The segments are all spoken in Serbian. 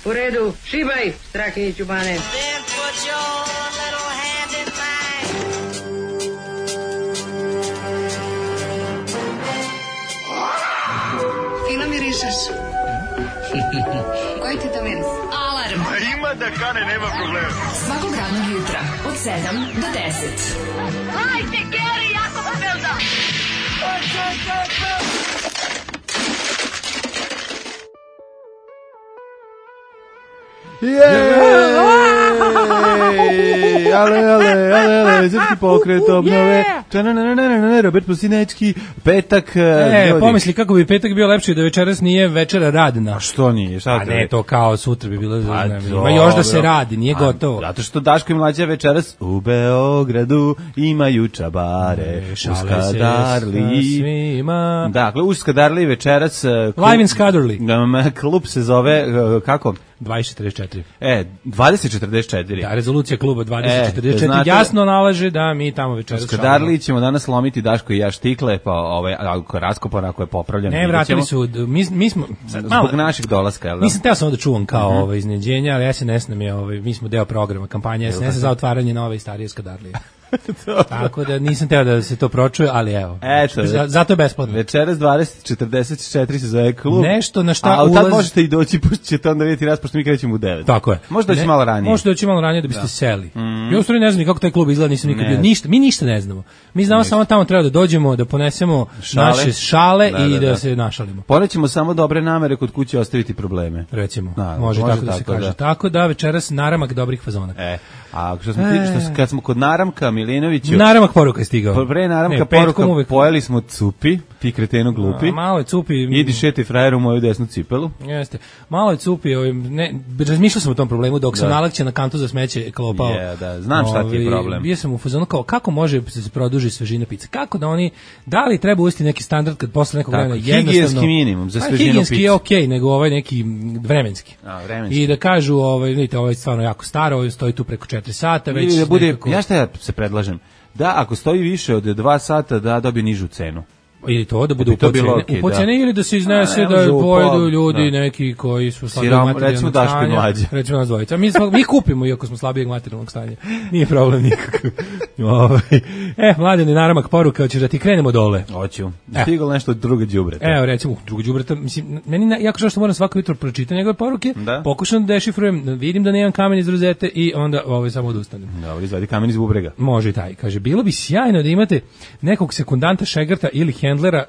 U redu, šibaj, Strahinjiću Bane. Fino mirišeš. Koji ti to miris? Alarm. Ima da kane, nema problema. Svakog radnog jutra, od 7 do 10. Hajde, Geri, jako se velda! Ale, srpski pokret obnove. Robert Prosinečki, petak. Pomisli kako bi petak bio lepši da večeras nije večera radna. A što nije? A ne, to kao sutra bi bilo. Ima još da se radi, nije gotovo. Zato što Daško i Mlađa večeras u Beogradu imaju čabare. U Skadarli. Dakle, u Skadarli večeras. Live in Skadarli. Klub se zove, kako? 2044. 2044. Da, rezolucija kluba 2044 jasno nalaže da mi tamo večeras u Skadarli ćemo danas lomiti Daško i ja štikle, pa ako je raskopan, ako je popravljen. Ne, vratili su, mi smo... Zbog naših dolaska, jel da? Nisam teo samo da čuvam kao iznenađenja, ali SNS nam je, mi smo deo programa kampanje SNS za otvaranje nove i starije Skadarlije. Tako da nisam teo da se to pročuje, ali evo. Zato je besplatno. Večeras 20:44 se zove klub. Nešto na šta ulaz... A tad možete i doći, pošto ćete onda vidjeti raz, pošto mi krećemo u 9. Tako je. Možda doći malo ranije. Možete doći malo ranije da biste seli. Ja u stvari ne znam kako taj klub izgleda, nisam nikad bio. Mi ništa ne znamo. Mi znamo samo tamo treba da dođemo, da ponesemo naše šale i da se našalimo. Ponećemo samo dobre namere, kod kuće ostaviti probleme. Recimo, može tako da se kaže. Tako da večeras naramak dobrih fazona. A kad smo kod naramka Milinoviću... Naramak poruka je stigao. Pre naramka poruka pojeli smo cupi, ti kretenu glupi. Malo je cupi... Idi šeti frajeru u moju desnu cipelu. Jeste. Malo je cupi, razmišljao sam o tom problemu dok sam nalakće na kantu za smeće klopao. Da, znam šta ti je problem. Bio sam u fazonu kao kako može se produži svežina pice. Kako da oni, da li treba uvesti neki standard kad posle nekog vremena jednostavno... Higijenski minimum za svežinu pice. Higijenski je okej, nego ovaj neki vremenski. I da kažu, vidite, ovo je stvarno jako staro, ovo stoji tu preko 4 sata. Ili da bude, ja šta ja se predlažem, da ako stoji više od 2 sata da dobije nižu cenu. Ili to da bude upocene ili da se iznese da pojedu ljudi neki koji su slabijeg materijalnog stanja. Recimo nas dvojica. Mi kupimo iako smo slabijeg materijalnog stanja. Nije problem nikakav. Mladene, naramak poruka, hoćeš da ti krenemo dole? Hoću. Stiglo nešto od druga đubreta. Evo recimo, druga đubreta, mislim, meni jako žao što moram svako jutro pročitati njegove poruke, pokušam da dešifrujem, vidim da nemam kamen iz rozete i onda samo odustanem. Dobro, izvadi kamen iz bubrega. Može i taj. Kaže, bilo bi sjajno da imate nekog sekundanta Šegrta ili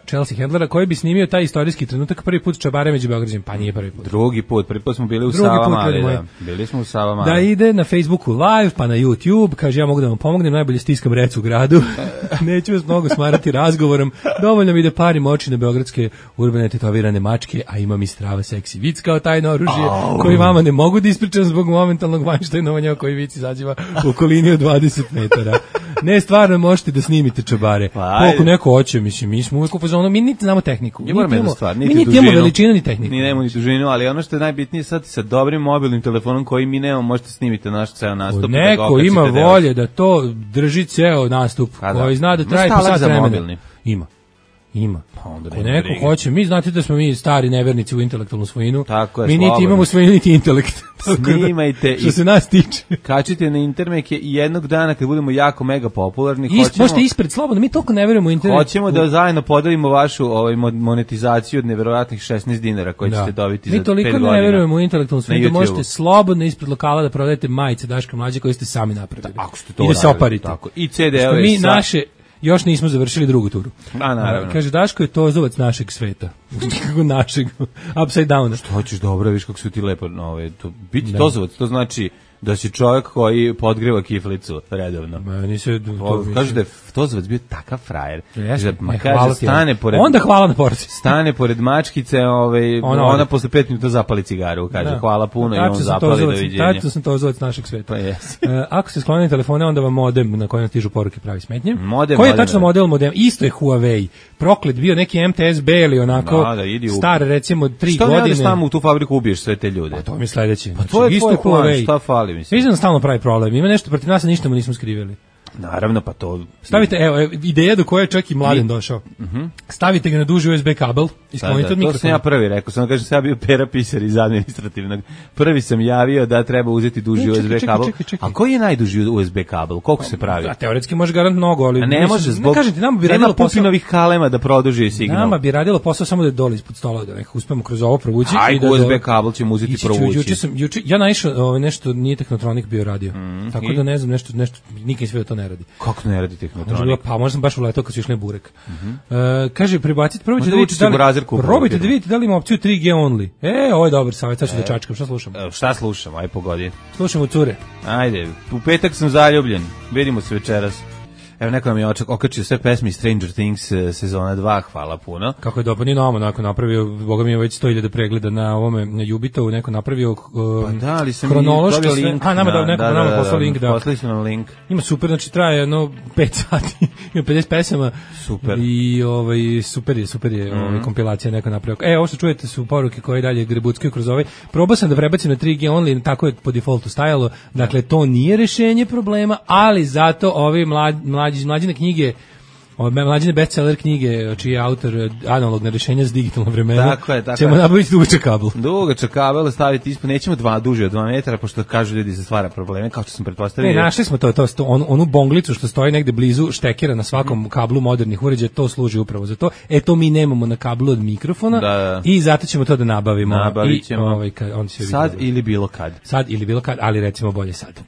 Chelsea Handlera koji bi snimio taj istorijski trenutak prvi put čabare među Beograđanima, pa nije prvi put. Drugi put smo bili u Savama, bili smo u Savama. Da ide na Facebooku live, pa na YouTube, kaže ja mogu da vam pomognem, najbolje stiskam rec u gradu, neću vas mnogo smarati razgovorom, dovoljno mi da parim oči na beogradske urbane tetovirane mačke, a imam i strava seksi vic kao tajno oružje, koji vama ne mogu da ispričam zbog momentalnog vanštajnovanja koji vic izađiva u okolini od 20 metara. Ne, stvarno možete da snimite čabare. Koliko neko hoće, mislim, mi smo uvijek u fazonu, mi niti znamo tehniku. Mi niti imamo veličinu ni tehniku. Mi nemamo ni dužinu, ali ono što je najbitnije sad sa dobrim mobilnim telefonom koji mi nemamo, možete snimiti naš ceo nastup. Neko ima volje da to drži ceo nastup, koji zna da traje po sat vremena. Ima. Ako neko hoće, mi znate da smo mi stari nevernici u intelektualnu svojinu. Mi niti imamo svojinu, niti intelekt. Snimajte što se nas tiče. Kačite na internete i jednog dana kad budemo jako mega popularni, možete ispred slobodno, mi toliko ne verujemo u internet. Hoćemo da zajedno podelimo vašu monetizaciju od neverovatnih 16 dinara koje ćete dobiti za 5 godina. Mi toliko ne verujemo u intelektualnu svojinu da možete slobodno ispred lokala da prodajete majice Daška Mlađe koje ste sami napravili. I da se oparite. I CD-ove. Mi naše još nismo završili drugu turu. Naravno. Kaže, Daško je tozovac našeg sveta. Kako našeg, upside down. Što hoćeš dobro, viš kako su ti lepo. Biti tozovac, to znači da si čovjek koji podgreva kiflicu redovno. Kažu da je tozovac bio takav frajer. Kaže, stane pored... Onda hvala na porci. Stane pored mačkice, ona posle 5 minuta zapali cigaru. Kaže, hvala puno i on zapali, doviđenja. Tačno sam tozovac našeg sveta. Ako se sklonili telefone, onda vam modem na kojem stižu poruke pravi smetnje. Koji je tačno model modem? Isto je Huawei. Proklet bio neki MTS-B ili onako star, recimo 3 godine. Što ne tamo u tu fabriku ubiješ sve te ljude? To mi je sledeće. Pa to je tvoj plan, šta fali? Mislim da stalno pravi problem. Ima nešto protiv nas, a ništa mu nismo skrivili. Naravno, pa to... Stavite, evo, ideja do koje je čak i Mladen došao. Stavite ga na duži USB kabel i sklonite od mikrofona. To sam ja prvi rekao, samo kažem, sam ja bio Pera Pisar iz administrativnog. Prvi sam javio da treba uzeti duži USB kabel. A koji je najduži USB kabel? Koliko se pravi? Teoretski može garant mnogo, ali... A ne može, zbog... Nema Pupinovih kalema da produži signal. Nama bi radilo posao samo da je dole ispod stola, da nekako uspemo kroz ovo provući. USB kabel ćemo uzeti provući. Ja naišao nešto, nije Tehnotronik bio radio. Tako da ne znam, nešto nikad sve da to ne radi. Kako ne radi Tehnotronik? Pa možda sam baš uletao kad su išli burek. Kaže, prebacite, probajte da vidite da li ima opciju 3G only. Ovo je dobar savjet, sad ću da čačkam. Šta slušamo? Šta slušamo? Aj pogodi. Slušamo cure. Ajde, u petak sam zaljubljen. Vidimo se večeras. Evo, neko nam je okačio sve pesme Stranger Things sezona 2, hvala puno. Kako je dobro, nije nama neko napravio, boga mi je već 100.000 pregleda na ovome, na Jubitovu, neko napravio ali sam hronološki sve. Link, Nama poslao link, da. Poslali su nam link. Ima super, znači traje jedno 5 sati, ima 50 pesama. Super. I super je kompilacija neko napravio. Ovo što čujete su poruke koje dalje grebuckaju kroz ovaj. Probao sam da prebacim na 3G only, tako je po defaultu stajalo. Dakle, to nije rešenje problema, ali zato ovi mlađine knjige, mlađine bestseller knjige, čiji je autor analogna rešenja za digitalno vremena, ćemo nabaviti dugačak kabel. Dugačak kabel staviti ispod, nećemo duži od 2 metara, pošto kažu ljudi se stvara probleme, kao što sam pretpostavio. Našli smo onu bonglicu što stoji negde blizu štekera na svakom kablu modernih uređaja, to služi upravo za to. To mi nemamo na kablu od mikrofona i zato ćemo to da nabavimo. Nabavit ćemo sad ili bilo kad. Sad ili bilo kad, ali recimo bolje sad.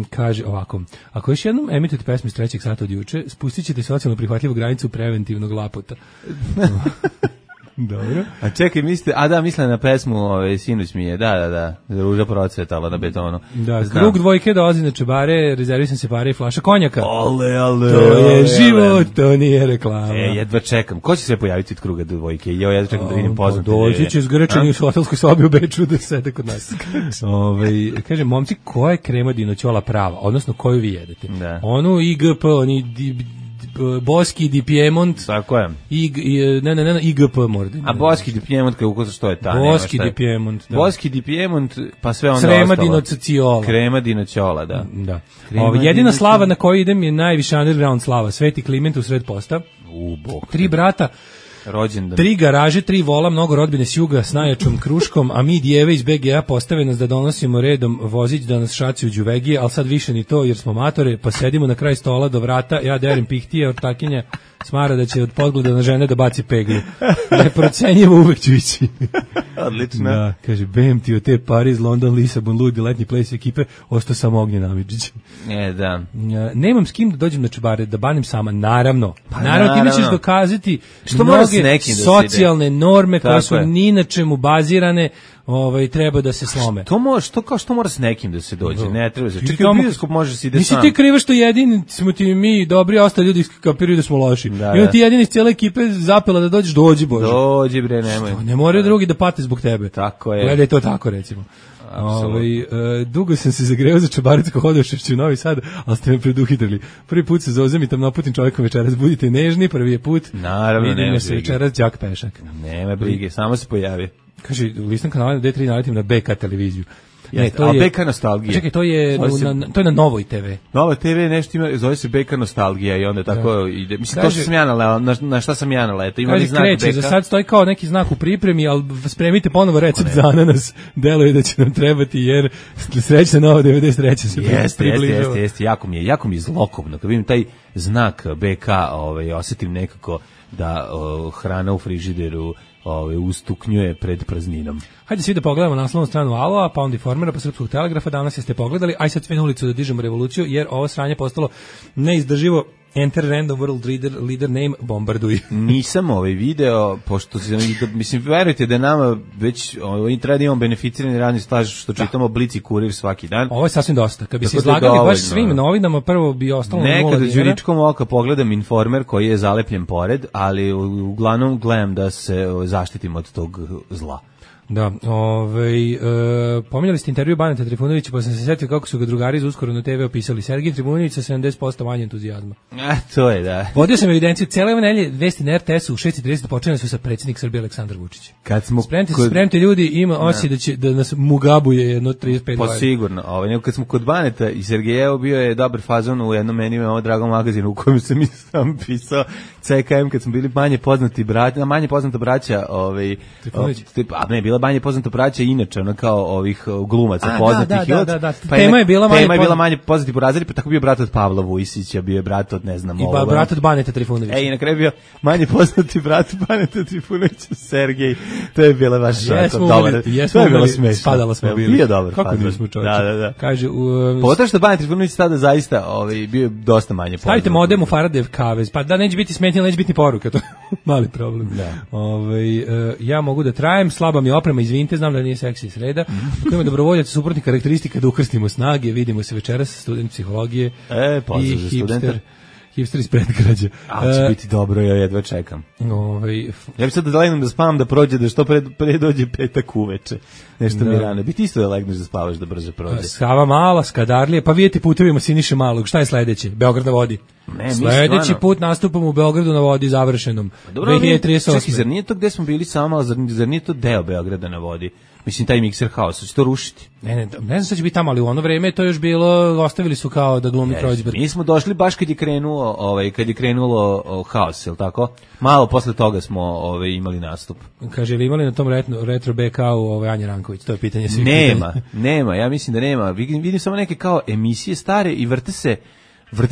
Kaže ovako, ako još jednom emitujete pesmu iz 3. sata od juče, spustit ćete socijalno prihvatljivu granicu preventivnog lapota. Dobro. A čekaj, misle na pesmu Sinoć mi je, da, ruža procvetala na betonu. Da, krug dvojke dolazi na Čebare, rezervisan se pare i flaša konjaka. Ale. To je život, to nije reklama. Jedva čekam. Ko će se pojaviti od kruga dvojke? Ja jedva čekam da vidim poznate. Doći će zgrčani u hotelskoj sobi u Beču da sede kod nas. Kaže, momci, koja je krema dinoćola prava? Odnosno, koju vi jedete? Da. Onu IGP, oni Boski di Piemont. Tako je. IGP mora. A Boski di Piemont, što je ta? Boski di Piemont. Boski di Piemont, pa sve onda Crema dinociola. Krema dinociola, da. Jedina slava na koju idem je najviša underground slava. Sveti Kliment u sred posta. Bog. 3 brata. Rođendan. 3 garaže, 3 vola, mnogo rodbine s juga s najjačom kruškom, a mi djeve iz BGA postave nas da donosimo redom vozić da nas šaci u đuvegije, ali sad više ni to jer smo matore, pa sedimo na kraj stola do vrata, ja derim pihtije, ortakinja smara da će od podgleda na žene da baci peglju. Neprocenjivo uvek ću ići. Odlično. Da, kaže, bem ti od te Pariz, London, Lisabon, Ludi, letnji ples ekipe, ostao sam Ognjen Amidžić. Da. Nemam s kim da dođem na Čebare, da banim sama, naravno. Naravno, ti nećeš dokazati mnoge socijalne norme koje su ni na čemu bazirane, treba da se slome. Što mora s nekim da se dođe? Ne treba se. Čekaj, u bioskop može se ide sam. Nisi ti kriva što jedini smo ti mi dobri, a ostali ljudi kapiraju da smo loši. I on ti jedini iz cijele ekipe zapela da dođeš, dođi Bože. Dođi bre, nemoj. Ne moraju drugi da pate zbog tebe. Tako je. Gledaj to tako, recimo. Dugo sam se zagreo za Čabarecko Hodoševću u Novi Sad, ali ste me preduhitrili. Prvi put se zozem i tam naputim čovjekom večeras. Budite nežni, prvi je put. Naravno, vidimo se večeras, đak pešak. Nema brige, samo se pojavi. Kaže, listam kanala na D3 naletim na BK televiziju. Ne, to je BK nostalgija. Čekaj, to je na Novoj TV. Nova TV nešto ima, zove se BK nostalgija i onda tako ide. Mislim, to što sam ja naleo, na šta sam ja naleo. Ima li znak BK? Za sad stoji kao neki znak u pripremi, ali spremite ponovo recept za ananas. Deluje da će nam trebati, jer srećna Nova 93 se približava. Jeste, jako mi je zlokobno. Kad vidim taj znak BK, osjetim nekako da hrana u frižideru ustuknjuje pred prazninom. Hajde svi da pogledamo naslovnu stranu Aloa, pa onda Informera, pa Srpskog telegrafa, danas jeste pogledali, aj sad sve na ulicu da dižemo revoluciju, jer ovo sranje postalo neizdrživo. Enter random world leader name, bombarduj. Nisam video, pošto mislim, verujte da je nama već treba da imamo beneficirani radni staž, što čitamo Blic i Kurir svaki dan. Ovo je sasvim dosta. Kad bi se izlagali baš svim novinama, prvo bi ostalo 0 dinara. Nekada đuričkom oka pogledam Informer koji je zalepljen pored, ali uglavnom gledam da se zaštitim od tog zla. Da, pominjali ste intervju Baneta Trifunovića, pa sam se setio kako su ga drugari iz Uskoro na TV opisali. Sergij Trifunović sa 70% manje entuzijazma. To je, da. Vodio sam evidenciju, cijele ove nelje vesti na RTS-u u 6:30 počinjene su sa predsjednik Srbije Aleksandar Vučić. Kad smo spremite ljudi, ima osjećaj da nas mugabuje jedno 35 godina. Pa sigurno, nego kad smo kod Baneta i Sergejevo bio je dobar fazon u jednom meni ovo dragom magazinu u kojem sam i sam pisao CKM kad smo bili manje poznata braća, ne, bila manje poznata braća inače, ona kao ovih glumaca poznatih. Da. Tema je bila manje poznati po razredu, pa tako bio brat od Pavla Vujsića, bio je brat od ne znam i brat od Baneta Trifunovića. I na kraju bio manje poznati brat Baneta Trifunovića, Sergej. To je bila baš dobar. To je bilo smešno. Spadalo smo bili. Bio dobar. Kako nismo čovječe. Da. Kaže pogotovo što Banet Trifunović tada zaista bio je dosta manje poznat. Stavite modem u Faradev kavez, pa da neće biti smetnje, neće biti poruka, to je mali problem. Da. Ja mogu da trajem, slaba mi oprema, izvinite, znam da nije seksi sreda. Ako ima dobrovoljac suprotnih karakteristika da ukrstimo snage, vidimo se večeras, student psihologije i hipster iz predgrađa. Će biti dobro, ja jedva čekam. Ja bih sad da legnem da spavam da prođe, da što pre dođe petak uveče. Nešto mi rano. Biti isto da legneš da spavaš da brže prođe. Skava Mala, Skadarlije, pa vidite putevima Siniše Malog. Šta je sledeće? Beograd na vodi. Sledeći put nastupamo u Beogradu na vodi završenom. 2038. Čekaj, zar nije to gde smo bili samo, zar nije to deo Beograda na vodi? Mislim, taj mikser haosa, će to rušiti? Ne znam šta će biti tamo, ali u ono vreme to još bilo, ostavili su kao da glumi Kreuzberg. Mi smo došli baš kad je krenulo haos, je li tako? Malo posle toga smo imali nastup. Kaže, ili imali na tom retro BK-u Anja Ranković, to je pitanje svih Nema, ja mislim da nema. Vidim samo neke kao emisije stare i vrte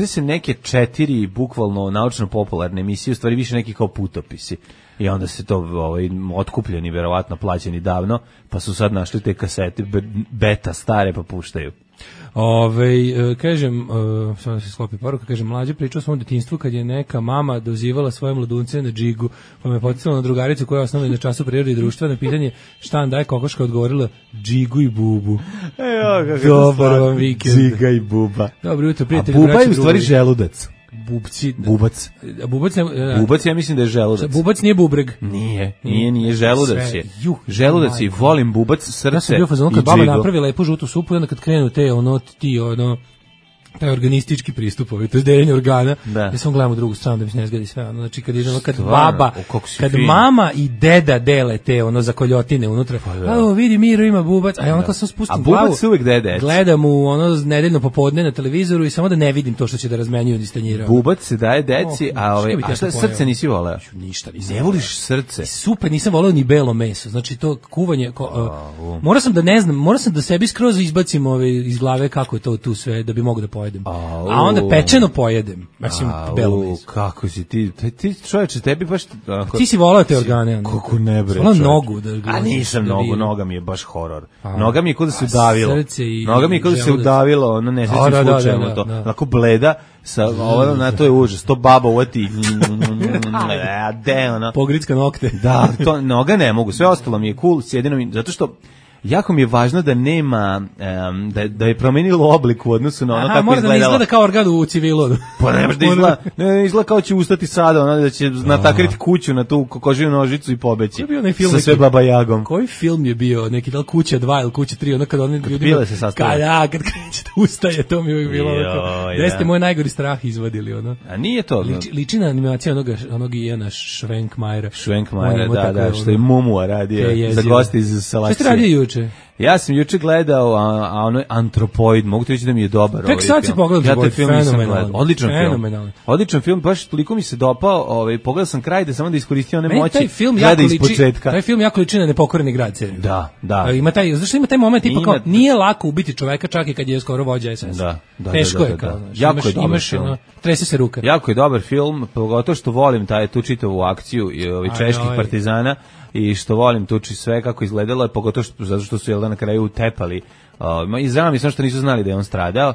se neke 4 bukvalno naučno-popularne emisije, u stvari više neki kao putopisi. I onda se to otkupljeni, verovatno plaćeni davno, pa su sad našli te kasete beta stare pa puštaju. Kažem, samo se sklopi poruka, kažem, mlađe pričao o svom detinjstvu kad je neka mama dozivala svoje mladunce na džigu, pa me poticala na drugaricu koja je osnovna na času prirode i društva, na pitanje šta nam daje kokoška odgovorila džigu i bubu. Dobar vam vikend. Džiga i buba. Dobro jutro, prijatelji. A buba je u stvari želudac. Bubac. Bubac, ja mislim da je želudac. Bubac nije bubreg. Nije želudac je. Želudac je, volim bubac, srce. Ja sam bio fazon kad baba napravi lepu žutu supu i onda kad krenu te taj organistički pristup, to je deljenje organa. Ja sam gledam u drugu stranu da mi se ne zgadi sve. Znači kad mama i deda dele te zakoljotine unutra. Vidi, Miro ima bubac, a ja onako sam spustim glavu. A bubac uvek dede. Gledam u nedeljno popodne na televizoru i samo da ne vidim to što će da razmenjuju iz tanjira. Bubac se daje deci, a šta srce nisi voleo? Ništa nisam. Ne voliš srce? Super, nisam voleo ni belo meso. Znači to kuvanje, moram sam da sebi skroz izbacim iz glave kako je to tu sve da bi mogu da pojedem. A onda pečeno pojedem. Mislim, belo meso. Kako si ti čovječe, tebi baš... Ti si volao te organe. Kako ne bre. Volao nogu. A nisam noga mi je baš horor. Noga mi je kod da se udavilo. Noga mi je kod da se udavilo, ono nesrećnim slučajima to. Onako bleda, to je užas. To baba uvati. Pogricka nokte. Da, to noga ne mogu. Sve ostalo mi je cool, jedino mi, zato što jako mi je važno da nema, da je promenilo oblik u odnosu na ono kako izgledalo. Mora da ne izgleda kao organ u civilu. Pa ne može da izgleda kao će ustati sada, da će natakriti kuću na tu kokožiju nožicu i pobeći. Sa sve Baba Jagom. Koji film je bio, neki da li Kuća 2 ili Kuća 3, kad oni ljudima... se sastavljaju. Kad kreće da ustaje, to mi je uvijek bilo. Gde ste moj najgori strah izvadili, ono. A nije to. Liči na animacija onog Ijana Švenkmajera. Da, što je Mumua radio za goste iz Salacije. Šta ste radio juče? Ja sam juče gledao ono Antropoid, mogu ti reći da mi je dobar ovaj film. Tek sad si pogledao, odličan film, baš toliko mi se dopao, pogledao sam kraj da samo da iskoristio one moći. Taj film jako liči na Nepokoreni grad. Da. Zašto ima taj moment tipa kao nije lako ubiti čoveka čak i kad je skoro vođa SS. Teško je kao, imaš trese se ruka. Jako je dobar film, pogotovo što volim tu čitavu akciju i čeških partizana. I što volim tuči sve kako izgledalo je, pogotovo zato što su na kraju utepali. Izrano mi sam što nisu znali da je on stradao.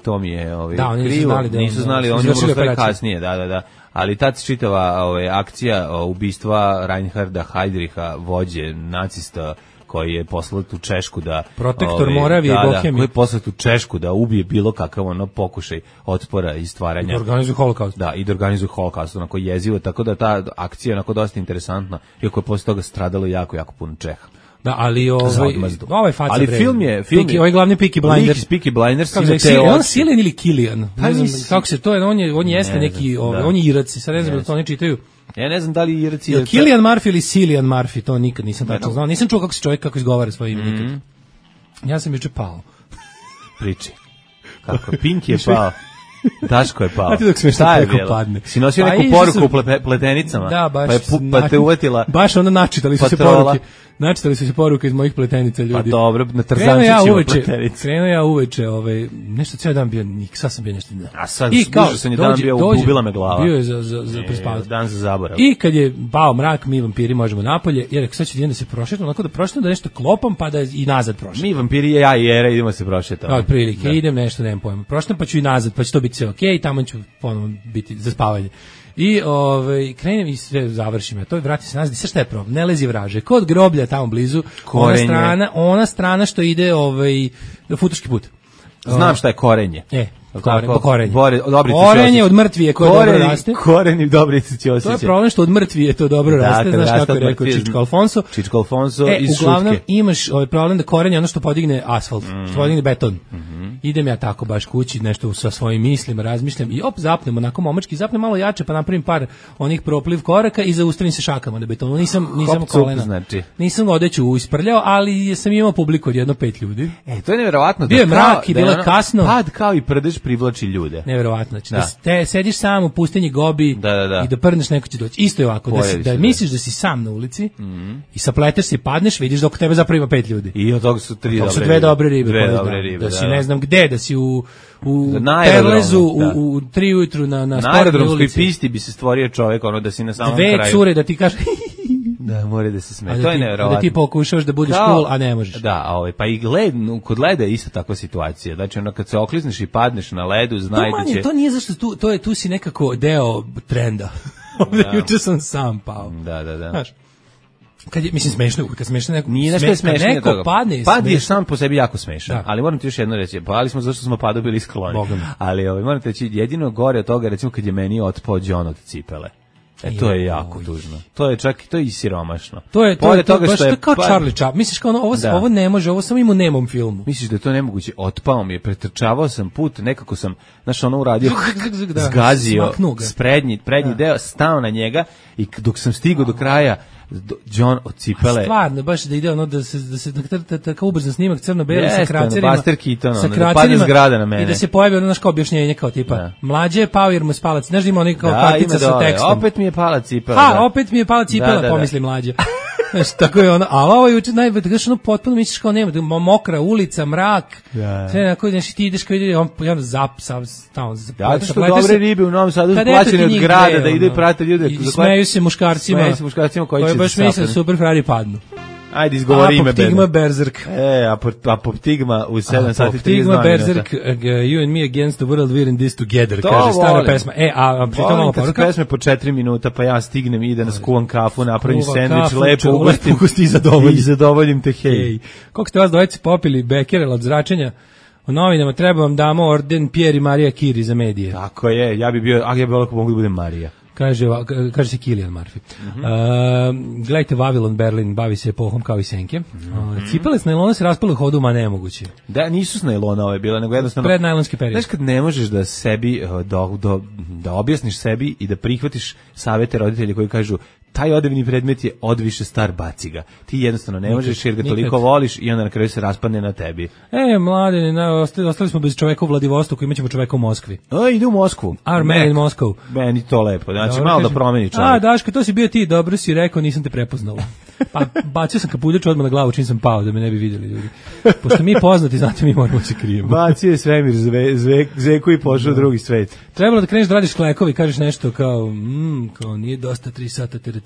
To mi je krivo. Nisu znali, on je umro kasnije, da. Ali ta čitava akcija ubistva Reinharda Heydricha, vođe nacista, koji je poslao tu Češku da... Protektor Moravije i Bohemije. Koji je poslao tu Češku da ubije bilo kakav pokušaj otpora i stvaranja. I da organizuje holokaust. Da, i da organizuje holokaust, onako jezivo, tako da ta akcija je onako dosta interesantna, iako je posle toga stradalo jako puno Čeha. Da, ali ovaj faca ali film je ovaj glavni Peaky Blinders. Peaky Blinders kako se on Cillian ili Killian? Ne znam kako se to je, on jeste neki, on je Irac, sad ne znam da to oni čitaju. Ja ne znam da li Irac je Cillian Murphy ili Cillian Murphy, to nikad nisam tačno znao. Nisam čuo kako se čovjek kako izgovara svoje ime nikad. Ja sam juče pao. Priči. Kako Pink je pao. Daško je pao. Znate dok smiješ na preko padne. Si nosio neku poruku u pletenicama? Da, baš. Pa te uvetila. Baš onda načitali su se poruke. Načitali su se poruke iz mojih pletenica, ljudi. Pa dobro, na Tarzančićima pletenice. Krenuo ja uveče, nešto cijel dan bio, sad sam bio nešto. A sad, duže sam je dan bio, ubila me glava. Bio je za prespavati. Dan za zaborav. I kad je pao mrak, mi vampiri možemo napolje, jer sad ću da se prošetam, onako da prošetam, da nešto klopam, pa da i nazad prošetam. Mi vampiri, ja i Era, idemo se prošetati. Od prilike, idem nešto, nemam pojma. Prošetam, pa ću i nazad, pa će to biti sve okej, tamo ću ponovno biti za spavanje. I krenem i sve završim. Ja to vrati se nazad. I sve šta je problem? Ne lezi vraže. Kod groblja tamo blizu, ona strana što ide Futoški put. Znam šta je Korenje. Korenje od mrtvije koje dobro raste. Korenje Dobrice Ćosića. To je problem što od mrtvije to dobro raste. Znaš kako je rekao Čičko Alfonso. Čičko Alfonso iz Šutke. Uglavnom imaš problem da korenje ono što podigne asfalt, što podigne beton. Idem ja tako baš kući, nešto sa svojim mislima razmišljam i zapnem onako momački, zapnem malo jače pa napravim par onih propliv koraka i zaustavim se šakama na betonu. Nisam kolena. Znači. Nisam odeću isprljao, ali sam imao publiku od 5 ljudi. To je neverovatno. Bio je mrak i bilo kasno. Pad kao i prdež privlači ljude. Neverovatno. Znači da sediš sam u pustinji Gobi i da prdneš, neko će doći. Isto je ovako, da misliš da si sam na ulici i sapleteš se i padneš, vidiš da oko tebe zapravo ima 5 ljudi. I od toga su 2 dobre ribe. Da si ne znam gde, da si u Perlezu u 3 ujutru na aerodromskoj pisti bi se stvorio čovjek, da si na samom kraju. 2 cure da ti kaže da mora da se smeje. To je neverovatno. Da ti pokušaš da budeš cool, a ne možeš. Da, pa i kod leda je isto takva situacija. Znači, kad se oklizneš i padneš na ledu, znaj da će... To nije zašto, tu si nekako deo trenda. Juče sam sam pao. Da. Znaš, smešno, kad smešno neko... Nije nešto smešno. Neko padne... Pad je sam po sebi jako smešan. Ali moram ti još jedno reći, pali smo zašto smo padu bili skloni. Ali moram ti reći, jedino gore od toga, recimo kad je meni otpao John od cipele. To je jako tužno. To je čak i siromašno. To je baš kao Charlie Chaplin. Misliš kao ovo ne može, ovo samo ima u nemom filmu. Misliš da je to nemoguće? Otpao mi je, pretrčavao sam put, nekako sam, uradio, zgazio prednji deo, stao na njega i dok sam stigao do kraja, John od cipele. Stvarno, baš da ide da se tako ubrzan snimak crno-beli sa kracerima. Buster Keaton, da padne zgrada na mene. I da se pojavi kao objašnjenje kao tipa, mlađe je pao jer mu je spala, znaš da ima onih kao kartica sa tekstom. Opet mi je pala cipela. Opet mi je pala cipela, pomisli mlađe. Znaš, tako je ono, ali ovo je juče najbolje, da ono potpuno misliš kao nema, mokra ulica, mrak, sve onako, znači ti ideš kao ide, on tamo zato što dobre ribe u Novom Sadu plaćene od grada, da ide i prate ljude. I smeju se muškarcima koji će baš misle super frari padnu. Ajde, izgovori ime. Apoptigma Berserk. Apoptigma u 7 sati 32 minuta. Apoptigma Berserk, you and me against the world, we're in this together, kaže stara pesma. Volim kad su pesme po 4 minuta, pa ja stignem i da naskuvam kafu, napravim sendvič, lepo ugostim i zadovoljim te, hej. Koliko ste vas dvojice popili Bekerel od zračenja? U novinama treba vam damo orden Pierre i Marija Curie za medije. Tako je, ja bi bio ako mogu da budem Marija. Kaže se Cillian Murphy. Gledajte Vavilon Berlin, bavi se epohom kao i senke. Cipele s najlona se raspale u hodu, ma nemoguće. Da, nisu s najlona ove bile, nego jednostavno... Prednajlonski period. Znaš kad ne možeš da sebi, da objasniš sebi i da prihvatiš savete roditelja koji kažu taj odevni predmet je odviše star, baci ga. Ti jednostavno ne možeš jer ga toliko voliš i onda na kraju se raspadne na tebi. Mlade, ostali smo bez čoveka u Vladivostoku, imat ćemo čoveka u Moskvi. Ide u Moskvu. Our man in Moscow. Meni to lepo, znači malo da promeni čovjek. Daško, to si bio ti, dobro si rekao, nisam te prepoznala. Pa bacio sam kapuljač odmah na glavu čim sam pao, da me ne bi vidjeli ljudi. Pošto mi poznati, znate, mi moramo se krijemo. Bacio je svemir, zeku i pošao u drugi svet. Trebalo da kreneš da radiš klekovi, kažeš nešto kao nije dosta 3 sata teretana.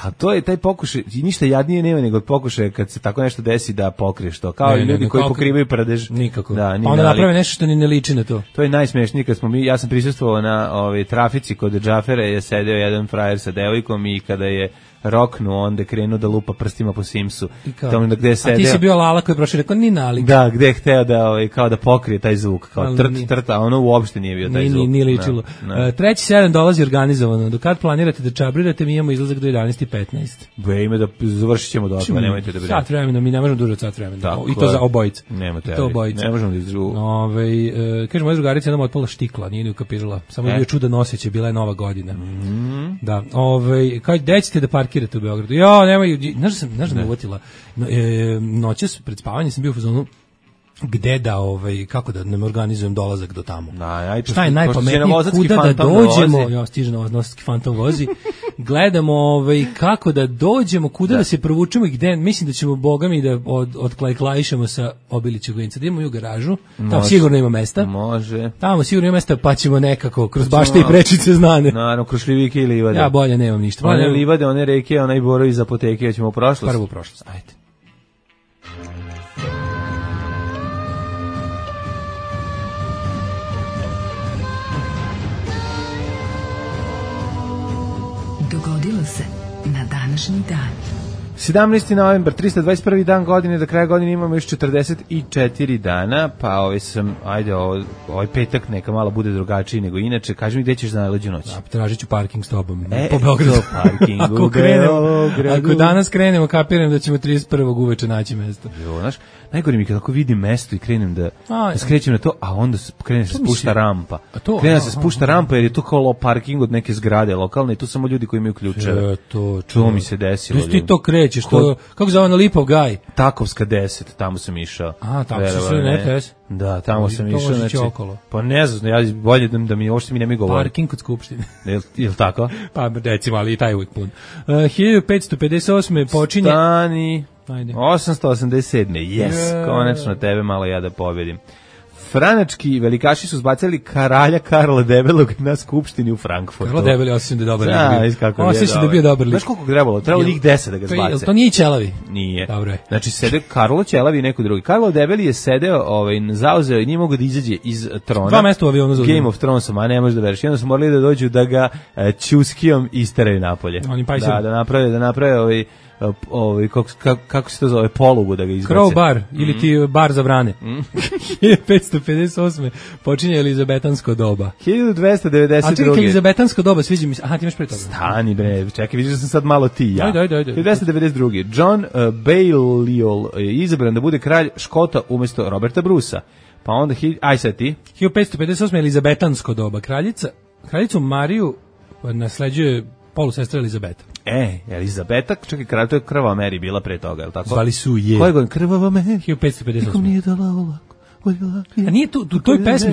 A to je taj pokušaj, ništa jadnije nema nego pokušaj kad se tako nešto desi da pokriješ to. Kao i ljudi koji pokrivaju prdež. Nikako. Pa onda naprave nešto što ni ne liči na to. To je najsmešnije kad ja sam prisustvovao na trafici kod Džafera, je sedeo jedan frajer sa devojkom i kada je roknu, onda je krenuo da lupa prstima po Simsu. Tamo gde je sedeo. A ti si bio Lala koji je prošao, rekao ni nalik. Da, gde je hteo da, kao da pokrije taj zvuk, kao trt, a ono uopšte nije bio taj zvuk. Nije ličilo. Treći 7 dolazi organizovano. Do kad planirate da čabrirate, mi imamo izlazak do 11:15. Ime da završit ćemo do toga, nemojte da brinete. Sat vremena, mi ne možemo duže od sat vremena. I to za obojice. Nema teorije. Ne možemo da izrugu. Kaže, moja drugarica nam otpala štikla, nije ni ukapirala. Samo je bio čudan osjećaj, bila je Nova godina. Da. Kao gde ćete da parkirate u Beogradu? Ja, nemaju, znaš da me uvotila. Noćas pred spavanjem sam bio u fazonu gde da, kako da nam organizujem dolazak do tamo. Šta je najpametnije, kuda da dođemo, ja stiže novosadski fantom vozi, gledamo kako da dođemo, kuda da se provučemo i gde, mislim da ćemo bogami da odklajklajišemo sa Obilićeg Vinca, da imamo u garažu, tamo sigurno ima mesta. Može. Tamo sigurno ima mesta, pa ćemo nekako kroz bašte i prečice znane. Naravno, kroz šljivike i livade. Ja bolje nemam ništa. One livade, one reke, onaj borovi iz apoteke, ja ćemo u prošlost. Prvo u prošlost, ajde. Dogodilo se na današnji dan. 17. novembar, 321. dan godine, do kraja godine imamo još 44 dana, pa ovaj petak neka malo bude drugačiji nego inače. Kaži mi gde ćeš za najluđu noć? Tražit ću parking s tobom, po Beogradu. Ako danas krenemo, kapiram da ćemo 31. uveče naći mesto. Znaš, najgore mi kako vidim mesto i krenem da skrećem na to, a onda krene se spušta rampa. Krene se spušta rampa jer je to kao parking od neke zgrade lokalne i tu samo ljudi koji imaju ključeve. To mi se desilo. Ti to krećeš, kako zove na Lipov gaj? Takovska 10, tamo sam išao. Tamo si sve netes? Da, tamo sam išao. Znači, pa ne znam, ja bolje da mi uopšte mi ne mi govori. Parking kod Skupštine. Jel tako? Pa recimo, ali i taj uvijek pun. 1558. počinje... Stani... 887. Konačno tebe malo ja da pobedim. Franački velikaši su zbacili kralja Karla Debelog na skupštini u Frankfurtu. Karlo Debeli, osjećam da je dobar. Osjećam da je bio dobar lik. Znaš koliko trebalo? Trebalo njih 10 da ga zbace. To nije Ćelavi? Nije. Dobro je. Znači, sede Karlo Ćelavi i neko drugi. Karlo Debeli je sedeo, zauzeo i nije mogo da izađe iz trona. 2 mesta u avionu zauzeo. Game of Thrones, a ne možeš da veriš. I onda su morali da dođu da ga ćuskijom isteraju napolje. Da naprave kako se to zove, polugu da ga izbace. Crow bar, ili ti bar za vrane. 1558. počinje Elizabetansko doba. 1292. A čekaj, Elizabetansko doba, sviđa mi se. Aha, ti imaš pre toga. Stani bre, čekaj, vidiš da sam sad malo ti ja. Ajde. 1292. John Balliol je izabran da bude kralj Škota umjesto Roberta Brusa. Pa onda, aj sad ti. 1558. Elizabetansko doba. Kraljicu Mariju nasleđuje polusestra Elizabeta. Elizabeta, čekaj, to je Krvava Mary bila pre toga, je li tako? Zvali su je. Koje godine? Krvava Mary? 1558. Nikom nije dala ovako. A nije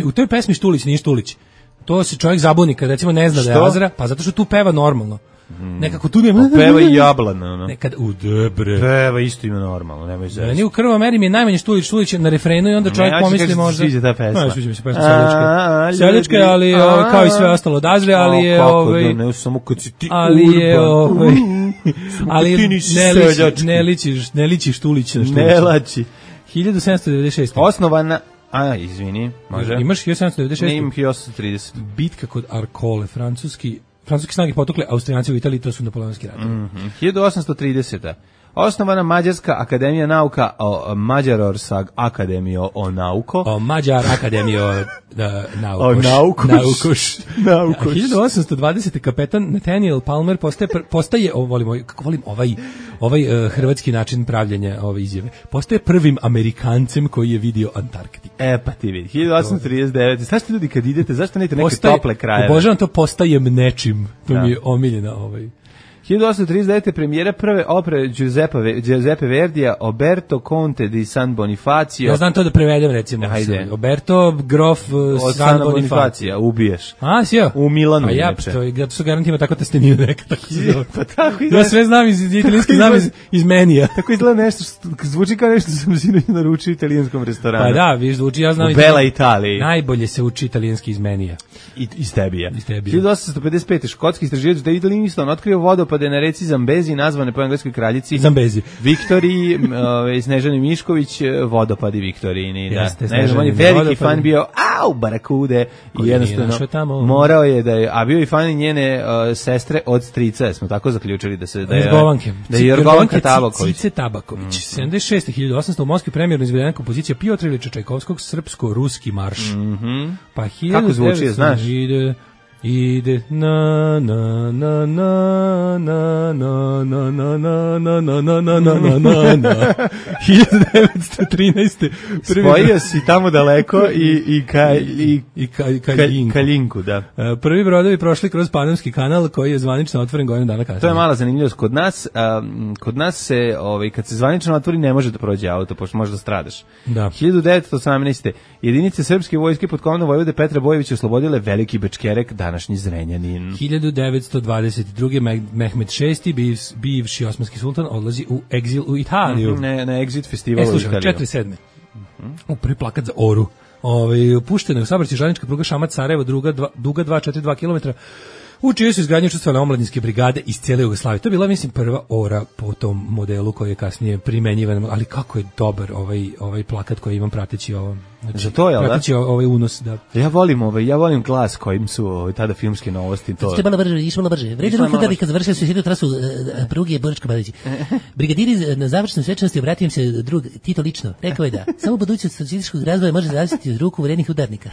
u toj pesmi Štulić, nije Štulić. To se čovjek zabuni kad recimo ne zna da je Azra, pa zato što tu peva normalno. Nekako tu nema. Peva i Jablana, Nekad u debre. Peva isto ima normalno, nemoj zezati. Meni u Krvava Meri mi je najmanje Štulić na refrenu i onda čovjek pomisli možda. Sviđa ta pesma. Sviđa mi se pesma Seljačka, ali kao i sve ostalo od Azre, ali je ne samo kad si ti ali ne liči Štulić na Štulić. Ne lači. 1796. Osnovana izvini, može. Imaš 1796? Ne, imam 1830. Bitka kod Arkole, francuski snage potukle Austrijanci u Italiji, to su napoleonski rat. 1830. Osnovana Mađarska akademija nauka o Mađarorsag akademio o nauko. O Mađar akademio naukoš. 1820. kapetan Nathaniel Palmer postaje volim ovaj hrvatski način pravljenja ove izjave. Postaje prvim Amerikancem koji je vidio Antarktiku. Pa ti vidi, 1839. Zašto ljudi kad idete, zašto ne idete neke tople krajeve? Obožavam to, postajem nečim. To mi je omiljena 1839. premijera prve opere Giuseppe Verdija Oberto Conte di San Bonifacio. Ja znam to da prevedem recimo. Ajde. Oberto Grof San Bonifacio. Ubiješ. Sjeo. U Milanu. A ja su garantima tako testeniju nekada. Pa tako izgleda. Ja sve znam iz italijanski, znam iz menija. Tako izgleda nešto, zvuči kao nešto sam sinoć naručio u italijanskom restoranu. Pa da, viš zvuči, ja znam. U Bela Italiji. Najbolje se uči italijanski iz menija. Iz tebija. 1855. škotski istraživač David Livingstone otkrio vodopad vodopade na reci Zambezi, nazvane po engleskoj kraljici Zambezi. Viktoriji, Snežani Mišković, vodopadi Viktorijini. Jeste, ne znam, on je veliki fan bio, barakude, i jednostavno morao je da je, a bio i fan njene sestre od strica, smo tako zaključili da je Jorgovanka Tabaković. Cice Tabaković. 76. 1800 u Moskvi premjerno izvedena kompozicija Piotra Ilića Čajkovskog Srpsko-ruski marš. Pa 1900 kako zvuči, znaš? Ide na na na na na na na na na na na na na na na na 1913. Spojio si tamo daleko i Kaljinku, da. Prvi brodovi prošli kroz Panamski kanal koji je zvanično otvoren godinu dana kasnije. To je mala zanimljivost kod nas se kad se zvanično otvori ne može da prođe auto, pošto može da stradaš. Da. 1918. jedinice srpske vojske pod komandom vojvode Petra Bojovića oslobodile Veliki Bečkerek, današnji Zrenjanin. 1922. Mehmed VI, bivši osmanski sultan, odlazi u egzil u Italiju. Na Exit festivalu u Italiju. 47. U prvi plakat za Oru. Puštena je u saobraćaj železnička pruga Šamac-Sarajevo, duga 242 km, u čijoj su izgradnji učestvovale omladinske brigade iz cijele Jugoslavije. To je bila, mislim, prva Ora po tom modelu koji je kasnije primenjivan, ali kako je dobar ovaj plakat koji imam prateći ovo. Znači, za to je, prateći ovaj unos, da. Ja volim glas kojim su tada filmske novosti. To. Malo brže, išlo malo brže. Vređa ruku da bi kad završili su sjedu trasu pruge Boračka Badići. Brigadiri na završnoj svečanosti obratio im se drug Tito lično. Rekao je da samo budućnost socijalističkog razvoja može zavisiti od ruku vrednih udarnika.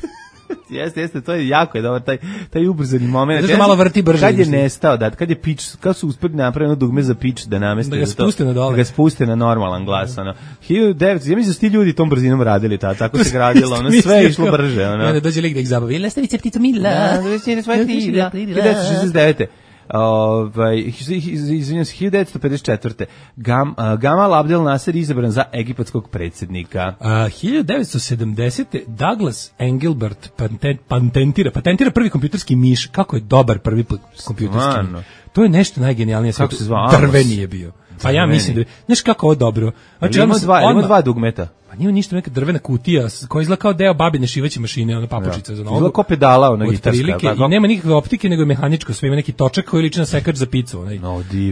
Jeste, to je jako je dobar taj ubrzani moment. Znači malo vrti brže. Kad je nestao, kad je pitch, kad su uspeli napraviti jedno dugme za pitch da nameste da ga spuste na dole. Da ga spuste na normalan glas, ono. 1900, ja mislim da su ti ljudi tom brzinom radili tako se gradilo, ono sve je išlo brže, ono. Onda dođe lik da ih zabavi. Lastavice ptico mila. 1969. Izvinjam se, 1954. Gamal Abdel Nasser izabran za egipatskog predsjednika. 1970. Douglas Engelbart patentira prvi kompjuterski miš. Kako je dobar prvi kompjuterski miš. To je nešto najgenijalnije. Kako se zvao? Drveni je bio. Pa ja mislim da znaš kako ovo dobro. Znači, ima dva dugmeta. Pa nije ništa, neka drvena kutija koja izgleda kao deo babine šivaće mašine, ona papučica za nogu. Izgleda kao pedala, ona gitarska. I nema nikakve optike, nego je mehaničko, sve ima neki točak koji liči na sekač za picu, onaj.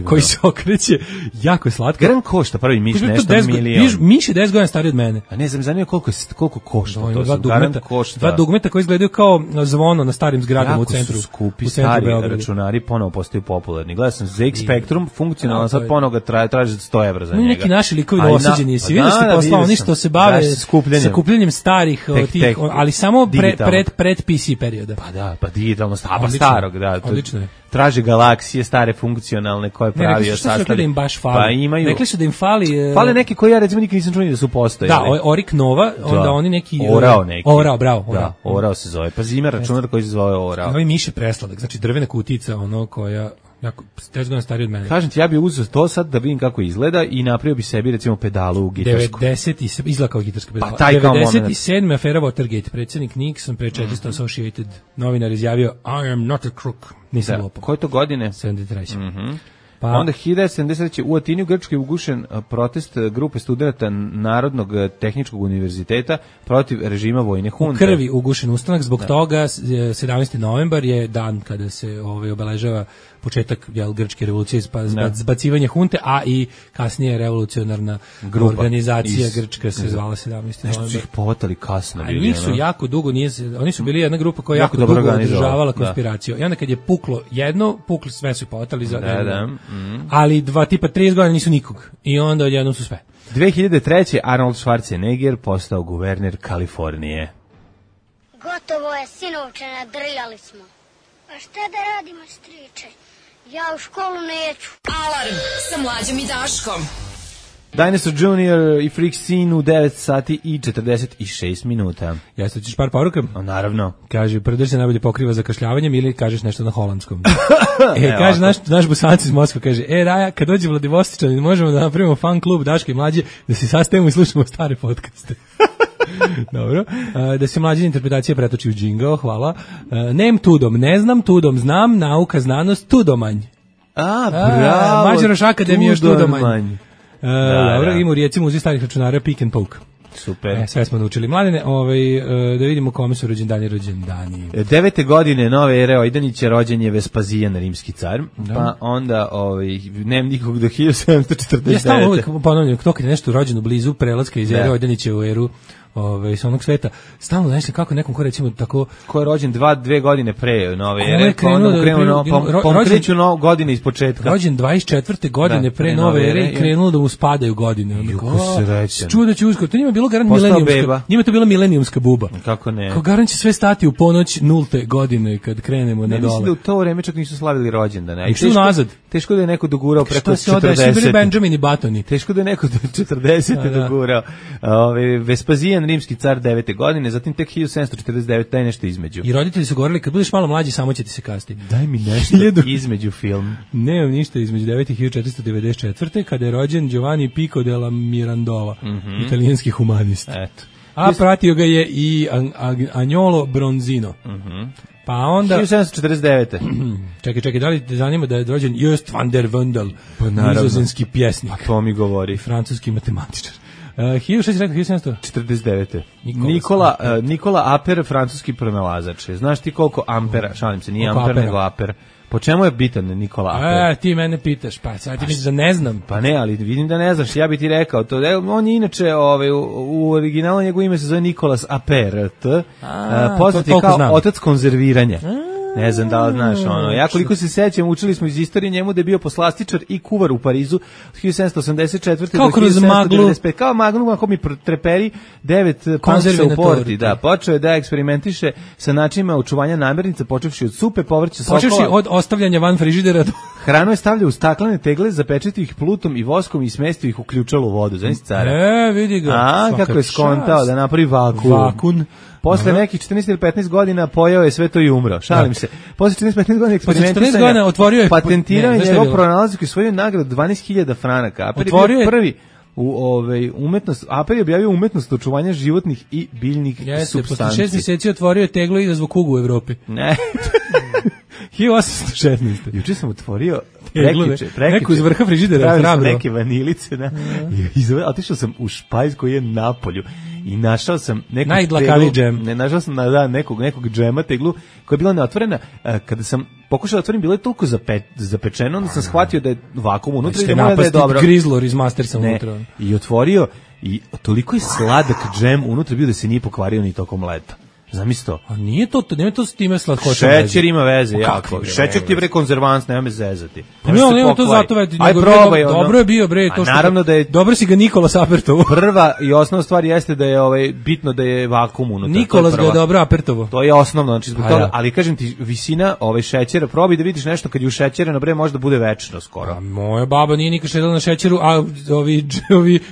Koji se okreće, jako je slatko. Garan košta prvi miš nešto milion. Miš je 10 godina stariji od mene. A ne znam, zanima koliko košta to. Dva dugmeta koji izgledaju kao zvono na starim zgradama u centru. Jako su skupi, stari računari ponovo postaju popularni. Gledao sam ZX Spectrum, funkcionalno, sad ponovo ga traže 100 evra za njega. Neki naši likovi dosađeni, si vidio ste poslao, oni što se bave sakupljanjem starih, ali samo pred PC perioda. Pa da, pa digitalno, starog, da. Odlično je. Traže galaksije stare funkcionalne koje pravio sastavi. Pa imaju. Rekli su da im fali. Fale neki koji ja recimo nikad nisam čuo da su postojali. Da, Orik Nova, onda oni neki Orao neki. Orao, bravo. Da, Orao se zove. Pa ima računar koji se zove Orao. Ovaj miš je presladak, znači drvena kutica, ono koja jako 10 godina stariji od mene. Kažem ti, ja bih uzeo to sad da vidim kako izgleda i napravio bi sebi recimo pedalu gitarsku. 90 izgleda kao gitarska pedala. Pa 97. afera Watergate, predsjednik Nixon pre 400 Associated novinar izjavio I am not a crook. Nisam lopov. Koje to godine? 73. Pa onda 1973. u Atini u Grčkoj ugušen protest grupe studenata Narodnog tehničkog univerziteta protiv režima vojne hunte. U krvi ugušen ustanak, zbog toga 17. novembar je dan kada se obeležava početak grčke revolucije, zbacivanje hunte, a i kasnije revolucionarna organizacija grčka se zvala 17. novembar. Nešto su ih povatali kasno. A njih su jako dugo, oni su bili jedna grupa koja jako dugo održavala konspiraciju. I onda kad je puklo jedno, sve su povatali za ali 30 godina nisu nikog. I onda odjednom su sve. 2003. Arnold Schwarzenegger postao guverner Kalifornije. Gotovo je, sinovče, nadrljali smo. A šta da radimo, striče? Ja u školu neću. Alarm sa Mlađom i Daškom. Dinosaur Junior i Freak Scene u 9 sati i 46 minuta. Jeste, ćeš par poruka? Naravno. Kaže, prdež se najbolje pokriva zakašljavanjem ili kažeš nešto na holandskom. Kaže, naš Busanci iz Moskve, kaže, Raja, kad dođe Vladivostičan, možemo da napravimo fan klub Daške i Mlađe, da se sastavimo i slušamo stare podcaste. Dobro. Da se Mlađe interpretacija pretoči u džingao, hvala. Nem tudom, ne znam, tudom znam, nauka, znanost, tudomanj. Bravo. Mađaroš akademija još tudomanj. Dobro, ima u Rijeci muzej starih računara Pick and Poke. Super. Sve smo naučili. Mladene, da vidimo kome su rođendani. 9. godine nove ere Ojdanića rođen je Vespazijan, rimski car, pa onda nema nikog do 1749. Ja stavno uvijek ponavljam, to kad je nešto rođeno blizu prelaska iz ere Ojdanića u eru sa onog sveta, stalno nešto kako nekom ko recimo tako... Ko je rođen 2 godine pre nove ere, pa onda kreću godine iz početka. Rođen 24. godine pre nove ere i krenulo da mu spadaju godine. Juko srećan. Čuo će uskoro, to njima bilo garant milenijumska. Njima to bila milenijumska buba. Kako ne? Kao garant će sve stati u ponoć 0. godine kad krenemo na dole. Mislim da u to vreme čak nisu slavili rođendane. I što nazad? Teško da je neko dogurao preko 40. Svi bili Benjamin i Batoni. Teško da je neko do 40. dogurao. Vespazijan, rimski car 9. godine, zatim tek 1749, taj nešto između. I roditelji su govorili, kad budeš malo mlađi, samo će ti se kasti. Daj mi nešto između film. Nemam ništa između 9. i 1494. kada je rođen Giovanni Pico della Mirandola, italijanski humanist. Eto. A pratio ga je i Agnolo Bronzino. Pa onda 1749. Čekaj, da li te zanima da je rođen Just van der Wendel, nizozemski pjesnik. A to mi govori. Francuski matematičar. 1749. Nikola Aper, francuski pronalazač. Znaš ti koliko ampera, šalim se, nije amper nego aper. Po čemu je bitan Nikola Aper? Ti mene pitaš, pa sad ti misliš da ne znam. Pa ne, ali vidim da ne znaš, ja bi ti rekao to. On je inače, u originalu njegovo ime se zove Nikolas Aper, poznat je kao otac konzerviranja. Ne znam da li znaš ja koliko se sećam, učili smo iz istorije njemu da je bio poslastičar i kuvar u Parizu od 1784. Kao do 1795. Kao magnu, ako mi treperi 9 panksa u porti. Da, počeo je da eksperimentiše sa načinima očuvanja namirnica, počevši od supe, povrća, sokova. Počevši od ostavljanja van frižidera. Hranu je stavljao u staklene tegle, zapečatio ih plutom i voskom i smestio ih u ključalu vodu. Znaš cara? Vidi ga. Kako je skontao da napravi vakun. Posle nekih 14 ili 15 godina pojao je sve to i umro. Šalim se. Posle 14-15 godina eksperimentisanja otvorio je patentirao je njegov pronalazak i osvojio nagradu 12.000 franaka. Aper je bio prvi u umetnost. Aper je objavio umetnost očuvanja životnih i biljnih supstanci. Posle 6 mjeseci otvorio je teglo i izazvao kugu u Evropi. Ne. 1816. Juče sam otvorio neku iz vrha frižidera, hrabro. Neke vanilice, otišao sam u špajz koji je na polju i našao sam najdlakaviji džem. Našao sam nekog džema teglu koja je bila neotvorena. Kada sam pokušao da otvorim, bilo je toliko zapečeno, onda sam shvatio da je vakuum unutra i da mora da je dobro. Grizlor iz Mastersa unutra. I otvorio i toliko je sladak džem unutra bio da se nije pokvario ni tokom leta. Zamisli to. A nije to s time slatkoćom. Šećer ima veze, jako. Šećer ti je konzervans, nema me zezati. Nema to zato već. Aj probaj. Dobro je bio bre, to što. Naravno da je dobro si ga Nikola Apertovo. Prva i osnovna stvar jeste da je bitno da je vakuum unutra. Nikolas ga je dobro Apertovo. To je osnovno, znači zbog toga, ali kažem ti visina šećera, probaj da vidiš nešto kad je u šećereno bre možda bude večno skoro. Moja baba nije nikad šedala na šećeru, a ovi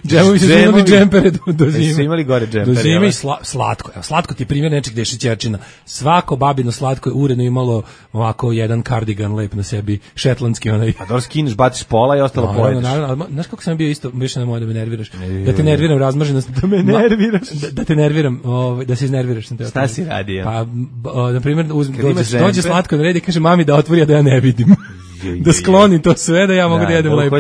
džemovi su imali džempere do zime. Su imali gore džempere. Do zime i slatko. Evo slatko ti je primjer nečeg gde je šećerčina. Svako babino slatko je uredno imalo ovako jedan kardigan lep na sebi, šetlandski onaj. A dobro skineš, baciš pola i ostalo pojedeš. Naravno, znaš kako sam bio isto, više nemoj da me nerviraš. Da te nerviram razmaženost. Da me nerviraš. Da te nerviram, da se iznerviraš. Šta si radio? Pa, na primjer, dođe slatko na red i kaže mami da otvori, a da ja ne vidim. Da skloni to sve, da ja mogu da jedem lepo.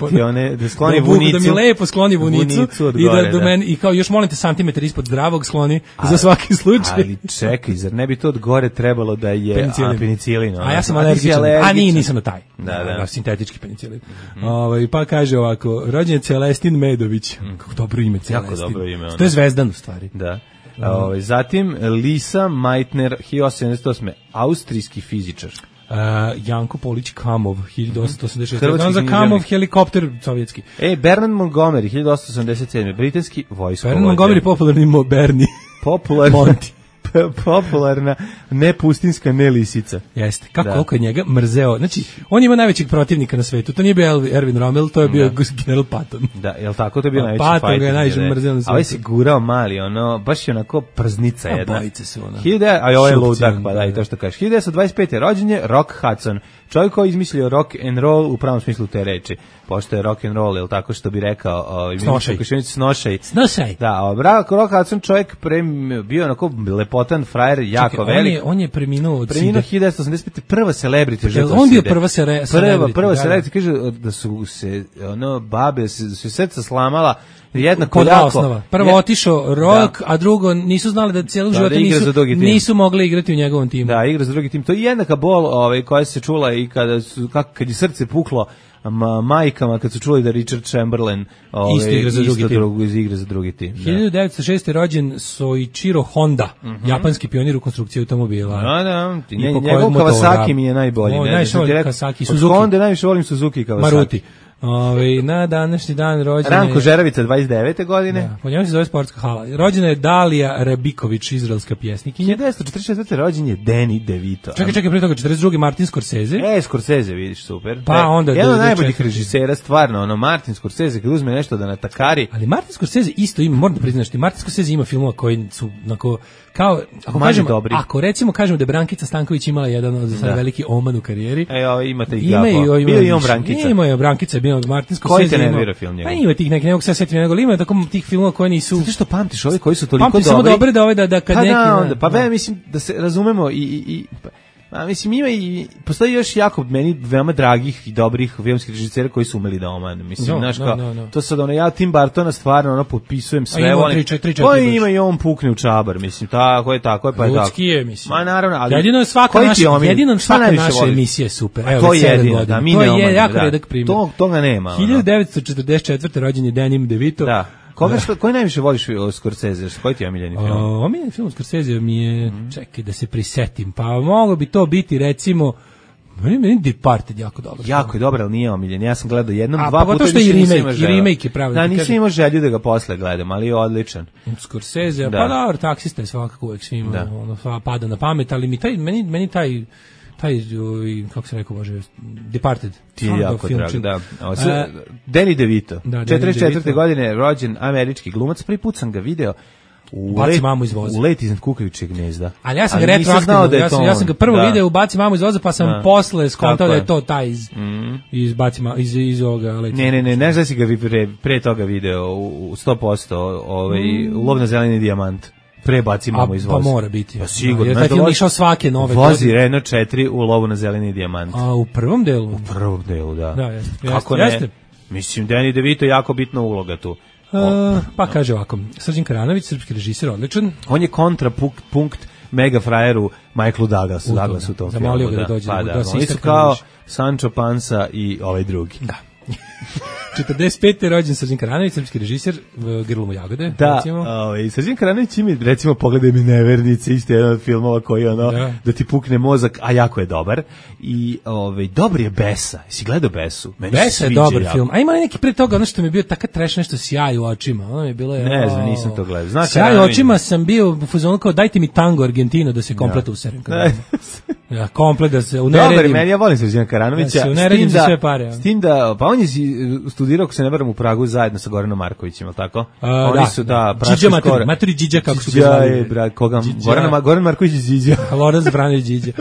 Da skloni vunicu. Da mi lepo skloni vunicu i da do meni, i kao još molim te santimetar ispod zdravog skloni za svaki slučaj. Ali čekaj, zar ne bi to od gore trebalo da je penicilin? A ja sam alergičan. A nisam na taj. Da. Sintetički penicilin. Pa kaže ovako, rođen je Celestin Medović. Kako dobro ime, Celestin. Jako dobro ime. To je zvezdan u stvari. Da. Zatim Lisa Meitner, 1878. Austrijski fizičar. Janko Polić Kamov, 1886. Dan za Kamov helikopter sovjetski. Bernard Montgomery, 1887. Britanski vojskovođa. Bernard Montgomery popularni Bernie. Monty. Popularna nepustinska nelisica. Jeste. Koliko je njega mrzeo. Znači, on ima najvećeg protivnika na svetu. To nije bio Erwin Rommel, to je bio general Patton. Da, jel tako? To je bio najveći fighter. Patton ga je najveći mrzeo na svetu. A ovaj se gurao mali, baš je onako prznica jedna. Bojice su ono. A ovo je ludak, pa da, i to što kažeš. 1925. rođen je Rock Hudson. Čovjek koji izmislio rock and roll u pravom smislu te reči. pošto je rock and roll, ili tako što bi rekao, Snošaj. Da, Rock Hudson čovjek bio onako lepotan frajer, jako velik. On je preminuo od SIDA. Preminuo 1985. Prva celebrity žrtva SIDA. On bio prva celebrity. Prva celebrity, kaže da su se babe se srca slamala jednako jako. Osnova. Prvo otišao rock, a drugo nisu znali da cijelog života nisu mogli igrati u njegovom timu. Da, igra za drugi tim. To je jednaka bol koja se čula i kad je srce puklo majkama kad su čuli da Richard Chamberlain igra za drugi tim. 1906. rođen Soichiro Honda, japanski pionir u konstrukciji automobila. Da. Njegov Kawasaki mi je najbolji. Najviše volim Kawasaki, Suzuki. Od Honda najviše volim Suzuki Kawasaki. Maruti. Na današnji dan rođena Ranko Žeravica 29. godine. Da, po njemu se zove sportska hala. Rođena je Dalija Rabiković, izraelska pjesnikinja. 1944. rođen je Danny DeVito. Čekaj, pre toga 42. Martin Scorsese. Scorsese, vidiš, super. Pa onda jedan od najboljih režisera, stvarno, Martin Scorsese kad uzme nešto da natakari. Ali Martin Scorsese isto ima, moram da priznaš, Martin Scorsese ima filmova koji su onako kao ako recimo kažemo da je Brankica Stanković imala jedan od veliki oman u karijeri. Imate i Gabo. Bio i on Brankica. Ima je Brankica, bio Martin Scorsese. Koji te nervira film njegov? Pa ima tih nekih, ne mogu se setiti, nego ima tako tih filmova koji nisu... Zato što pamtiš ove koji su toliko dobri. Pamtiš samo dobre da kad neki... mislim da se razumemo mislim ima i postoji još jako meni veoma dragih i dobrih filmskih režisera koji su umeli da omanu. Mislim, znaš kao, to sad ja Tim Burtona stvarno potpisujem sve. Ima i on pukne u čabar, mislim, tako je, pa je tako. Ljudski je, mislim. Ma naravno, ali jedino svaka naša emisija je super. Evo, to je jedino, da, mi ne omanu. To je jako redak primjer. Toga nema. 1944. rođen je Danny DeVito. Da. Koji najviše voliš Scorsese? Koji ti je omiljeni film? Omiljeni film Scorsese mi je, čekaj da se prisetim, pa moglo bi to biti recimo, meni Departed jako dobro. Jako je dobro, ali nije omiljen. Ja sam gledao jednom, dva puta. Pa to što i remake je pravi. Da, nisam imao želju da ga posle gledam, ali je odličan. Scorsese, pa dobro, Taksista je svakako uvek svima pada na pamet, ali meni taj kako se rekao, može, Departed. Ti je jako drag, da. Danny DeVito, 44. godine, rođen američki glumac, prvi put sam ga video Baci mamu iz voza. U Let iznad kukavičeg gnezda. Ali ja sam ga retroaktivno, ja sam ga prvo video u Baci mamu iz voza, pa sam posle skontao da je to taj iz Baci mamu, iz ovoga Let. Ne znaš da si ga pre toga video u 100%, u Lov na zeleni dijamant. Prebaci mamu iz voza. Pa mora biti. Pa sigurno. Jer taj film išao svake nove vozi Renault 4 u Lovu na zeleni dijamant. A u prvom delu? U prvom delu, da. Da, jeste. Kako ne? Mislim, Danny DeVito je jako bitna uloga tu. Pa kaže ovako, Srđan Karanović, srpski režiser, odličan. On je kontrapunkt mega frajeru Michaelu Douglasu u tom filmu. Zamolio ga da dođe. Oni su kao Sancho Panza i ovaj drugi. Da. 45. rođen Srđan Karanović, srpski režiser, Grlo mu jagode. Da, Srđan Karanović ima, recimo, Pogledaj mi nevernice, isto jedan od filmova koji da ti pukne mozak, a jako je dobar. I dobar je Besa. Si gledao Besu? Besa je dobar film. A ima neki pre toga, ono što mi je bio taka trash, nešto sjaj u očima. Ono mi je bilo... Ne znam, nisam to gledao. Sjaj u očima sam bio u fazonu kao dajte mi tango Argentino da se komplet userem. Ja, komplet da se uneredim. Dobar, meni ja volim Srđana Karanovića. Da se uneredim za sve pare. S tim da, pa on je studirao, ako se ne varam, u Pragu zajedno sa Goranom Markovićem, ali tako? Oni su, Điđa maturi Điđa, kako su ga zvali. Goran Marković je Điđa. Lorenz Branović Điđa.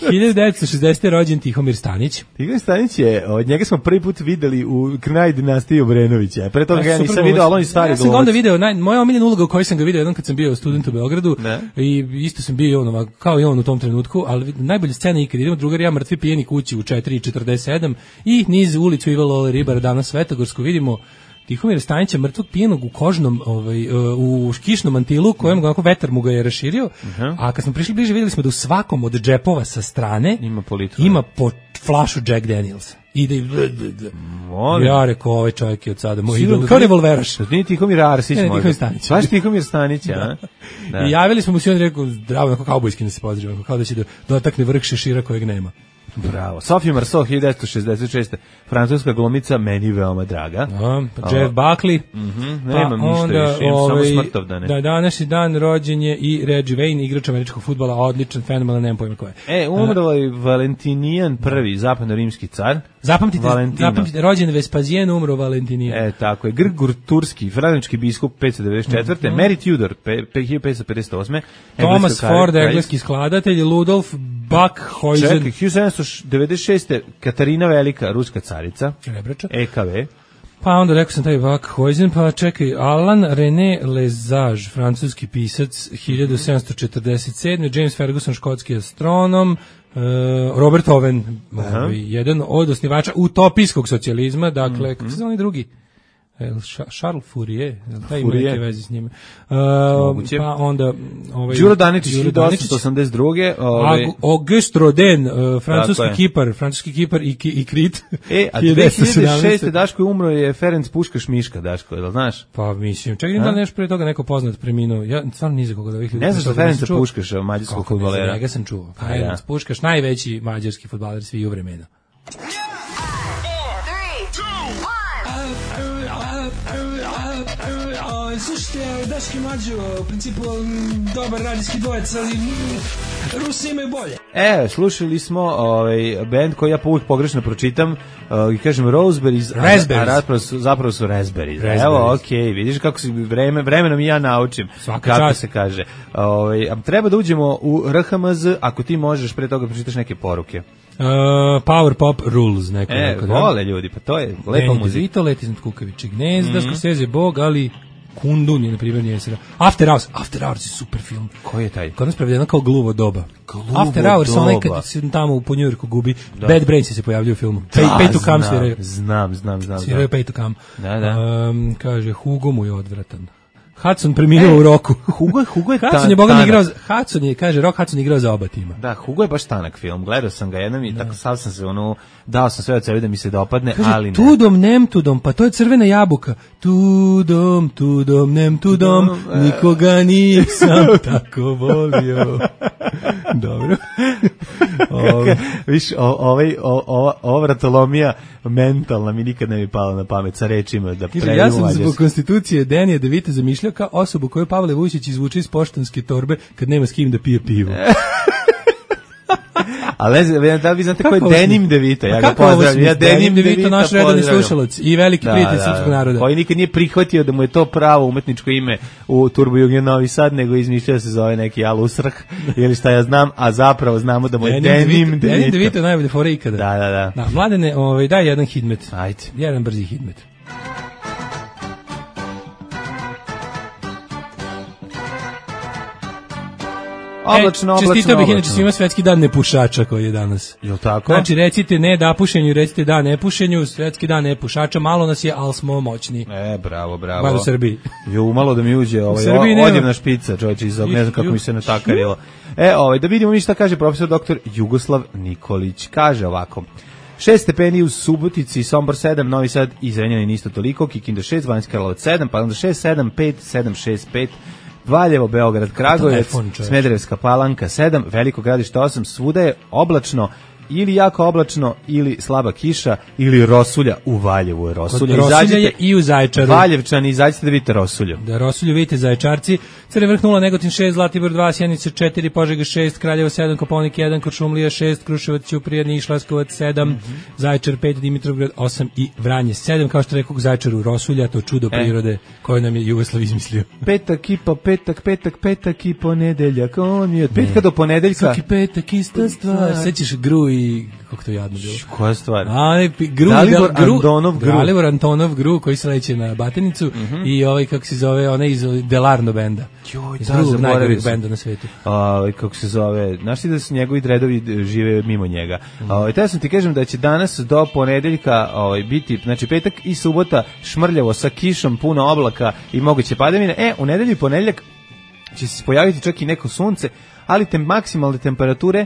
1960. rođen Tihomir Stanić. Tihomir Stanić je, od njega smo prvi put videli u Krnaj dinastiji Obrenovića. Pre toga ja nisam video, ali on je stari glumac. Ja sam ga onda video, moja omiljena uloga u kojoj sam ga video jednom kad sam bio student u Beogradu i isto sam bio kao i on u tom trenutku, ali najbolja scena ikad idemo drugar ja mrtvi pijeni kući u 4:47 i niz ulicu Iva Lole Ribara danas Svetogorsku vidimo Tihomira Stanića mrtvog pijenog u kožnom u kišnom mantilu kojem onako vetar mu ga je raširio. A kad smo prišli bliže vidjeli smo da u svakom od džepova sa strane ima po flašu Jack Daniels. Ide i ja rekao, ovaj čovjek je od sada moj idol, kao revolveraš. Nije Tihomir Arsić možda. Svaš Tihomir Stanić, a? I javili smo mu si on rekao, zdravo, onako kaubojski nas se pozdravio, kao da će dotakne vrh šešira kojeg nema. Bravo. Sophie Marceau, 1966. Francuska glumica, meni veoma draga. Jeff Buckley. Nemam ništa više, imam samo smrtovdane. Da, današnji dan rođen je i Reggie Wayne, igrač američkog fudbala, odličan, fenomenalan, nemam pojma ko je. Umrlo je Valentinijan I, zapadno-rimski car. Zapamtite, rođen Vespazijen, umro Valentinijan. Tako je. Grgur Turski, frančki biskup 594. Mary Tudor 1558. Thomas Ford, engleski skladatelj, Ludolf Buckhuizen. Čekaj, 1796. Katarina Velika, ruska carica. Rebrača. EKV. Pa onda rekao sam taj Buckhuizen, pa čekaj, Alain René Lesage, francuski pisac, 1747. James Ferguson, škotski astronom, Robert Owen, jedan od osnivača utopijskog socijalizma, dakle, kako se zove drugi? Charles Fourier, taj ima neke veze s njime. Pa onda Đuro Daničić 1882. Auguste Rodin, francuski kipar i Krit. A 2006. Daško je umro je Ferenc Puškaš Miška, Daško, je li znaš? Pa mislim, čekaj, da li nešto pre toga neko poznat preminuo? Ja stvarno ni za koga da ovih ljudi. Ne znaš da Ferenca Puškaša, mađarskog fudbalera? Njega sam čuo. Ferenc Puškaš, najveći mađarski fudbaler svih u vremena. Slušajte, Daški Mađo, u principu dobar radijski dvojec, ali Rusi imaju bolje. Slušali smo band koji ja uvijek pogrešno pročitam i kažem Roseberries, a zapravo su Raspberries. Evo, okej, vidiš kako si vremenom i ja naučim kako se kaže. Treba da uđemo u RHMZ, ako ti možeš pre toga pročitaš neke poruke. Power Pop Rules, neko. Vole ljudi, pa to je lepa muzika. Vito, Let iznad kukavičeg gnezda, Scorsese Bog, ali Kundun je, na primjer, nije se... After Hours je super film. Koji je taj? Kod nas prevedeno kao Gluvo doba. After Hours, onaj kad se tamo po New Yorku gubi. Bad Brains se pojavljaju u filmu. Pay to Come sviraju. Znam. Sviraju Pay to Come. Da. Kaže, Hugo mu je odvratan. Hudson preminuo u Roku. Hugo je Hudson je boga igrao, Rock Hudson igrao za oba tima. Da, Hugo je baš tanak film. Gledao sam ga jednom i tako sam se dao sam sve od sebe da mi se dopadne, kaže, ali ne. Tudom, nem tudom, pa to je crvena jabuka. Tudom, nem tudom, nikoga nisam tako volio. Dobro. Viš, ova vratolomija mentalna mi nikad ne bi pala na pamet sa rečima da pređu ja sam zbog konstitucije Denija DeVita zamišljao kao osobu koju Pavle Vujčić izvuče iz poštanske torbe kad nema s kim da pije pivo. Ali da li vi znate ko je Denim DeVito? Ja ga pozdravljam. Ja Denim DeVito, naš redovni slušalac i veliki prijatelj srpskog naroda. Koji nikad nije prihvatio da mu je to pravo umetničko ime u Turbo Jugen Novi Sad, nego izmišljao da se zove neki Alusrh ili šta ja znam, a zapravo znamo da mu je Denim DeVito. Denim DeVito je najbolje fore ikada. Da. Mladene, daj jedan hidmet. Ajde. Jedan brzi hidmet. Oblačno. Čestitao bih inače svima svetski dan nepušača koji je danas. Jel tako? Znači recite ne da pušenju, recite da nepušenju, svetski dan nepušača, malo nas je, ali smo moćni. Bravo. Bar u Srbiji. Malo da mi uđe odjevna špica, čovječe, ne znam kako mi se natakarilo. Da vidimo mi šta kaže profesor dr. Jugoslav Nikolić. Kaže ovako. 6 stepeni u Subotici, Sombor 7, Novi Sad i Zrenjanin isto toliko, Kikinda 6, Banjska Karlovac 7, pa onda 6, 7, 5, 7, 6, 5, Valjevo, Beograd, Kragujevac, Smederevska Palanka 7, Veliko Gradište 8, svuda je oblačno ili jako oblačno, ili slaba kiša, ili rosulja. U Valjevu je rosulja. Rosulja je i u Zaječaru. Valjevčani, izađite da vidite rosulju. Da, rosulju vidite Zaječarci. Crni Vrh 0, Negotin 6, Zlatibor 2, Sjenica 4, Požega 6, Kraljevo 7, Kopaonik 1, Kuršumlija 6, Kruševac, Ćuprija, Niš, Leskovac 7, Zaječar 5, Dimitrovgrad 8 i Vranje 7. Kao što rekao, Zaječaru rosulja, to čudo prirode koje nam je Jugoslav izmislio. Petak i ponedeljak. On je od petka do ponedeljka. Svaki petak ista stvar. Sećaš Gru i kako to jadno bilo. Koja stvar? Dalibor Antonov Gru koji se leće na Batenicu i kako se zove, onaj iz Delarno benda. Iz drugog najgorih benda na svetu. Kako se zove, znaš ti da su njegovi dredovi žive mimo njega. Te sam ti kažem da će danas do ponedeljka biti, znači petak i subota šmrljavo sa kišom, puno oblaka i moguće padavine. U nedelju i ponedeljak će se pojaviti čak i neko sunce, ali maksimalne temperature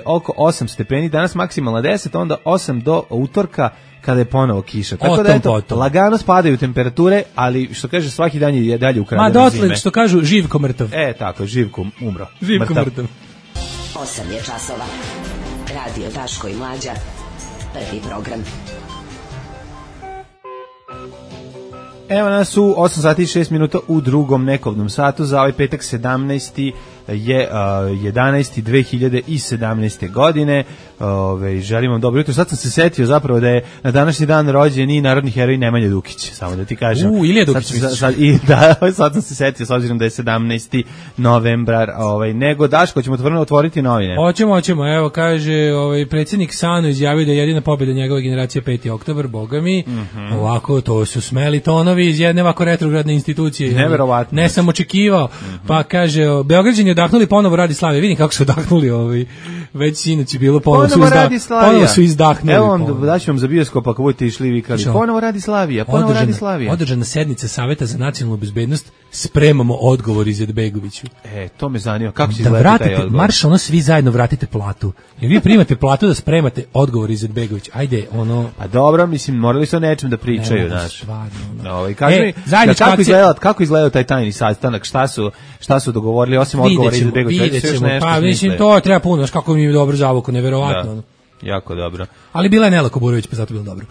oko 8 stepeni, danas maksimalna 10, onda 8 do utorka kada je ponovo kiša. Tako da lagano spadaju temperature, ali što kaže svaki dan je dalje ukraden zime. Ma dotle što kažu živko mrtav. Tako, živko umro. Živko mrtav. 8 je časova. Radio Daško i Mlađa. Prvi program. Evo nas u 8 sati i 6 minuta u drugom nekovnom satu za ovaj petak 17. je 11.2017. godine. Želim vam dobro jutro. Sad sam se setio zapravo da je na današnji dan rođen i narodni heroj Nemanja Dukić, samo da ti kažem. Ilija Dukić. Sad sam se setio, s obzirom da je 17. novembar, nego Daško, ćemo otvoriti novine. Hoćemo, evo kaže, predsjednik Sano izjavio da je jedina pobjeda njegove generacije 5. oktobar, boga mi. Ovako, to su smeli tonovi iz jedne ovako retrogradne institucije. Neverovatno. Ne sam očekivao. Pa kaže, Beograđani odahnuli ponovo radi Slavije. Vidim kako su odahnuli već sinoć je bilo ponovo su izdahnuli. Evo vam, daću vam za bioskop ako budete išli i vikali. Ponovo radi Slavija, Održana sednica Saveta za nacionalnu bezbednost, spremamo odgovor Izetbegoviću. To me zanima, kako će izgledati taj odgovor? Marš, svi zajedno vratite platu. Jer vi primate platu da spremate odgovor Izetbegović. Ajde, Pa dobro, mislim, morali su o nečem da pričaju, znaš. Kaži mi, kako izgledao taj tajni sastanak, šta su dogovorili, osim odgovora Izetbegovića? Pa mislim, to treba puno, znaš kako mi je dobro zavuko, neverovatno. Jako dobro. Ali bila je Nela Kuburović, pa zato bilo dobro.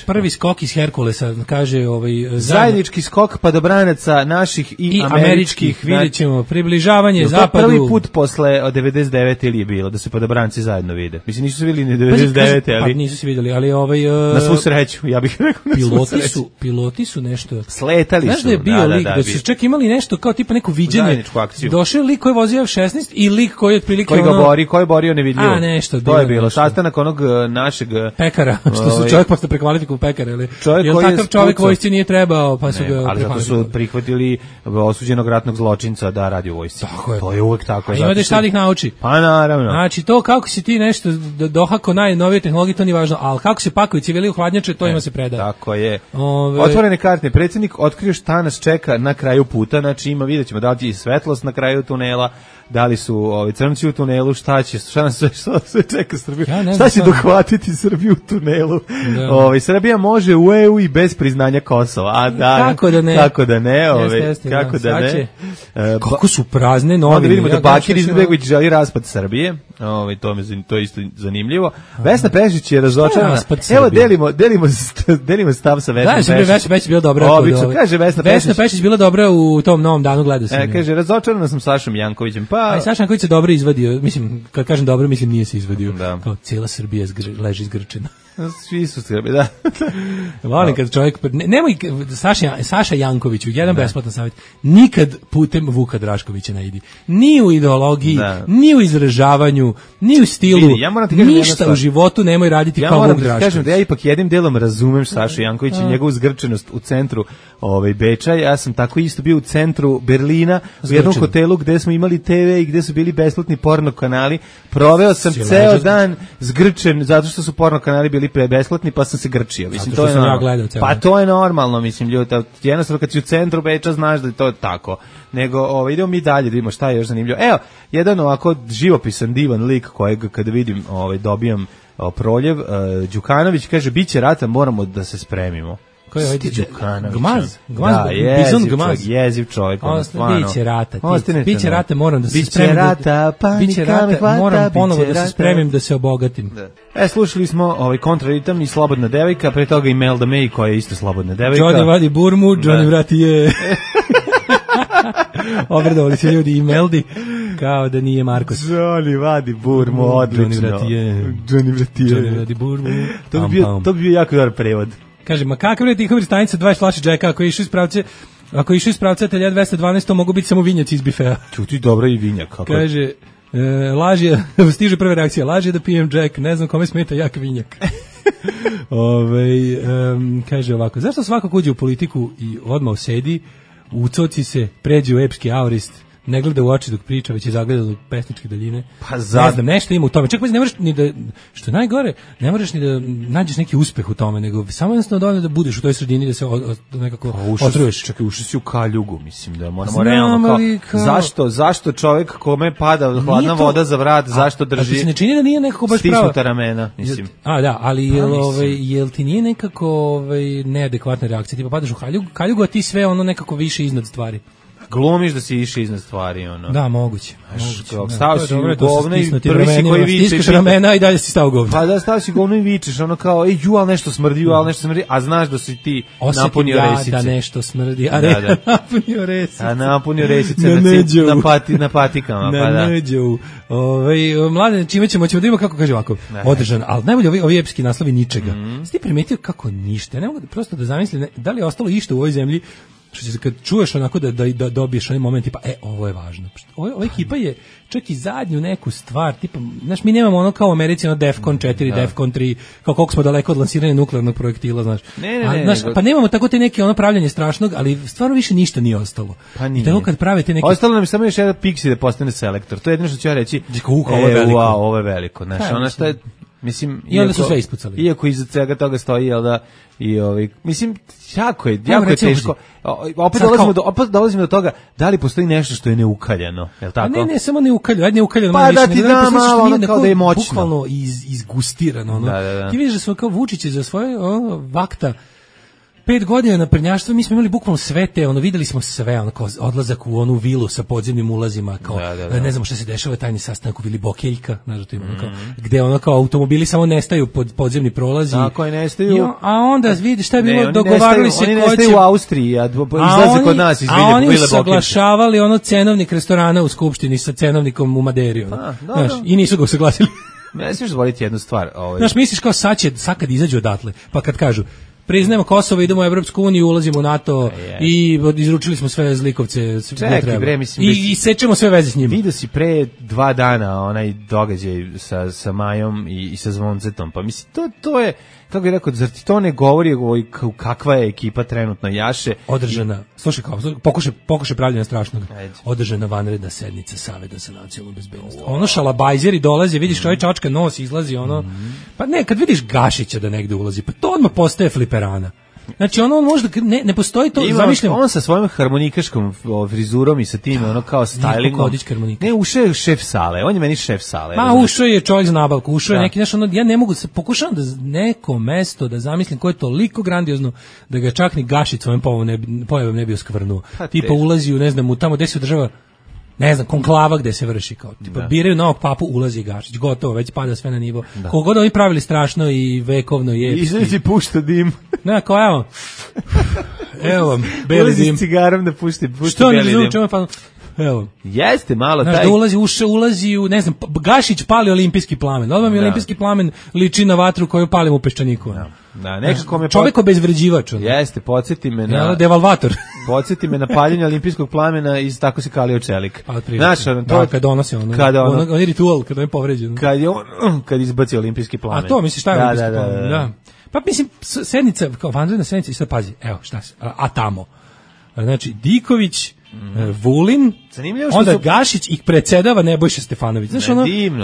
Prvi skok iz Herkulesa, kaže zajednički skok padobranaca naših i američkih, vidjet ćemo, približavanje zapadu. Prvi put posle 99. ili je bilo, da se padobranci zajedno vide. Mislim, nisu se vidjeli ni 99. Pa nisu se vidjeli, ali na svu sreću, ja bih rekao na svu sreću. Piloti su nešto sletali su. Znaš da je bio lik, da su čak imali nešto kao tipa neko viđenje. Došao lik koji je vozio F-16 i lik koji je otprilike koji je borio nevidljivo. To je bilo sastanak onog našeg pekara, što su čovjek posle prekvalifikuju pekara, ili takav čovjek vojsci nije trebao, pa su ga ali zato su prihvatili osuđenog ratnog zločinca da radi u vojsci. To je uvek tako. Ima da šta ih nauči. Pa naravno. Znači to kako si ti nešto dohako najnovije tehnologije, to nije važno, ali kako se pakuju civili u hladnjače, to ima se predaje. Tako je. Otvorene karte. Predsjednik otkrio šta nas čeka na kraju puta, znači vidjet ćemo da li je svetlost na kraju tunela, da li su crnci u tunelu, šta nas sve čeka Srbiju, šta će dohvatiti Srbiju u tunelu. Srbija može u EU i bez priznanja Kosova. Kako da ne? Kako da ne? Kako su prazne novine. Onda vidimo da Bakir Izetbegović želi raspad Srbije. To je isto zanimljivo. Vesna Pešić je razočarana. Evo delimo stav sa Vesnom Pešić. Vesna Pešić bila dobra. Kaže Vesna Pešić bila dobra u tom novom danu, gledao sam. Kaže, razočarana sam Sašom Jankovićem. Saša Janković se dobro izvadio, mislim, kad kažem dobro, mislim nije se izvadio. Kao cijela Srbija leži izgrčena. Svi su Srbi, da. Volim kad čovjek... Nemoj, Saša Jankoviću, jedan besplatan savjet, nikad putem Vuka Draškovića ne idi. Ni u ideologiji, ni u izražavanju, ni u stilu, ništa u životu nemoj raditi kao Vuk Drašković. Kažem da ja ipak jednim delom razumem Sašu Jankovića i njegovu zgrčenost u centru Beča. Ja sam tako isto bio u centru Berlina, u jednom hotelu gde smo imali TV i gde su bili besplatni porno kanali. Proveo sam ceo dan zgrčen zato što su porno kanali bili besplatni, pa sam se grčio. Mislim, to je to je normalno, mislim, ljudi, jednostavno kad si u centru Beča znaš da je to tako. Nego, idemo mi dalje da vidimo šta je još zanimljivo. Evo, jedan ovako živopisan, divan lik kojeg kada vidim dobijam proljev, Đukanović kaže, biće rata, moramo da se spremimo. Ko je Đukanović? Gmaz, jeziv čovjek. Biće rata, moram da se spremim. Biće rata, moram ponovo da se spremim da se obogatim. Slušali smo Kontraritam i Slobodna devojka, pre toga i Melda May koja je isto Slobodna devojka. Johnny vadi burmu, Johnny vrati je. Obradovali se ljudi i Meldi kao da nije Markos. Johnny vadi burmu, odlično. Johnny vrati burmu. To bi bio jako dobar prevod. Kaže, ma kakav je Tihovir stanica 20 flaši džeka, ako je išao iz pravca Atelja 212, to mogu biti samo vinjac iz bifea. Čuti, dobro i vinjak. Kaže, laž je, stiže prva reakcija, laž je da pijem džek, ne znam kome smeta jak vinjak. Kaže ovako, zašto svako uđe u politiku i odmah usedi, ucoci se, pređe u epski aurist, ne gleda u oči dok priča, već je zagledao pesničke daljine. Pa ne znam, nešto ima u tome. Čak ne moraš ni da, što je najgore, ne moraš ni da nađeš neki uspeh u tome, nego samo jednostavno dovoljno da budeš u toj sredini, da se nekako otruješ. Čekaj, ušli si u kaljugu, mislim, da moramo realno zašto čovjek kome pada hladna voda za vrat, zašto drži? A ti se ne čini da nije nekako baš pravo? Stisnuta ramena, mislim. Da, ali jel ti nije nekako neadekvatna reakcija? Tipa padaš u kaljugu, a ti sve ono nekako više iznad stvari. Glumiš da si išao iznad stvari, ono. Da, moguće. Stao si u govno i prvi si koji viče. Stiskaš ramena i dalje si stao u govno. Pa da, stao si u govno i vičeš, ono kao, ali nešto smrdi, a znaš da si ti napunio resice. Da nešto smrdi, a napunio resice. A napunio resice na patikama. Na neđu. Mlade, čime ćemo da vidimo kako kaže ovako, održan, ali najbolje ovi epski naslovi ničega. Ti primetio kako ništa, ne mogu prosto da zamislim, da li je ostalo išta u ovoj zemlji, što će kad čuješ onako da dobiješ onaj moment tipa, ovo je važno. Ova ekipa je čak i zadnju neku stvar, tipa, znaš, mi nemamo ono kao u Americi, ono Defcon 4, Defcon 3, kao koliko smo daleko od lansiranja nuklearnog projektila, znaš. Pa nemamo tako te neke ono pravljanje strašnog, ali stvarno više ništa nije ostalo. Pa nije. I tako kad prave te neke... Ostalo nam je samo još jedan Pixi da postane selektor. To je jedno što ću ja reći. Ovo je veliko. Znaš, ono što je... Mislim, i onda su sve ispucali. Iako iza svega toga stoji, jel da, i mislim, jako je teško. Opet dolazimo do toga, da li postoji nešto što je neukaljano, je li tako? Ne, samo neukaljano. Pa da ti da malo, ono kao da je moćno. Bukvalno izgustirano. Da. Ti vidiš da smo kao Vučić za svoje vakta 5 godina naprednjaštva, mi smo imali bukvalno sve te, videli smo sve, kao odlazak u onu vilu sa podzemnim ulazima, kao, ne znamo šta se dešava, tajni sastanak u vili Bokeljka, znaš da to ima, gde kao automobili samo nestaju pod podzemni prolazi. Tako je, nestaju. A onda vidiš šta je bilo, dogovarali se ko će... Oni nestaju u Austriji, izlaze kod nas iz vile Bokeljka. A oni usaglašavali cenovnik restorana u Skupštini sa cenovnikom u Maderi, znaš, i nisu ga usaglasili. Ne smiješ zvoliti jednu stvar. Znaš, misliš kao sad kad izađu odatle, pa kad kažu, priznajemo Kosovo, idemo u Evropsku uniju, ulazimo u NATO i izručili smo sve zlikovce. Čekaj, bre, mislim... I sečemo sve veze s njima. Vidio si pre 2 dana onaj događaj sa Majom i sa Zvoncetom, pa mislim, to je, kako bih rekao, zar ti to ne govori kakva je ekipa trenutno jaše? Održana, slušaj kao, pokušaj pravljena strašnog, održana vanredna sednica Saveta za nacionalnu bezbednost. Ono šalabajzeri dolaze, vidiš ovaj čačka nos izlazi, pa ne, kad vidiš Gašića da negde ulazi, pa to odmah postaje fliperana. Znači on možda ne postoji to, zamišljam. On sa svojom harmonikaškom frizurom i sa tim kao stylingom. Ne, ušao je šef sale. On je meni šef sale. Ma ušao je čovjek za nabavku, ušao je neki, znači ja ne mogu pokušavam da neko mesto da zamislim koje je toliko grandiozno da ga čak ni Gašić svojim pojavom ne bi oskvrnuo. Tipa ulazi u, ne znam, tamo gde se održava, ne znam, konklava gde se vrši, kao tipa biraju novog papu, ulazi Gašić, gotovo, već pada sve na nivo. Koliko god oni pravili strašno i vekovno je. Izlazi pušta dim. Ne, kao evo vam, beli dim. Ulazi s cigarom da pušti što beli dim. Što pa evo. Jeste malo taj. Da ulazi u, ne znam, Gašić pali olimpijski plamen. Odmah mi olimpijski plamen liči na vatru koju palim u Peščaniku. Da, nekako me čovjek obezvređivač. Jeste, podsjeti me na devalvator. Podsjeti me na paljenje olimpijskog plamena i tako se kalio čelik. Znaš, kad donosi on je ritual, kad on je povređen. Kad izbaci olimpijski plamen. A to misliš šta je olimpijski plamen? Da. Pa mislim, sednica, kao vanredna sednica, i sad pazi, evo šta se, a tamo. Znači, Diković, Vulin, onda Gašić i predsedava Nebojša Stefanović. Znaš,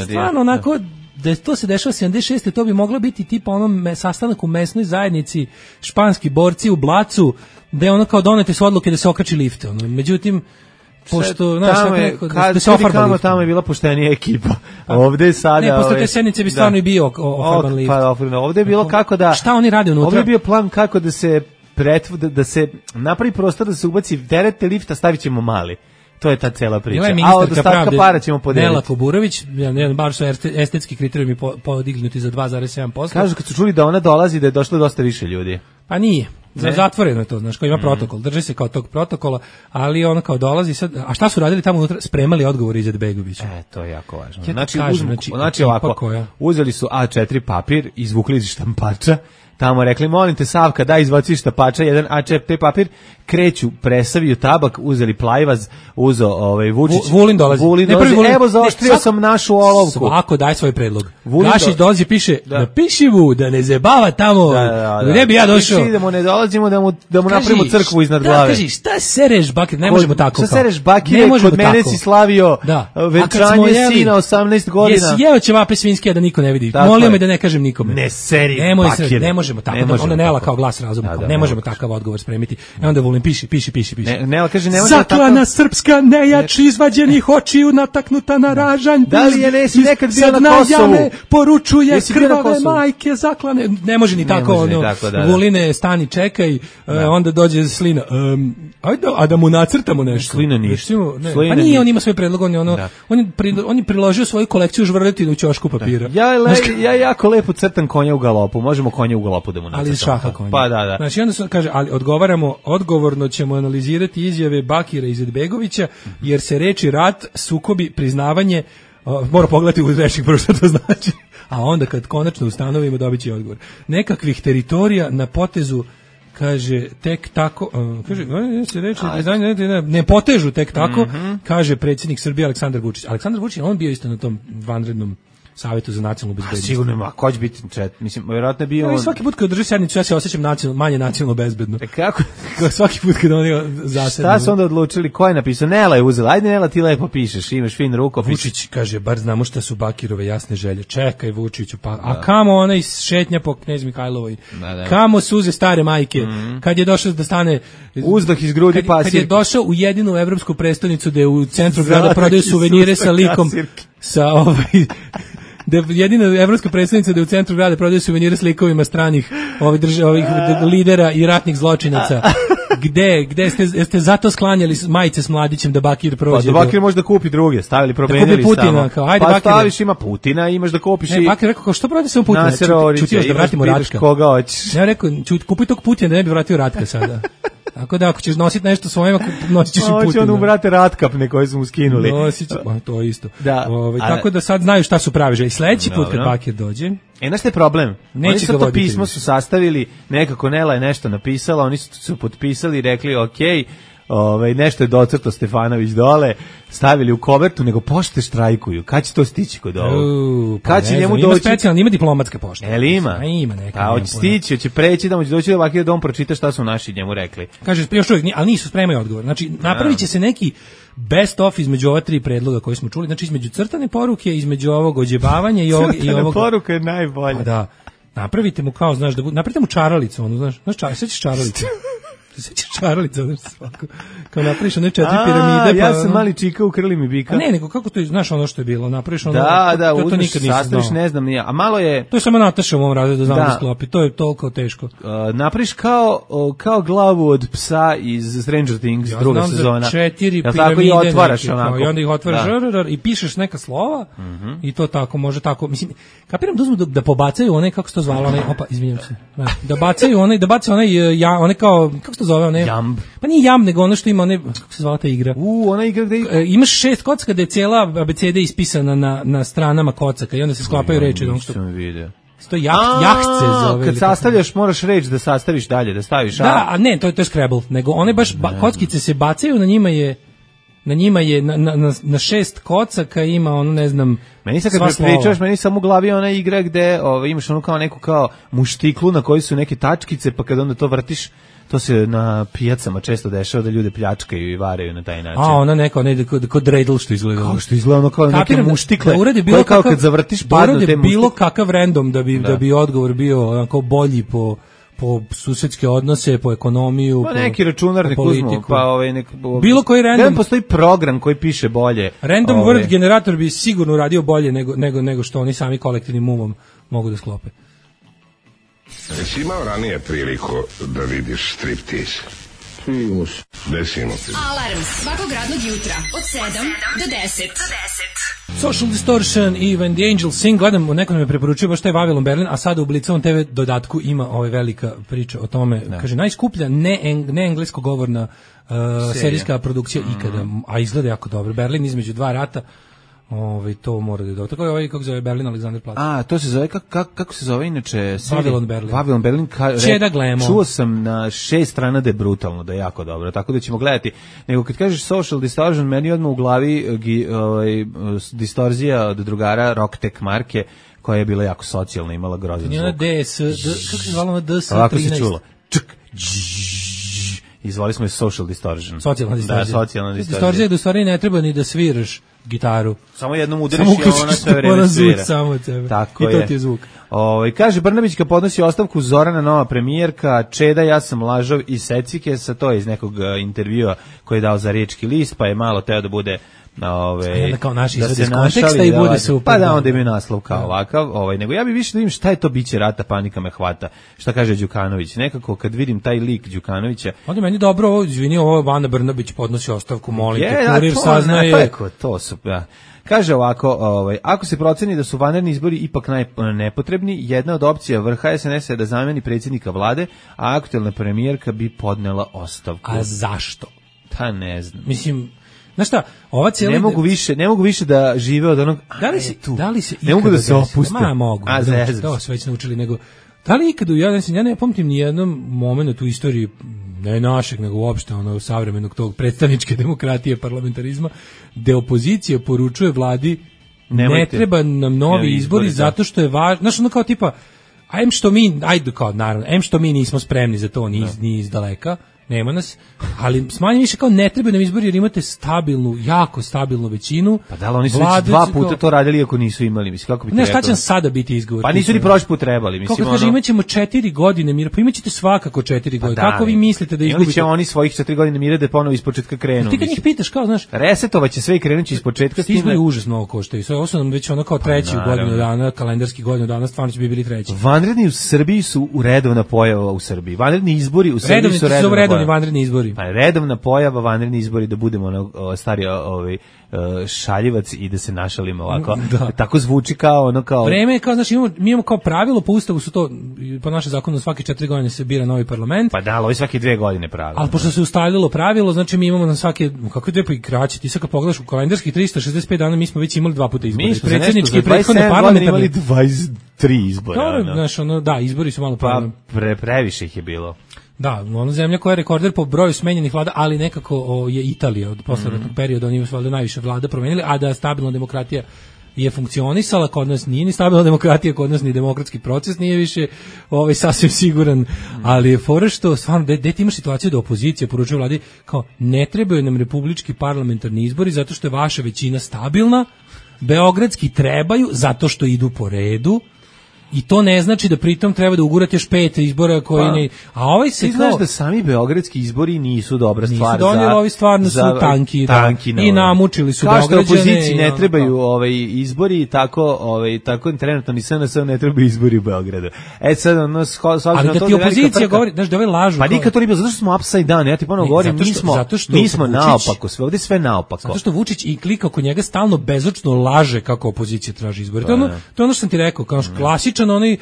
stvarno onako, da to se dešava 76. to bi moglo biti tipa sastanak u mesnoj zajednici, španski borci u Blacu, gde kao donete su odluke da se okači lift. Međutim, pošto, tamo je bila poštenija ekipa. Ovde je sada... Ne, posle te sednice bi stvarno i bio ofarban lift. Ovde je bilo kako da... Šta oni rade unutra? Ovde je bio plan kako da se napravi prostor da se ubaci terete lifta, stavit ćemo mali. To je ta cela priča. A od ostatka para ćemo podeliti. Nela Kuburović, baš su estetski kriterijumi podignuti za 2,7%. Kažu kad su čuli da ona dolazi da je došlo dosta više ljudi. Pa nije. Zatvoreno je to, znaš, kao ima protokol, drži se kao tog protokola, ali ona kao dolazi sad, a šta su radili tamo unutra? Spremali odgovor Izetbegovića. To je jako važno. Znači ovako, uzeli su A4 papir, izvukli iz štampača, tamo rekli, molim te Savka, daj izvaci štampača, jedan A4 papir, kreću, presaviju tabak, uzeli plajvaz, uzeo Vučić. Vulin dolazi. Evo, zaoštrio sam našu olovku. Svako daj svoj predlog. Gašić dolazi, piše, napiši mu da ne zebava tamo, gdje bi ja došao. Idemo, ne dolazimo da mu napravimo crkvu iznad glave. Kaži, šta sereš bakir, ne možemo tako. Šta sereš bakir, kod mene si slavio venčanje sina 18 godina. Jesi jeo ćevape svinske da niko ne vidi. Molio me da ne kažem nikome. Ne seri bakir. možemo tako, onda Nela kao glas razuma, ne možemo takav odgovor spremiti. I onda Vulin piši. Nela kaže ne može tako. Zaklana srpska nejač izvađenih očiju nataknuta na ražanj. Da li je nesi nekad bio na Kosovu? Poručuje krvave majke zaklane. Ne može ni tako, ono, Vuline, stani, čekaj, onda dođe Slina. Ajde, a da mu nacrtamo nešto. Slina ništa. Pa nije, on ima svoj predlog, on je priložio svoju kolekciju žvrletinu u ćošku papira. Ja jako lepo crtam konja u galopu, možemo konja u galopu da mu nacrtamo. Ali šaha konja. Pa da. Znači onda se kaže, ali odgovorno ćemo analizirati izjave Bakira Izetbegovića, jer se reči rat, sukobi, priznavanje, mora pogledati u rečnik prvo što to znači, a onda kad konačno ustanovimo dobit će odgovor. Nekakvih teritorija na potezu, kaže, tek tako, kaže, se reči, ne potežu tek tako, kaže predsjednik Srbije Aleksandar Vučić. Aleksandar Vučić, on bio isto na tom vanrednom Savetu za nacionalnu bezbednost. Sigurno ima, ko će biti mislim, vjerojatno bio on. Svaki put kad drži sednicu, ja se osjećam manje nacionalno bezbedno. Kako? Svaki put kad oni zasednu. Šta su onda odlučili, ko je napisao? Nela je uzela, ajde Nela, ti lepo pišeš, imaš fin rukopis. Vučić kaže, bar znamo šta su Bakirove jasne želje. Čekaj Vučiću, pa a kamo onaj šetnja po Knez Mihajlovoj? Kamo suze stare majke? Kad je došao da stane uzdah iz grudi pasirke. Kad je došao u jedinu evropsku prestonicu gde u centru grada prodaju suvenire sa likom sa jedina evropska predstavnica da u centru grada prodaje suvenire s likovima stranih ovih lidera i ratnih zločinaca. Gde ste zato sklanjali majice s Mladićem da Bakir prođe? Pa da Bakir može da kupi druge, stavili, promenili da kupi Putina, kao, ajde, pa Bakir, staviš, ima Putina, imaš da kupiš i... Bakir rekao, kao, što prodati samo Putina? Čuti još da vratimo Ratka. Koga hoćeš. Ja rekao, kupi tog Putina da ne bi vratio Ratka sada. Tako da ako ćeš nositi nešto svojima, nosit ćeš i Putina. Hoće on ubrate ratkapne koje su mu skinuli. Nosit ćeš, to isto. Da, tako da sad znaju šta su pravi želje. Sledeći put kad Bakir dođe... Znaš šta je problem? Oni su to pismo su sastavili, nekako Nela je nešto napisala, oni su potpisali i rekli okej, nešto je docrto Stefanović dole, stavili u kovertu, nego pošte štrajkuju. Kad će to stići kod ovog? Kad će njemu doći? Ima specijalno, ima diplomatske pošte. Ima? Ima neka. A hoće stići, hoće preći, da mu će doći da ovakve dom pročita šta su naši njemu rekli. Kaže, još uvijek, ali nisu, spremaju odgovor. Znači, napravit će se neki best of između ova tri predloga koje smo čuli, znači između crtane poruke, između ovog ođebavanja i ovog... Crtana poruka je najbolja. Da, napravite mu kao, znaš, napravite mu čaralicu, ono, znaš, sećaš čaralicu? Sećaš čaralica, znaš, svako. Kao napraviš one 4 piramide. Ja sam mali čika, ukrili mi bika. A ne, nego kako to, znaš ono što je bilo, napraviš ono... Da, uzmeš, sastaviš, ne znam, a malo je... To je samo Nataša u mom razredu da znam da sklopi, to je toliko teško. Napraviš kao glavu od psa iz Stranger Things, druga sezona. Ja znam za 4 piramide. Tako i otvaraš onako. I onda ih otvaraš i pišeš neka slova i to tako, može tako. Mislim, kapiram da uzmu da pobacaju one, kako se to zvalo, one, opa, izvinjam se. Da bacaju one, one kao, kako se to zove, one... Jamb. Pa nije jamb, nego ono što ima, one, kako se zvala ta igra? Ona igra gde... Imaš 6 kocka da je cijela abeceda ispisana na stranama kocaka i onda se sklapaju reči. Nisam vidio. To jahce zove. Kad sastavljaš, moraš reći da sastaviš dalje, da staviš. Da, a ne, to je Scrabble, nego one baš kockice se bacaju, na njima je na 6 kocaka ima ono, ne znam, meni sad kad pričaš, meni samo u glavi ona igra gde imaš ono kao neku kao muštiklu na kojoj su neke tačkice, pa kad onda to vrtiš, to se na pijacama često dešava da ljude pljačkaju i varaju na taj način. A ona neka, kod dreidl što izgleda. Kao što izgleda ono kao neke muštikle, koje kao kad zavrtiš padnu te muštikle. Bilo kakav random da bi odgovor bio onako bolji po susedske odnose, po ekonomiju, pa neki računarnik uzmu, pa bilo koji random. Gde postoji program koji piše bolje. Random word generator bi sigurno radio bolje nego što oni sami kolektivnim umom mogu da sklope. Jesi imao ranije priliku da vidiš striptease? Desimo se. Alarm svakog radnog jutra od 7 do 10. Social Distortion i When the Angels Sing, gledam, neko me preporučuje baš taj Vavilon Berlin, a sada u Blicovom TV dodatku ima velika priča o tome. Da. Kaže, najskuplja ne englesko govorna serijska produkcija ikada, a izgleda jako dobro. Berlin između dva rata. To mora da je dobro. Tako je kako zove Berlin Alexanderplatz. A, to se zove, kako se zove inače? Vavilon Berlin. Vavilon Berlin. Gledamo. Čuo sam na 6 strana da je brutalno, da je jako dobro, tako da ćemo gledati. Nego kad kažeš Social Distortion, meni odmah u glavi distorzija od drugara Rocktek marke, koja je bila jako socijalna, imala grozan zvuk. Kako se zvala DS13? Ovako se čulo. Izvali smo je Social Distortion. Socijalna distorzija. Da, socijalna distorzija. Distorzija je da u stvari ne treba ni da sviraš, gitaru. Samo jednom udariš i ona sve vreme svira. Samo od sebe. Tako I to ti je zvuk. Kaže Brnabićka podnosi ostavku, Zorana nova premijerka, Čeda ja sam lažov i secikesa, to je iz nekog intervjua koji je dao za Riječki list, pa je malo teo da bude kao naš izvod iz konteksta i bude super. Pa da, onda imaju naslov kao ovakav, nego ja bih više da vidim šta je to biće rata, panika me hvata. Šta kaže Đukanović? Nekako kad vidim taj lik Đukanovića. Onda meni dobro, ovo Ana Brnabić podnosi ostavku, molim te, kurir saznaje. To su, ja. Kaže ovako, ako se proceni da su vanredni izbori ipak nepotrebni, jedna od opcija vrha SNS je da zameni predsjednika vlade, a aktuelna premijerka bi podnela ostavku. A zašto? Pa ne znam. Mislim, znaš šta, ova cijela... Ne mogu više da žive od onog... Da li se ne mogu da se opuste. Mogu. To sve već naučili, nego... Da li ikada, ja ne pamtim ni jednom momentu u istoriji, ne našeg, nego uopšte savremenog tog predstavničke demokratije, parlamentarizma, gde opozicija poručuje vladi ne treba nam novi izbori zato što je važno, znaš, ono kao tipa, naravno, što mi nismo spremni za to, ni iz daleka, nema nas, ali smanje više kao ne treba nam izbori jer imate jako stabilnu većinu. Pa da, oni su već 2 puta to radili ako nisu imali, mislim, kako bi te rekao. Šta će nam sada biti izgovor? Pa nisu ni prošli put trebali, mislim. Kako kaže, imat ćemo 4 godine mira, pa imat ćete svakako 4 godine. Kako vi mislite da izgubite? Ili će oni svojih 4 godine mira da ponovo ispočetka krenu? Ti kad njih pitaš, kao, znaš, resetovaće sve i krenuće ispočetka s tim. Izbori užasno ovo koštaju. Ovo su nam već kao treći godinu dana, kalendarski godinu dana, stvarno će bi bili treći. Vanredni u Srbiji su redovna pojava u Srbiji. Vanredni izbori u Srbiji su redovni vanredni izbori. Pa redovna pojava, vanredni izbori, da budemo stari šaljivac i da se našalimo ovako. Tako zvuči kao kao... Vreme je kao, znači, mi imamo kao pravilo, po ustavu su to, po našem zakonu svake 4 godine se bira novi parlament. Pa da, ali ovo svake 2 godine pravilo. Ali pošto se ustalilo pravilo, znači mi imamo na svake, kako je 2 pa i kraće, ti sad kad pogledaš u kalendarskih 365 dana, mi smo već imali 2 puta izbori. Mi smo predsjednički i prethodne parlamentarne. Imali 23 izbora. Da, izbori su malo problem. Pa previše ih je bilo. Da, ona zemlja koja je rekorder po broju smenjenih vlada, ali nekako je Italija od poslednjeg perioda, oni su valjda najviše vlada promenili, a da stabilna demokratija je funkcionisala, kod nas nije ni stabilna demokratija, kod nas ni demokratski proces nije više sasvim siguran, ali je fora što stvarno, gde ti imaš situaciju da opozicija poručuje vladi kao ne trebaju nam republički parlamentarni izbori zato što je vaša većina stabilna, beogradski trebaju zato što idu po redu. I to ne znači da pritom treba da ugurate još 5 izbora koji ne... A ovaj se ti znaš da sami beogradski izbori nisu dobra stvar za... Nisu donijeli, ovi stvarno su tanki i namučili su Beograđane. Kao što opoziciji ne trebaju izbori, tako trenutno ni SNS ne trebaju izbori u Beogradu. Sad ali da ti opozicija govori, znaš da ove lažu... Pa nikad to nije bilo, zato što smo upside down, ja ti ponovno govorim, mi smo naopako, ovdje sve naopako. Zato što Vučić i klika oko njega stalno bezočno laže kako opozicija traži izbore. To je ono što sam ti rekao, kao klasičan onaj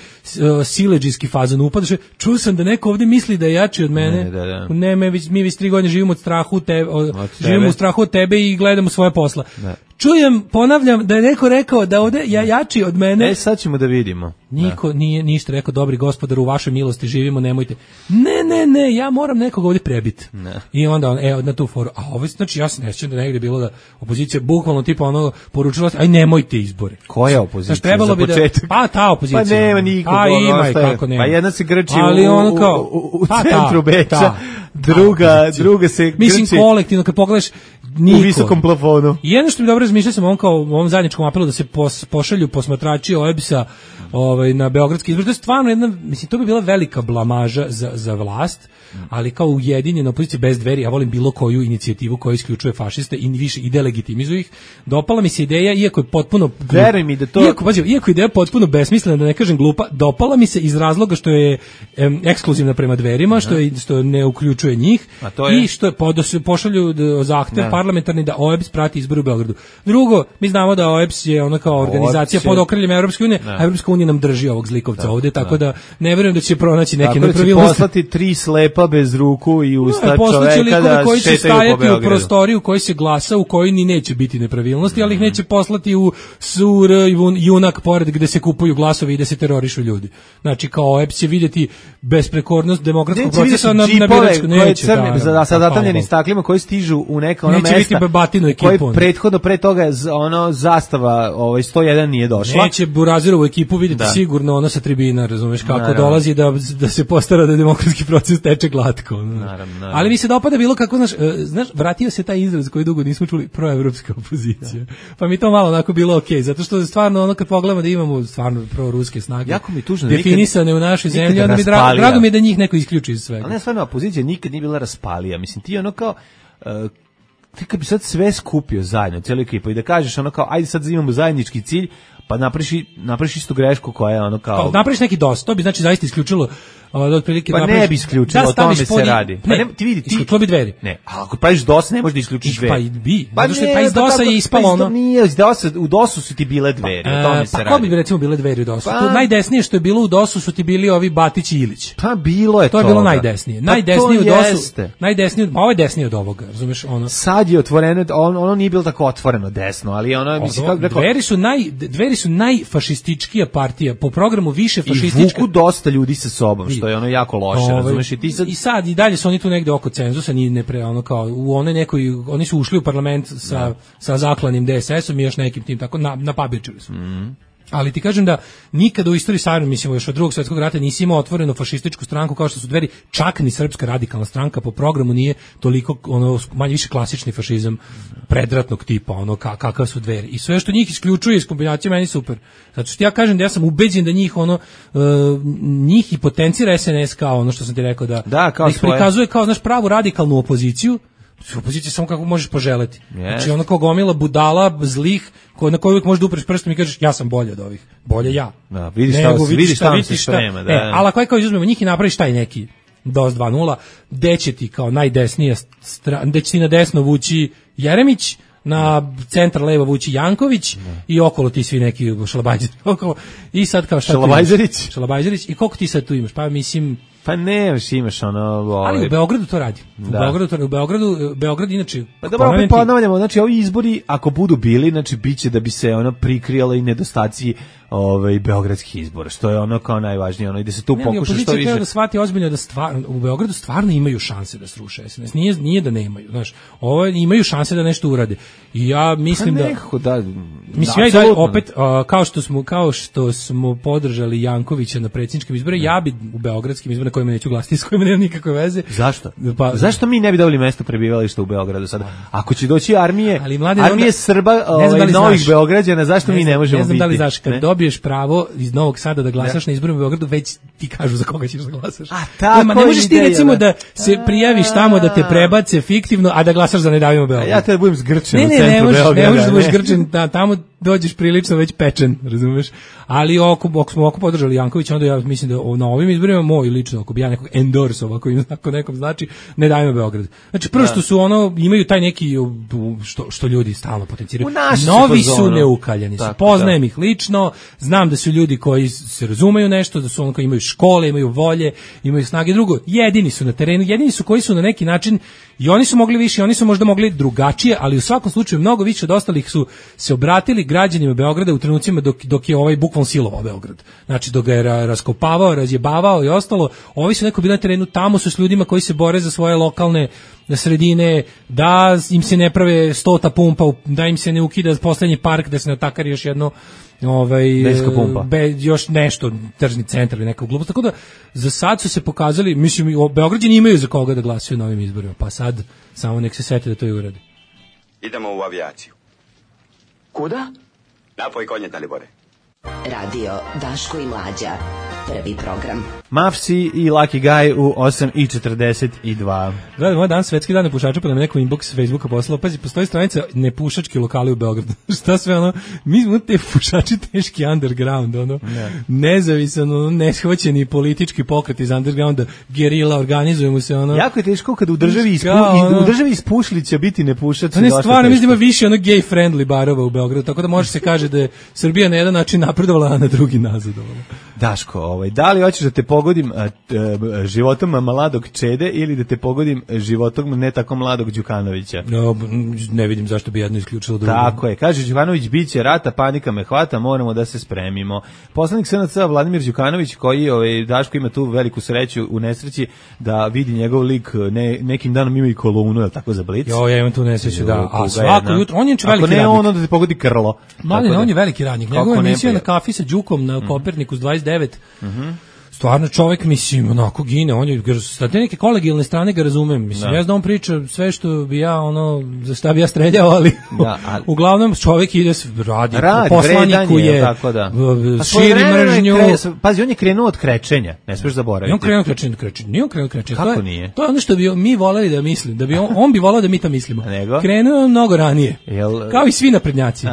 siledžijski fazon, upadaš, čuo sam da neko ovdje misli da je jači od mene. Ne, mi već 3 godine živimo živimo u strahu od tebe i gledamo svoje posla. Čujem, ponavljam, da je neko rekao da ovdje jači od mene. Sad ćemo da vidimo. Niko nije ništa rekao, dobri gospodar, u vašoj milosti živimo, nemojte. Ne, ja moram nekog ovdje prebiti. I onda na tu foru. A ovo, znači, ja se ne sjećam da negdje bilo da opozicija bukvalno tipa poručila, aj nemojte izbore. Koja opozicija? Znači, trebalo bi pa ta opozicija. Pa nema nikog. Pa ima i kako nema. Pa jedna se grči u centru Beča, druga se grči. Mislim, kolektivno, kad pogledaš, niko. U visokom plafonu. I jedno što mi dobro razmišljao sam u ovom zajedničkom apelu da se pošalju posmatrači OEBS-a na beogradski izbor. To je stvarno jedna, mislim, to bi bila velika blamaža za vlast, ali kao ujedinjena opozicija bez dveri, ja volim bilo koju inicijativu koja isključuje fašiste i više i delegitimizuje ih. Dopala mi se ideja, iako je potpuno... Veruj mi da to... Iako ideja potpuno besmislena, da ne kažem glupa, dopala mi se iz razloga što je ekskluzivna prema dverima, što ne uključuje njih i što je pošalju zahtev parlamentarni da OEBS prati izbor u Beogradu. Drugo, mi znamo da OEBS je ona kao organizacija pod okriljem Evropske unije, a Evropska unija nam drži ovog zlikovca ovdje, tako da ne vjerujem da će pronaći neke nepravilnosti. Tako da će poslati 3 slepa bez ruku i usta čoveka da koji će stajati u prostoriju u kojoj se glasa, u kojoj ni neće biti nepravilnosti, ali ih neće poslati u sur junak pored gde se kupuju glasovi i da se terorišu ljudi. Znači kao OEBS će vidjeti besprekornost demokratskog procesa na koje crne, sa zatamljenim staklima koji stižu u neka ona mesta. Neće biti Bebatinu ekipu. Koji prethodno pre toga ono zastava 101 nije došla. Neće Burazerovu ekipu vidjeti sigurno ono sa tribina, razumeš, kako dolazi da se postara da demokratski proces teče glatko. Naravno. Ali mi se dopada bilo kako, znaš, vratio se taj izraz koji dugo nismo čuli, proevropska opozicija. Pa mi to malo onako bilo okej, zato što stvarno ono kad pogledamo da imamo stvarno proruske snage. Jako mi tužno definisane u našoj zemlji, onda mi drago mi je da njih neko isključi iz svega. Ali ne, stvarno opozicija nikad nije bila raspalija. Mislim, ti ono kao ti kad bi sad sve skupio zajedno, cijelu ekipu i da kažeš ono kao, ajde sad imamo zajednički cilj, pa napraviš istu grešku koja je ono kao... Napraviš neki DOS, to bi znači zaista isključilo otprilike... Pa ne bi isključilo, o tome se radi. Isključilo bi Dveri. Ne, a ako praviš DOS ne možeš da isključiš Dveri. Pa bi, zato što iz DOS-a je ispalo ono... Nije, u DOS-u su ti bile Dveri, o tome se radi. Pa ko bi recimo bile Dveri u DOS-u? Najdesnije što je bilo u DOS-u su ti bili ovi Batić i Ilić. Pa bilo je to. To je bilo najdesnije. Najdesnije u DOS-u. Najdesnije, ovo je desnije od ovoga, razumeš? Sad je otvoreno, ono nije bilo tako otvoreno desno, ali ono... Dveri su najfašističkija partija, po programu više fašistička. I vuku dosta ljudi sa sobom, što je ono jako loše, razumeš? I sad i dalje su oni tu negde oko cenzusa, ono kao u onoj nekoj, oni su ušli u parlament sa zaklanim DSS-om i još nekim tim tako, napabirčili su. Ali ti kažem da nikada u istoriji Savjeza, mislim još od Drugog svjetskog rata nisi imao otvoreno fašističku stranku kao što su Dveri, čak ni Srpska radikalna stranka po programu nije toliko ono manje više klasični fašizam predratnog tipa, ono kakav su Dveri. I sve što njih isključuje iz kombinacije meni super. Zato što ja kažem da ja sam ubeđen da njih njih i potencira SNS kao ono što sam ti rekao da ih prikazuje kao znaš pravu radikalnu opoziciju. Opozicija samo kako možeš poželeti. Znači ono kao gomila budala, zlih, na koju uvijek možeš da upreš prstom i kažeš ja sam bolje od ovih. Bolje ja. Da, vidiš šta se sprema. Ali ako kao izuzmemo njih i napraviš taj neki DOS 2.0, gde će ti kao najdesnija gde će ti na desno vući Jeremić, na centar levo vući Janković i okolo ti svi neki šalabajzeri. I sad kao šta Šalabajzerić. I koliko ti sad tu imaš? Pa mislim... Pa ne, imaš ono... Ali u Beogradu to radi. U Beograd inače... Pa dobro, opet ponavljamo, znači ovi izbori, ako budu bili, znači biće da bi se ono prikrijala i nedostaci beogradskih izbora, što je ono kao najvažnije, ono i da se tu pokuša što više... da shvati ozbiljno da u Beogradu stvarno imaju šanse da sruše SNS. Nije da nemaju, znaš. Imaju šanse da nešto urade. I ja mislim mislim ja opet kao što smo podržali Jankovića na predsjedničkim izborima, ja bi u beogradskim izborima kojima neću glasiti, s kojima nema nikakve veze. Zašto? Zašto mi ne bi dobili mesto prebivališta u Beogradu sada? Ako će doći armije Srba, novih Beograđana, zašto mi ne možemo biti? Ne znam da li znaš, kad dobiješ pravo iz Novog Sada da glasaš na izborima u Beogradu, već ti kažu za koga ćeš da glasaš. Ne možeš ti recimo da se prijaviš tamo da te prebace fiktivno, a da glasaš za Ne davimo Beograd. Ja te budem zgrčen u centru Beograda. Ne možeš da budeš grčen, tamo dođeš prilično već pečen, razumeš? Ali ako smo podržali Jankovića, onda ja mislim da na ovim izborima moj lično, ako bi ja nekog endorsovao, ako nekom znači, Ne davimo Beograd. Znači prvo što su imaju taj neki što ljudi stalno potenciraju. Novi su neukaljani, poznajem ih lično, znam da su ljudi koji se razumeju nešto, da su oni koji imaju škole, imaju volje, imaju snage. Drugo, jedini su na terenu, jedini su koji su na neki način, i oni su mogli više, oni su možda mogli drugačije, ali u svakom slučaju mnogo više od ostalih su se obratili građanima Beograda u trenucima dok je ovaj bukvalno silovao Beograd. Znači dok ga je raskopavao, razjebavao i ostalo. Ovi su neko bili na terenu, tamo su s ljudima koji se bore za svoje lokalne sredine, da im se ne prave 100 pumpa, da im se ne ukida poslednji park, da se ne otakari još jedno još nešto, tržni centar ili neka glupost. Tako da za sad su se pokazali, mislim, Beograđani imaju za koga da glasuju na ovim izborima, pa sad samo nek se sete da to i uradi. Idemo u avijaciju. Kuda? Napoj konje, Dalibore. Radio Daško i Mlađa. Prvi program. Mavsi i Lucky Guy u 8:42. Gledaj, moj dan svetski dan nepušača, pa nam neko inbox Facebooka poslao. Pazi, postoji stranica nepušački lokali u Beogradu. Šta sve ono? Mi smo te pušači teški underground, ono. Nezavisan, neshvaćeni politički pokret iz undergrounda, gerila, organizujemo se, ono. Jako je teško kad u državi iz Pušlića biti nepušač. Ne, stvarno, mislim da ima više ono gay friendly barova u Beogradu, tako da može se kaže da je Srbija na jedan način napredovala, a na drugi nazadovala. Daško, da li hoćeš da te pogodim životom mladog Čede ili da te pogodim životom ne tako mladog Đukanovića. No, ne vidim zašto bi jedno isključilo drugo. Tako je, kaže Đukanović, biće rata, panika me hvata, moramo da se spremimo. Poslanik SNS Vladimir Đukanović, koji Daško ima tu veliku sreću u nesreći da vidi njegov lik, nekim danom ima i kolumnu, je li tako, za Blic? Jo, ja imam tu nesreću, da. A svako jutro, on je veliki radnik. Ako ne ono da te pogodi krlo. Mladen, on je veliki radnik. Njegova emisija na kafi sa Đukom na Kopernikus 29. Stvarno čovjek, mislim, onako gine, on je, sa te neke kolegijalne strane ga razumem, mislim, ja znam on priča sve što bi ja, za šta bi ja streljao, ali uglavnom čovjek ide, radi poslaniku je, širi mržnju. Pazi, on je krenuo od krečenja, ne smiješ zaboraviti. On krenuo od krečenja, nije on krenuo od krečenja. Kako nije? To je ono što bi mi voleli da mislim, da bi on bi volao da mi to mislimo. Krenuo mnogo ranije, kao i svi naprednjaci.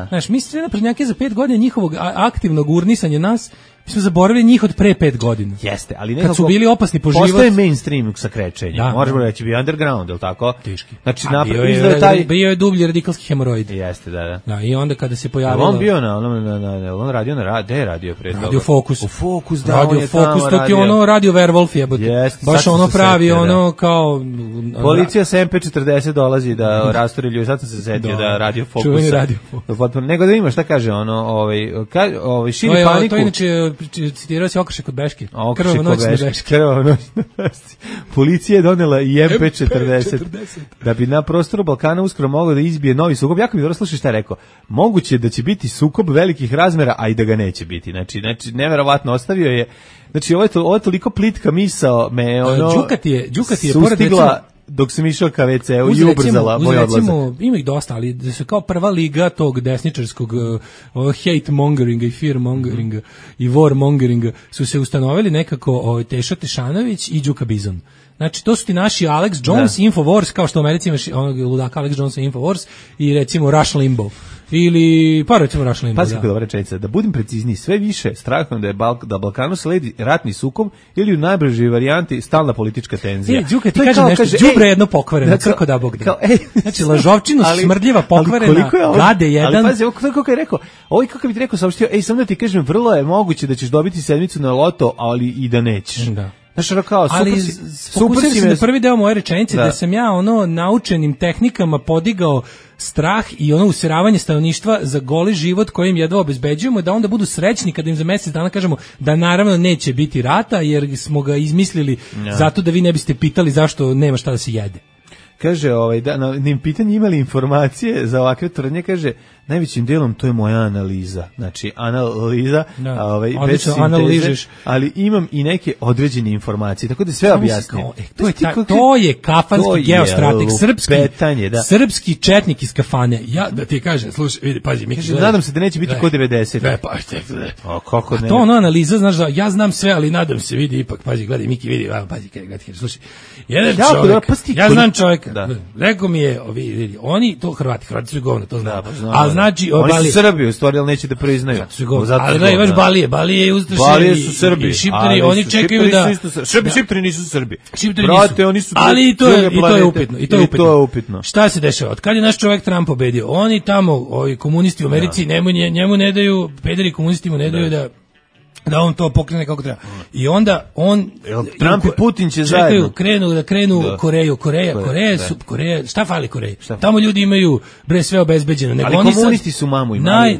Znaš, mi svi naprednjaki za 5 godina njihovog aktivnog urnisanja nas, mi smo zaboravili njih od pre 5 godina. Jeste, ali nekako... Kad su bili opasni po život... Postoje mainstream sa krećenjem. Možemo reći, bio underground, je li tako? Teški. Znači, bio je dublji radikalski hemoroid. Jeste, da. Da, i onda kada se pojavilo... On bio on radio na... Gde je radio pre toga? Radio Fokus. U Fokus, da, Radio Fokus, to ti ono Radio Werwolf jebote. Jeste. Baš ono pravi, ono kao... Policija sa MP40 dolazi da rastori ljudi. Sad sam se setio da Radio Fokus. Čuveni Radio Fokus. Nego da ima, šta kaže ono, širi paniku. To inače citirao se Okršak od Beške. Krvava noć na Beške. Policija je donela i MP40 da bi na prostoru Balkana uskoro moglo da izbije novi sukob. Jako mi dobro slušaj šta je rekao. Moguće da će biti sukob velikih razmera, a i da ga neće biti. Znači neverovatno ostavio je. Znači ovo je toliko plitka misao me Đuka ti je pored recimo dok sam išao ka WC-u i ubrzala moj odlazak. Ima ih dosta, ali da su kao prva liga tog desničarskog hate mongeringa i fear mongeringa i war mongeringa su se ustanovili nekako Teša Tešanović i Đuka Bizon. Znači, to su ti naši Alex Jones, Infowars, kao što u Americi imaš onog ludaka Alex Jonesa Infowars i recimo Rush Limbaugh. Ili, recimo Rush Limbaugh, Pazi kako dobra rečenica, da budem precizniji, sve više strahom da Balkanu sledi ratni sukob ili u najbržoj varijanti stalna politička tenzija. Đuka, ti kaže nešto, đubre jedno pokvareno, crko da Bog da. Znači, lažovčinu, smrdljiva, pokvarena, gade jedan. Ali pazi, kako je rekao, kako bi ti rekao, saopštio, samo da ti kažem, vrlo je moguće da ćeš dobiti sedmicu na loto, ali i da nećeš. Da. Znači, kao, super si me... na prvi deo moje rečenice da sam ja naučenim tehnikama podigao strah i useravanje stanovništva za goli život kojim jedva obezbeđujemo, da onda budu srećni kada im za mjesec dana kažemo da naravno neće biti rata jer smo ga izmislili zato da vi ne biste pitali zašto nema šta da se jede. Kaže, na pitanje imali informacije za ovakve tvrdnje, kaže, najvećim delom to je moja analiza. Znači, analiza, bez sinteze, ali imam i neke određene informacije, tako da sve objasnim. To je kafanski geostrateg, srpski četnik iz kafane. Ja da ti kažem, slušaj, vidi, pazi, mi kaže, nadam se da neće biti kod 90. Kako ne? To analiza, znaš da ja znam sve, ali nadam se, vidi ipak, pazi, gledaj, Miki, vidi, pazi, gledaj, slušaj. Jedan čovjek, ja znam čovjeka. Rekao mi je, vidi, oni, to Hrvati su govno, to znam. Ali znači, oni su Srbi, u stvari, ali neće da priznaju. Ali da, imaš Balije je ustaše. Balije su Srbi. I Šiptari, oni čekaju da... Šiptari nisu Srbi. Brate, oni su... Ali i to je upitno. Šta se dešava? Od kad je naš čovjek Trump pobedio? Oni tamo, ovi komunisti u Americi, njemu ne daju, pederi komunisti mu ne daju da on to pokrene kako treba. I onda on... Trump i Putin će zajedno. Krenu Koreju. Koreja, šta fali Koreji? Tamo ljudi imaju sve obezbeđeno. Ali komunisti su mamu imali.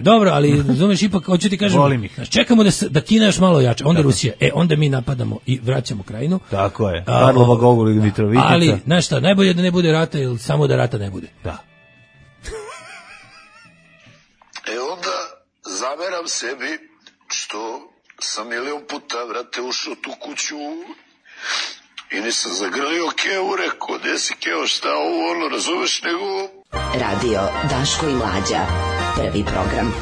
Dobro, ali razumeš, ipak, hoću ti kažem, čekamo da Kina još malo jače, onda Rusija. Onda mi napadamo i vraćamo Krajinu. Tako je. Karlova Gogol i Mitrovitica. Ali, znaš šta, najbolje da ne bude rata ili samo da rata ne bude. Da. Onda zameram sebi što sam milion puta, vrate, ušao tu kuću i nisam zagrlio Keo, rekao, gde si Keo, šta ovo, razumeš, nego... Radio Daško i Mlađa, prvi program.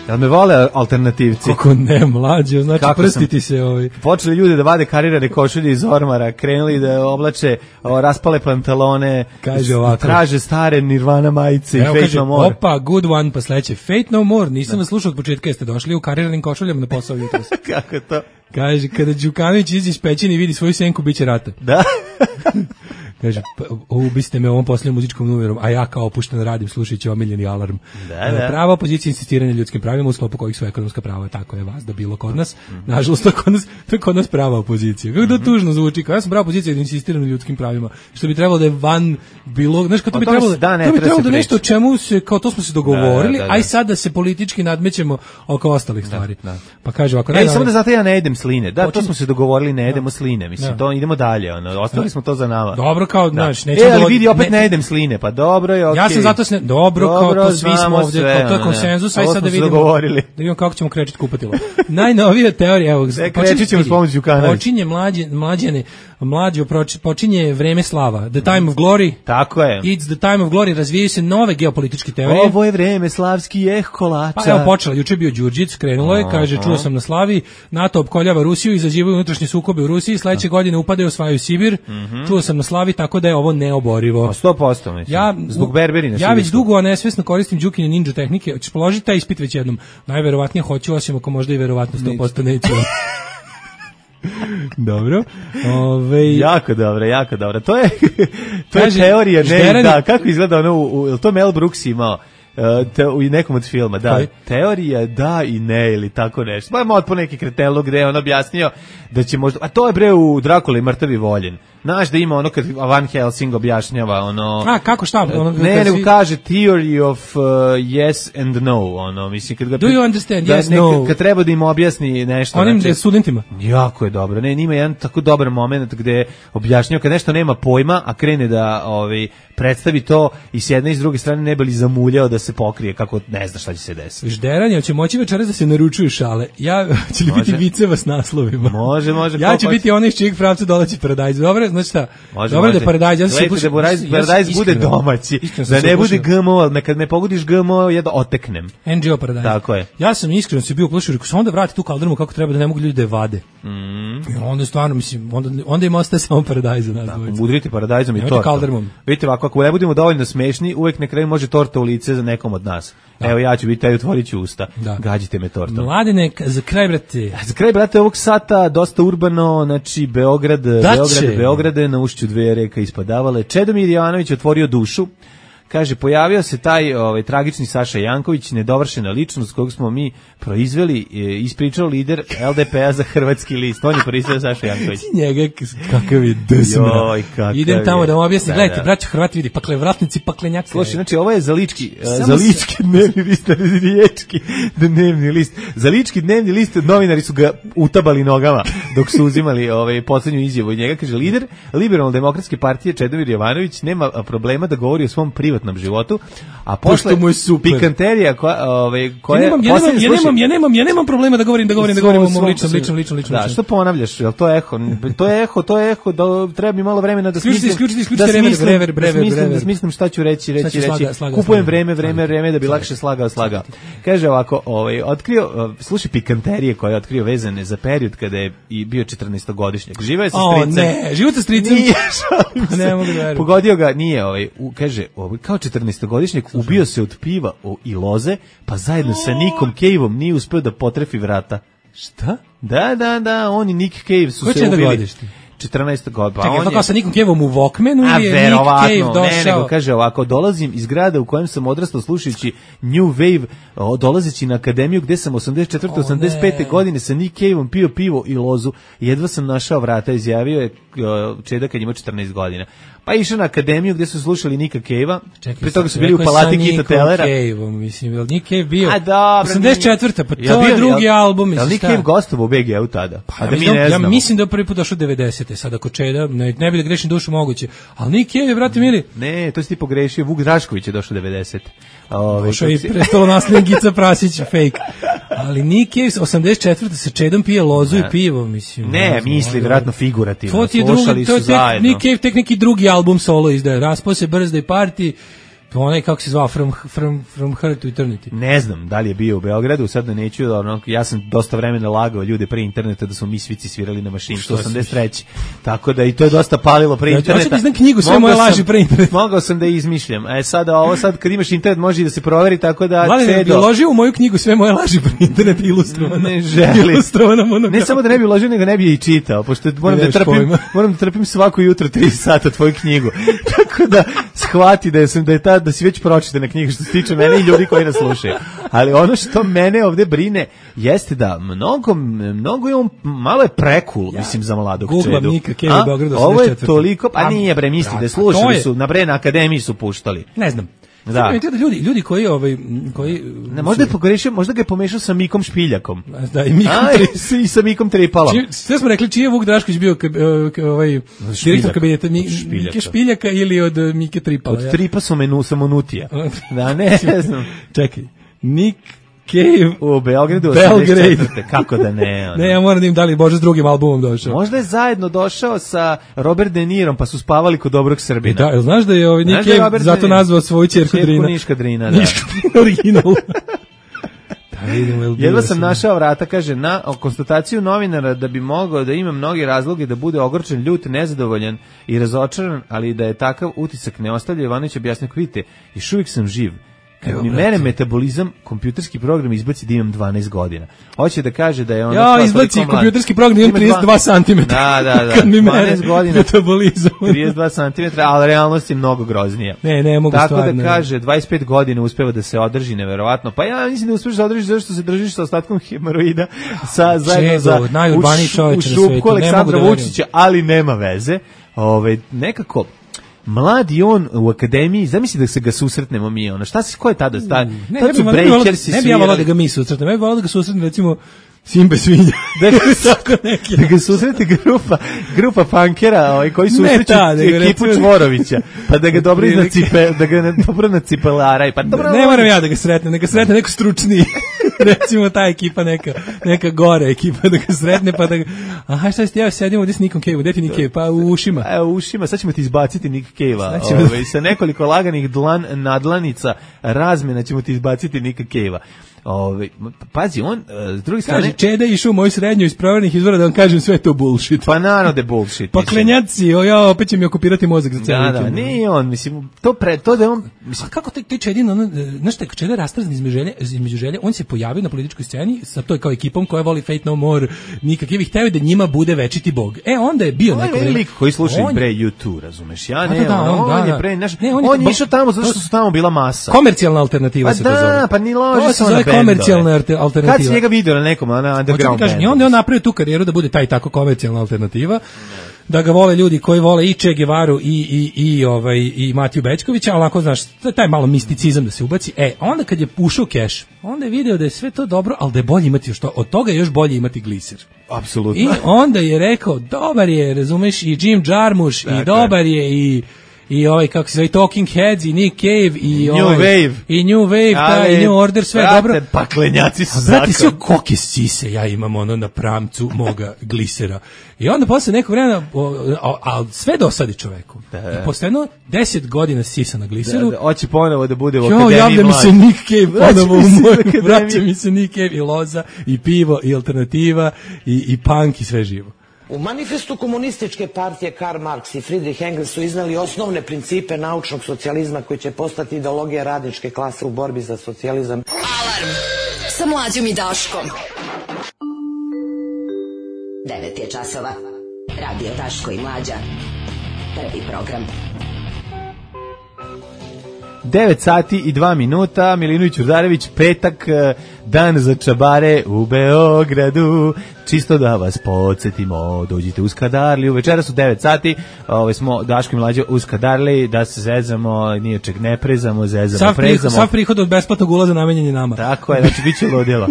Jel me vole alternativci? Kako ne, Mlađo, znači prstiti se ovi. Počeli ljudi da vade karirane košulje iz ormara, krenuli da oblače raspale pantalone, traže stare Nirvana majice i Fate No More. Opa, good one, pa sledeće, Fate No More, nisam vas slušao od početka, jeste došli u kariranim košuljama na posao jutros. Kako to? Kaže, kada Đukanović izađe iz pećine i vidi svoju senku, bit će rata. Da. Kaže, ubiste me ovom posljednjom muzičkom numerom, a ja kao opušten radim slušajući omiljeni alarm. Da. Prava opozicija insistiranje ljudskim pravima u sklopu kojih su ekonomska prava, tako je vas da bilo kod nas. Nažalost, to je kod nas prava opozicija. Kako da tužno zvuči, kao ja sam prava opozicija da insistiram na ljudskim pravima, što bi trebalo da je van bilo, znaš, kao to bi trebalo da nešto o čemu se, kao to smo se dogovorili, aj sad da se politički nadmećemo oko ostalih stvari. Pa kaže ovako, samo da znate ja ne jedem sline. Da, to smo se dogovorili, ne jedemo sline. Mislim, to idemo dalje, ostavili smo to za nama. Dobro, kao, znaš, nećemo ali vidi, opet ne jedem sline, pa dobro je, okej. Ja sam zato dobro, kao to svi smo ovdje, kao to je konsenzus, aj sad da vidimo kako ćemo krečiti kupatilo. Najnovija teorija, evo, krećit ćemo s pomoću Đukanovića. Počinje počinje vreme slava, the time of glory. Tako je. It's the time of glory, razvijaju se nove geopolitičke teorije. Ovo je vreme slavski kolača. Pa evo počela, juče bio Đurđić, krenulo je, kaže, čuo sam na slavi, NATO opkoljava Rusiju, izazivaju unutrašnje sukobe u Rusiji, sledeće godine upadaju, osvajaju Sibir, čuo sam na slavi, tako da je ovo neoborivo. 100%, mislim, zbog berberina. Ja već dugo, a nesvesno koristim Đukine ninja tehnike, hoćeš položiti taj ispit već jednom? Najverovatnije hoću, osim ako možda i verovatno 100% neću. Dobro. Jako dobro. To je teorija, ne, da, kako izgleda ono, to Mel Brooks imao u nekom od filma, da, teorija da i ne, ili tako nešto. Pa ima otpo neki kretelog gde je on objasnio da će možda, a to je bre u Drakuli mrtavi voljen. Znaš da ima ono kad Van Helsing objašnjava ono... A, kako šta? Nego kaže theory of yes and no, ono, mislim, kad ga... Do you understand, yes, no? Kad treba da im objasni nešto... Onim studentima. Jako je dobro, ima jedan tako dobar moment gde objašnjava kad nešto nema pojma, a krene da predstavi to i s jedne i s druge strane ne bi li zamuljao da se pokrije kako ne zna šta će se desiti. Žderanje, će moći večeras da se naručuju šale. Će li biti viceva s naslovima? Može. Ja ću biti onaj iz čijeg pravca dolazi Paradajz. Dobro, znači šta? Dobro da Paradajz, ja se Paradajz bude domaći. Da ne bude GMO, kad me pogodiš GMO, ja da oteknem. NGO Paradajz. Tako je. Ja sam iskreno se bio uplašio, rekao sam onda vrati tu kaldrmu kako treba da ne mogu ljudi da je vade. Onda stvarno, mislim, onda im ostaje samo Paradajz. Udrite Paradajzom i tortom. Vidite ovako, ako ne budemo dovoljno smešni, uvek na kraju može torta u lice za nekom od nas. Evo ja ću biti taj, otvorit ću usta. Gađite me tortom. Mladine, za kraj, brate. Za kraj, brate, ovog sata dosta urbano, znači Beograd je na ušću dve reka ispadavale. Čedomir Jovanović otvorio dušu. Kaže, pojavio se taj tragični Saša Janković, nedovršena ličnost kojeg smo mi proizveli, ispričao lider LDP-a za hrvatski list. On je proizveo Saša Janković. Njega, kakav je desmra. Idem tamo da vam objasnim. Gledajte, braćo Hrvati, vidi, pakle vratnici, paklenjak. Slušaj, znači ovo je za lički dnevni list, riječki dnevni list. Za lički dnevni list novinari su ga utabali nogama dok su uzimali poslednju izjavu njega. Kaže, lider Liberalno-demokratske partije Čedomir Jovanović nema problema da govori o svom privatnom životu, a posle mu je super pikanterija koja ja nemam problema da govorim o mom ličnom. Da, što ponavljaš? Jel to je eho, da treba mi malo vremena da smislim šta ću reći. Kupujem vreme da bi lakše slagao. Kaže ovako, otkrio, slušaj, pikanterije koje je otkrio vezane za period kada je i bio 14-godišnjak. Živeo je sa stricem. Ne, život sa stricem. Ne mogu da verujem. Pogodio ga, nije, kaže, kao 14-godišnjak ubio se od piva i loze, pa zajedno sa Nickom Cave-om nije uspeo da potrefi vrata. Šta? Da, on i Nick Cave su se ubili. 14 godina. Čekaj, to kao sa Nickom Cave-om u Walkmanu ili je Nick Cave došao? Ne, nego kaže ovako, dolazim iz grada u kojem sam odrastao slušajući New Wave, dolazeći na akademiju gde sam 84-85. godine sa Nick Cave-om pio pivo i lozu, jedva sam našao vrata, izjavio je Čeda kad ima 14 godina. Pa išao na akademiju gdje su slušali Nika Cave-a, pri toga su bili u palati Kita Tellera. Mislim, Nick Cave bio 84. Pa to je drugi album. Nick Cave gostovao u BG-u tada. Ja mislim da je prvi put došao 90. Sad ako Čeda, ne bi da grešim dušu moguće. Ali Nick Cave, brate mili. Ne, to si ti pogrešio, Vuk Drašković je došao 90. Došao i prestalo nasljednik Gica Prasić, fake. Ali Nick Cave 84. sa Čedom pije lozu i pivo, mislim. Ne, misli, vjerojatno figurativno. To je Nick Cave tek neki drugi album solo izdaje. Raspao se Birthday Party Onaj, kako se zvao, From Her to Eternity. Ne znam da li je bio u Beogradu, sad da neću, ja sam dosta vremena lagao ljude pre interneta da smo mi svici svirali na mašincu 83. Tako da i to je dosta palilo pre interneta. Hoćete znam knjigu Sve moje laži pre interneta. Mogao sam da izmišljam. Sad kad imaš internet može da se proveri, tako da... Mladen, bi uložio u moju knjigu Sve moje laži pre interneta ilustrovana. Ne želi. Ne samo da ne bi uložio, nego ne bi je i čitao, pošto moram da trpim svako jutro 3 sata tvoju knjigu. Tako da shvati da si već pročitana knjiga što se tiče mene i ljudi koji nas slušaju. Ali ono što mene ovde brine jeste da mnogo je on, malo je prekul, mislim, za mladog čedu. Googlam Nika Cave u Beogradu 84. Ovo je toliko, pa nije bre, misli da slušali su, na na akademiji su puštali. Ne znam. Da. Ljudi koji ne, možda je pogrešio, možda ga je pomešao sa Mikom Špiljakom. Da, i Mikom i sa Mikom Tripalom. Sve smo rekli, čiji je Vuk Drašković bio direktor kabineta Mike Špiljaka ili od Mike Tripala? Od Tripa Samonutija. Da, ne znam. Čekaj, Nick Cave u Beogradu 84. Kako da ne? Ne, ja moram da im da li Bože s drugim albumom došao. Možda je zajedno došao sa Robert De Nirom, pa su spavali kod dobrog Srbina. Da, jel znaš da je Nick Cave zato nazvao svoju ćerku Drina? Niška Drina, da. Niška Drina original. Jedva sam našao vrata, kaže, na konstataciju novinara da bi mogao da ima mnoge razloge da bude ogorčen, ljut, nezadovoljan i razočaran, ali da je takav utisak ne ostavlja. Ivanović objasnio, vidite, još uvijek sam živ. Kad mi mere metabolizam, kompjuterski program izbaci da imam 12 godina. Hoće da kaže da je ono... Ja, izbaci kompjuterski program, imam 32 cm. Da. Kad mi mere metabolizam. 32 cm, ali realnost je mnogo groznija. Ne mogu stvarno. Tako da kaže, 25 godina uspeva da se održi, neverovatno. Pa ja mislim da uspeš da održiš zato što se držiš sa ostatkom hemoroida, zajedno za u šupku Aleksandra Vučića, ali nema veze. Nekako... Mladi on u akademiji, zamisli da se ga susretnemo mi, ko je tada? Ne bi ja volao da ga mi susretnemo, ja bi volao da ga susretnemo, recimo, Simbe svinja. Da ga susreti grupa punkera koji susreću ekipu Čvorovića, pa da ga dobro nacipelaraj. Ne moram ja da ga sretnem, neka sretne neko stručniji. Recimo ta ekipa, neka gore ekipa da ga sretne, pa da ga... Aha, šta ste, ja sedim ovdje s Nikom Cave-u, gde ti Nick Cave? Pa u ušima. U ušima, sad ćemo ti izbaciti Nick Cave-a. Sa nekoliko laganih nadlanica razmjena ćemo ti izbaciti Nika Cave-a. Pazi, on, s druge strane... Kaže, Čeda je išao u moju srednju iz provernih izvora da vam kažem sve to bullshit. Pa naravno da je bullshit. Pa klenjaci, opet će mi okupirati mozak za cijeli vikend. Da, nije on, mislim, to da je on... A kako te Čedin, znaš te, Čeda je rastrazan između želje, on se pojavio na političkoj sceni sa toj kao ekipom koja voli Fate No More, nikakvih, hteo da njima bude večiti bog. Onda je bio neko... On je lik koji sluša i pre YouTube, razumeš, ja ne, on je pre... On je išao tamo zato što su tamo bila masa. Komercijalna alternativa se to zove. Pa ni lože se ona komercijalna alternativa. Kad si njega vidio na nekom underground bandu? I onda je on napravio tu karijeru da bude taj tako komercijalna alternativa, da ga vole ljudi koji vole i Che Guevaru i Matiju Bećkovića, ali ako znaš, taj malo misticizam da se ubaci. Onda kad je ušao keš, onda je video da je sve to dobro, ali da je bolje imati još to, od toga je još bolje imati gliser. Apsolutno. I onda je rekao, dobar je, razumeš, i Jim Jarmusch, i dobar je i kako se zove, Talking Heads, i Nick Cave, i New Wave, i New Order, sve je dobro. Paklenjaci su zakon. Sve koke sise ja imam na pramcu moga glisera. I onda posle nekog vremena, ali sve dosadi čoveku. I posle 10 godina sisa na gliseru. Hoće ponovo da bude u akademiji. Javlja mi se Nick Cave ponovo u moj, vraća mi se Nick Cave i loza, i pivo, i alternativa, i punk, i sve živo. U manifestu komunističke partije Karl Marx i Friedrich Engels su iznali osnovne principe naučnog socijalizma koji će postati ideologija radničke klase u borbi za socijalizam. Alarm sa Mlađom i Daškom. 9 je časova. Radio Daško i Mlađa. Prvi program. 9 sati i 2 minuta, Milinović Ćurdarević, petak, dan za čabare u Beogradu. Čisto da vas podsjetimo, dođite u Skadarliju, večera su 9 sati, smo Daško i Mlađa u Skadarliji, da se zezamo, nije čeg ne prezamo, zezamo, prezamo. Sav prihod od besplatnog ulaza namenjen je nama. Tako je, znači bit će ludilo.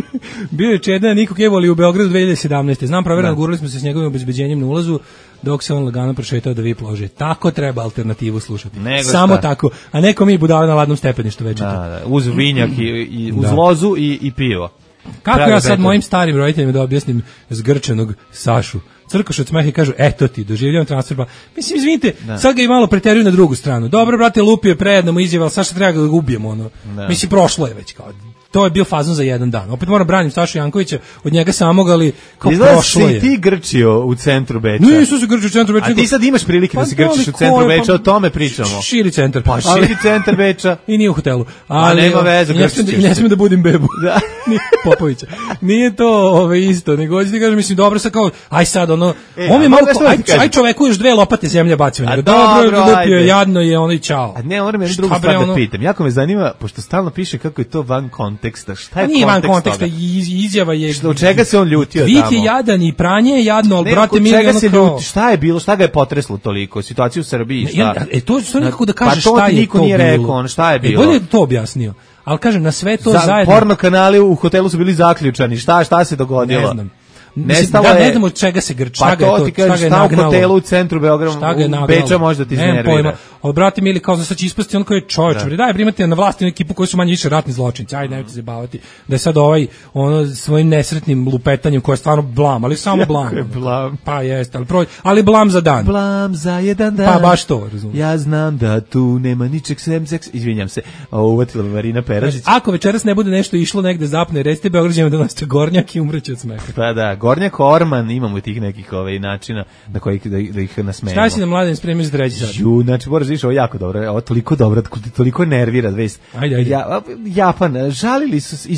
Bio je Čeda Niko Kevoli u Beogradu 2017. Znam, provjerano, gurali smo se s njegovim obezbeđenjem na ulazu, dok se on lagano prošetao da VIP lože. Tako treba alternativu slušati. Samo tako. A neko mi budale na ladnom stepeništu večeti. Da, uz vinjak i uz lozu i pivo. Kako ja sad mojim starim roditeljima da objasnim zgrčenog Sašu crkoš od smeha i kažu, eto ti, doživljavam transfer. Mislim, izvinite, sad ga i malo preteruju na drugu stranu. Dobro, brate, lupio je prejedno mu izjava, ali sad što treba da ga ubijemo, ono. Mislim, prošlo je već, kao, to je bio fazon za jedan dan. Opet moram branim Sašu Jankovića od njega samog, ali kao prošlo je. Izgleda si ti grčio u centru Beča. Nisu se grčio u centru Beča. A ti sad imaš prilike da se grčiš u centru Beča, o tome pričamo. Širi centar. Pa širi centar Beča. I nije u hotelu. Ali nema veze, i ne smijem da budim bebu. Da. Popovića. Nije to isto, nego hoću ti kažem, mislim, dobro sad kao, aj sad ono, on je malo, aj čoveku još 2 lopate zemlje bacio. Dobro, lupio je, jadno je, ono i čao. A ne, moram jednu drugu stvar da pitam. Jako me zanima, pošto stalno piše kako je to van konteksta. Šta je nije van konteksta, izjava je... Od čega se on ljutio tamo? Vik je jadan i pranje je jadno, ali brate mi je ono kao... Šta je bilo, šta ga je potreslo toliko? Situaciju u Srbiji, šta? To nikako da kaže šta je to bilo. Pa to niko nije rekao, šta je bilo? Bolje je to objasnio. Ali kažem, na sve to zajedno... Porno kanali u hotelu su bili zaključani, šta se dogodilo? Ne znam. Ne znam od čega se grči, šta ga je to, šta u hotelu u centru Beograda, u Beča možda ti iznervira. Brate mili, kao sad će ispasti on koji je čovječ, daj primate na vlasti na ekipu koji su manje više ratni zločinci, ajde nemojte se baviti, da je sad svojim nesretnim lupetanjem koje je stvarno blam, ali samo blam. Pa jeste, ali blam za dan. Blam za jedan dan. Pa baš to, razumijem. Ja znam da tu nema ničeg sem seks, izvinjam se, uvatila Marina Peražić. Ako večeras ne bude nešto išlo negde zapne, recite Beograđanima da nosite gornjak i umreće od smeha. Pa da, Gornjak Orman, imamo tih nekih načina na koji da ih nasmejemo. Šta si nam Mladen spremio za treći sad? Znači, moraš viš, ovo jako dobro, ovo toliko nervira vest. Ajde. Japan, žalili su,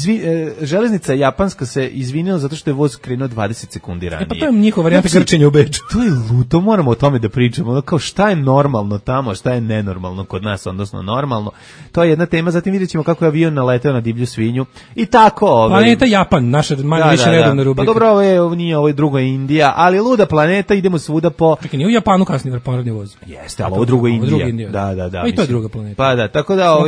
železnica japanska se izvinila zato što je voz krenuo 20 sekundi ranije. Pa to je njihova varijanta grčenja u Beču. To je luto, moramo o tome da pričamo. Kao šta je normalno tamo, šta je nenormalno kod nas, odnosno normalno. To je jedna tema, zatim vidjet ćemo kako je avion naleteo na divlju svinju. I tako. Planeta Japan, naša manje više redovna rubrika. Pa dobro, ovo je drugo Indija, ali luda planeta, idemo svuda po... Čekaj, nije u Japanu kasnije poradni voz. Jeste, ali ovo drugo Indija. Da. Pa i to je druga planeta. Pa da, tako da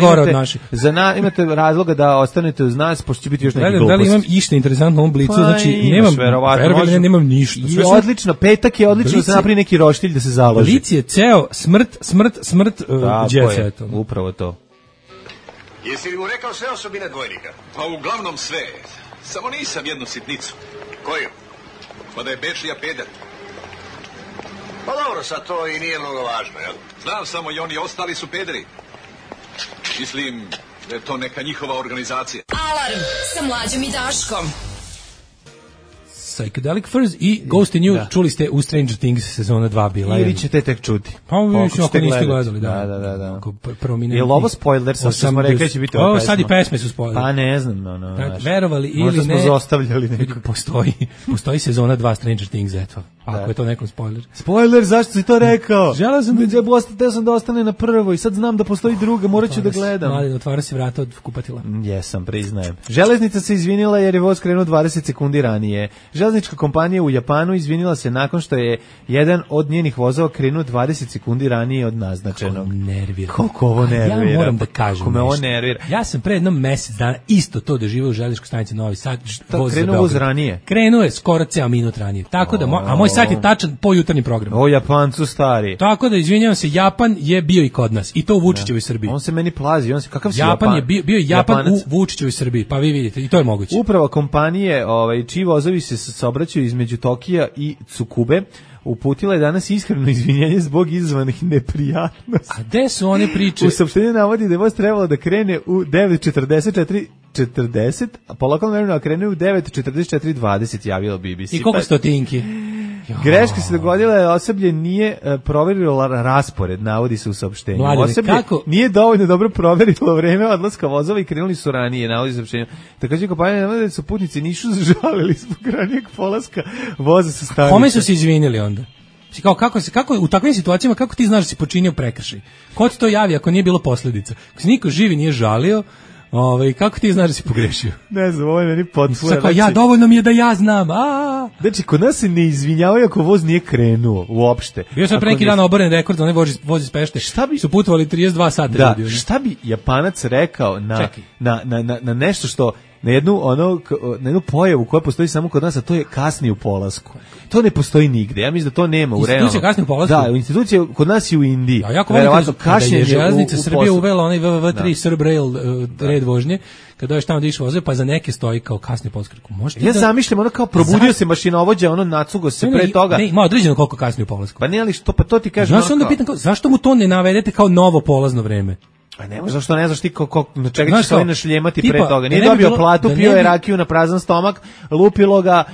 imate razloga da ostanete uz nas, pošto će biti još neki gluposti. Da li imam išta interesantno u ovom blicu? Znači, nemam ništa. I odlično, petak je odlično da se napravi neki roštilj da se založi. Blic je ceo smrt djece. Upravo to. Jesi li mu rekao sve osobine dvojnika? Pa uglavnom sve. Samo nisam jednu sitnicu. Koju? Pa da je Bečlija peder. Pa dobro, sad to i nije mnogo važno, jel? Znam samo i oni ostali su pederi. Mislim da je to neka njihova organizacija. Alarm sa Mlađom i Daškom. Psychedelic Furs i Ghost in You, čuli ste u Stranger Things sezona 2 bila. Ili ćete tek čuti. Pa vi ako niste gledali, da. Je li ovo spoiler, sad smo rekli će biti ova pesma? Sad i pesme su spoiler. Pa ne znam. Verovali ili ne. Možda smo zaostavljali nekako. Postoji sezona 2 Stranger Things, eto. Ako je to nekom spoiler. Spoiler, zašto si to rekao? Želeo sam da ostane na prvo i sad znam da postoji druga, morat ću da gledam. Mladen, otvara se vrata od kupatila. Jesam, priznajem. Železnica se izvinila jer je voz krenuo 20 sekundi ranije. Železnička kompanija u Japanu izvinila se nakon što je jedan od njenih vozova krenuo 20 sekundi ranije od naznačenog. Koliko ovo nervira. Ja moram da kažem Kako me ovo nervira. Ja sam pre jednom mesec dana isto to doživio u železničkoj stanici Novi Sad. Krenuo voz ranije? Krenuo je skoro ceo minut ranije. Tako da, a moj sat je tačan po jutarnjem programu. O Japancu stari. Tako da, izvinjavam se, Japan je bio i kod nas. I to u Vučićevoj Srbiji. On se meni plazi. Kakav si Japan je bio Japan u Vučićevoj Srbiji. Pa vi vidite, i to je moguće. Uprava kompanije, čiji vozovi se saobraćaju između Tokija i Tsukube, uputila je danas iskreno izvinjenje zbog izazvanih neprijatnosti. A gde su one priče? U saopštenju navodi da je voz trebalo da krene u 9:44:40, a po lokalnom vremenu krene u 9:44:20, javilo BBC. I koliko stotinki? Greška se dogodila je osoblje nije proverilo raspored, navodi se u saopštenju. Osoblje nije dovoljno dobro proverilo vreme odlaska vozova i krenuli su ranije, navodi se u saopštenju. Takođe kompanija navodi da su putnici nisu žalili zbog ranijeg polaska voza sa stanice. Kome su se izvinili onda? Kako u takvim situacijama kako ti znaš da si počinio prekršaj? Ko ti to javi ako nije bilo posledica? Ako se niko živi nije žalio, kako ti znaš da si pogrešio? Ne znam, ovo je meni potpuno. Dovoljno mi je da ja znam. Znači, kod nas se ne izvinjavaju ako voz nije krenuo uopšte. Bio sam pre neki dan oboren rekord da onaj voz iz Pešte. Su putovali 32 sata. Da, šta bi Japanac rekao na nešto što na jednu pojavu koja postoji samo kod nas, a to je kasni u polasku. To ne postoji nigde. Ja mislim da to nema u realnom. Institucija kasni u polasku? Da, institucija kod nas i u Indiji. Ja jako volim kada je železnica Srbije uvela onaj WWW3 Srb Rail red vožnje, kada je tamo da išao voze, pa za neke stoji kao kasni polasku. Ja zamišljam ono kao probudio se mašinovođa, ono nacugo se pre toga. Ne, ima određeno koliko kasni u polasku. Pa ne, ali što, pa to ti kažem. Ja se onda pitam, zašto mu to ne navedete kao novo polazno vreme? A ne možeš, zašto ne znaš ti na čega ćeš ovaj našljemati pre toga. Nije dobio platu, pio je rakiju na prazan stomak, lupilo ga,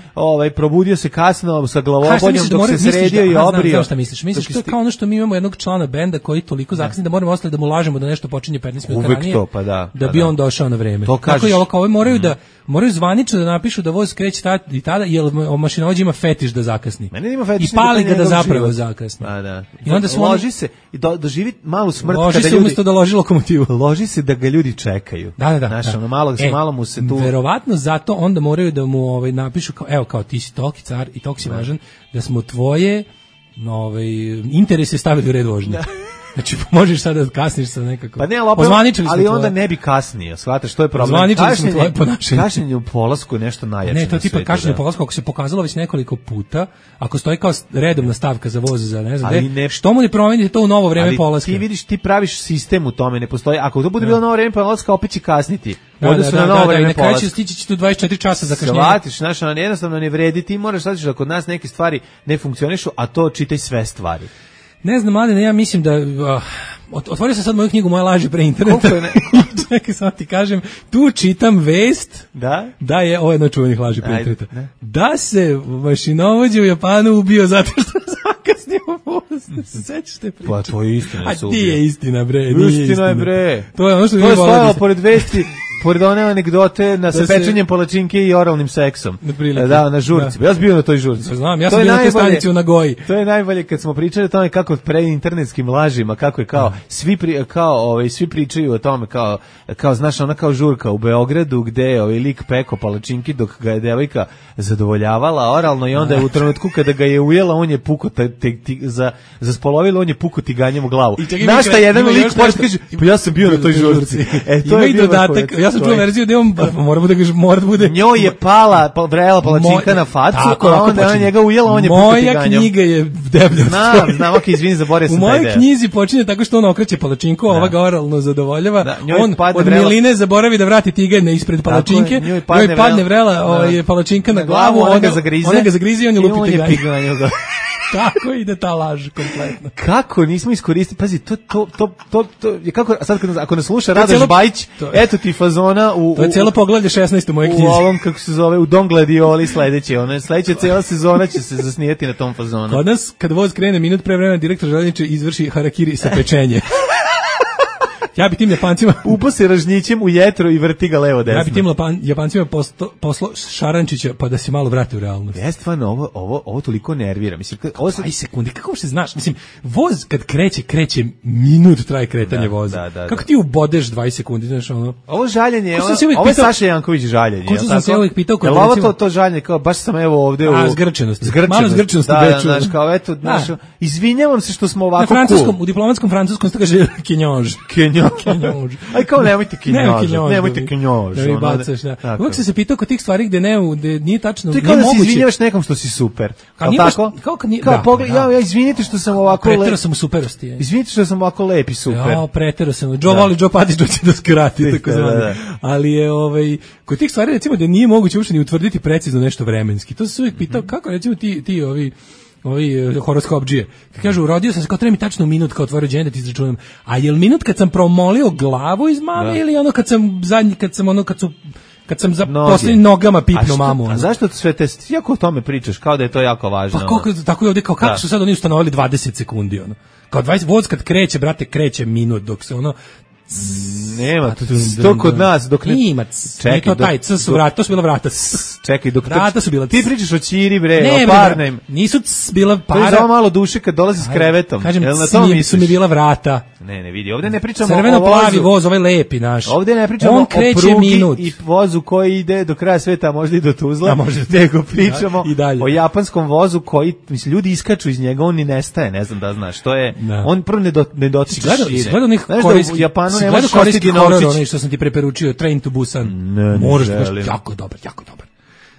probudio se kasno sa glavobodnjom dok se sredio i obrio. Znaš šta misliš? Misliš to je kao ono što mi imamo jednog člana benda koji toliko zakasni da moramo ostali da mu lažemo da nešto počinje 15 minuta ranije. To, pa da. Da bi on došao na vreme. Tako i ovo moraju zvanično da napišu da voz kreće i tada, jer mašinovođa ima fetiš da zakasni. I pali ga da zapravo zakasni. I onda loži se i doživi malu smrt kada ljudi umesto da loži lokomotivu. Loži se da ga ljudi čekaju. Da. Znaš, ono malo mu se tu... Verovatno zato onda moraju da mu napišu kao ti si toki car i toki si važan, da smo tvoje interese stavili u red vožnje. Znači, možeš sada da kasniš sa nekako... Pa ne, ali onda ne bi kasnije, shvataš, to je problem. Ozvaničili smo tvoje ponašanje. Kašnjenje u polasku je nešto najjače na svijetu. Ne, to tipa kašnjenje u polasku, ako se pokazalo već nekoliko puta, ako stoji kao redovna stavka za voz za ne znam gde, što mu ne promenite to u novo vreme polaska? Ti vidiš, ti praviš sistem u tome, ne postoji. Ako to bude bilo novo vreme polaska, opet će kasniti. Da, i na kraju će stići tu 24 časa za kašnjenje. Shvatiš, znaš, jednostavno ne vredi, ti moraš shvatiti da kod nas neke stvari ne funkcionišu, a to čitaj sve stvari. Ne znam, Mladene, ja mislim da... Otvorio sam sad moju knjigu Moja laži pre interneta. Čekaj, sam ti kažem, tu čitam vest da je ovo jedno čuvenih laži pre interneta. Da se mašinovođa u Japanu ubio zato što zakasnio voz. Sećaš te priče? Pa to je istina. A ti je istina, bre. Istina je, bre. To je ono što to je stojalo pored vesti. Pored one anegdote sa pečenjem palačinke i oralnim seksom. Da, na žurci. Ja sam bio na toj žurci. Znam, ja sam bio na toj stanici u Nagoji. To je najbolje kad smo pričali o tome kako pre internetskim lažima, kako je kao svi pričaju o tome kao znaš, ona kao žurka u Beogradu gde je lik peko palačinki dok ga je devojka zadovoljavala oralno i onda je u trenutku kada ga je ujela, on je puko za spolovilo, on je puko tiganjem u glavu. Našta jedan lik kaže, pa ja sam bio na toj žurci. To je dodatak. Ja sam čuo verziju da on mora da bude... Njoj je vrela palačinka na facu, a onda je njega ujela, on je puko tiganjem. Moja knjiga je deblja. Znam, ok, izvini, zaboravio sam taj deo. U mojoj knjizi počinje tako što on okreće palačinku, ova ga oralno zadovoljava, on od miline zaboravi da vrati tiganj ispred palačinke, njoj padne vrela palačinka na glavu, ona ga zagrizi i on je lupi tiganjem. Tako ide ta laž kompletno. Kako nismo iskoristili? Pazi, to je kako sad ako nas sluša Radoš Bajić, eto ti fazona to je cijelo poglavlje 16 u mojoj knjizi. U ovom kako se zove u Don Gladioli sledeće, sledeća cijela sezona će se zasnijeti na tom fazonu. Kod nas kad voz krene minut pre vremena direktor železnice izvrši harakiri sa pečenje. Ja bi tim Japancima upo se ražnjićem u jetro i vrti ga levo desno. Ja bi tim Japancima poslo Šarančića pa da se malo vrate u realnost. Ja stvarno ovo toliko nervira. Mislim, ovo 20 sekundi, kako se znaš? Mislim, voz kad kreće minut traje kretanje voza. Kako ti ubodeš 20 sekundi, znaš ono? Ovo žaljenje, ovo je Saša Janković žaljenje. Ko sam se uvijek pitao kod recimo... to žaljenje, kao baš sam evo ovde u zgrčenosti. Malo zgrčenosti Beču. Znaš, kao eto, izvinjavam se što smo ovako u diplomatskom francuskom se kaže kinjož. Aj kao nemojte kinjož. Ne bacaš, da. Uvijek se pitao kod tih stvari gde nije tačno, nije moguće. Ti kao da se izvinjavaš nekom što si super. Ja izvinite što sam ovako lep. Pretero sam u superosti. Izvinite što sam ovako lep i super. Ja, pretero sam. Joe Patić će da skrati, tako zvane. Ali je kod tih stvari recimo da nije moguće uopšte ni utvrditi precizno nešto vremenski. To se uvijek pitao kako recimo ti ovi horoskopdžije. Kad kažu, rodio sam se, kao treba mi tačno minut kao otvorio džene da ti izračunam. A je li minut kad sam promolio glavu iz mame ili ono kad sam za posljednjim nogama pipno mamu? A zašto sve te, jako o tome pričaš, kao da je to jako važno? Pa tako je ovdje, kao kako su sad oni ustanovili 20 sekundi, ono. Kao 20, voz kad kreće, brate, kreće minut, dok se ono... Nema, to kod nas dok ne ima. Čekaj, to su vrata, to su bila vrata. Čekaj, dok vrata su bila. Ti pričaš o ćiri bre, o parnem. Nisu bila para. To je za malo duše kad dolazi s krevetom. Kažem, su mi bila vrata. Ne vidi, ovdje ne pričamo o crveno-plavi voz, ovaj lepi naš. Ovdje ne pričamo o prugi i vozu koji ide do kraja sveta, možda i do Tuzla, nego pričamo o japanskom vozu koji, mislim, ljudi iskaču iz njega, on ni nestaje, ne znam da znaš, to je, on prvo ne dotiče šire. Gledao njih korejski stvarno ne možeš ostiti Novčić. Onaj što sam ti preporučio, Train to Busan. Možeš, jako dobar.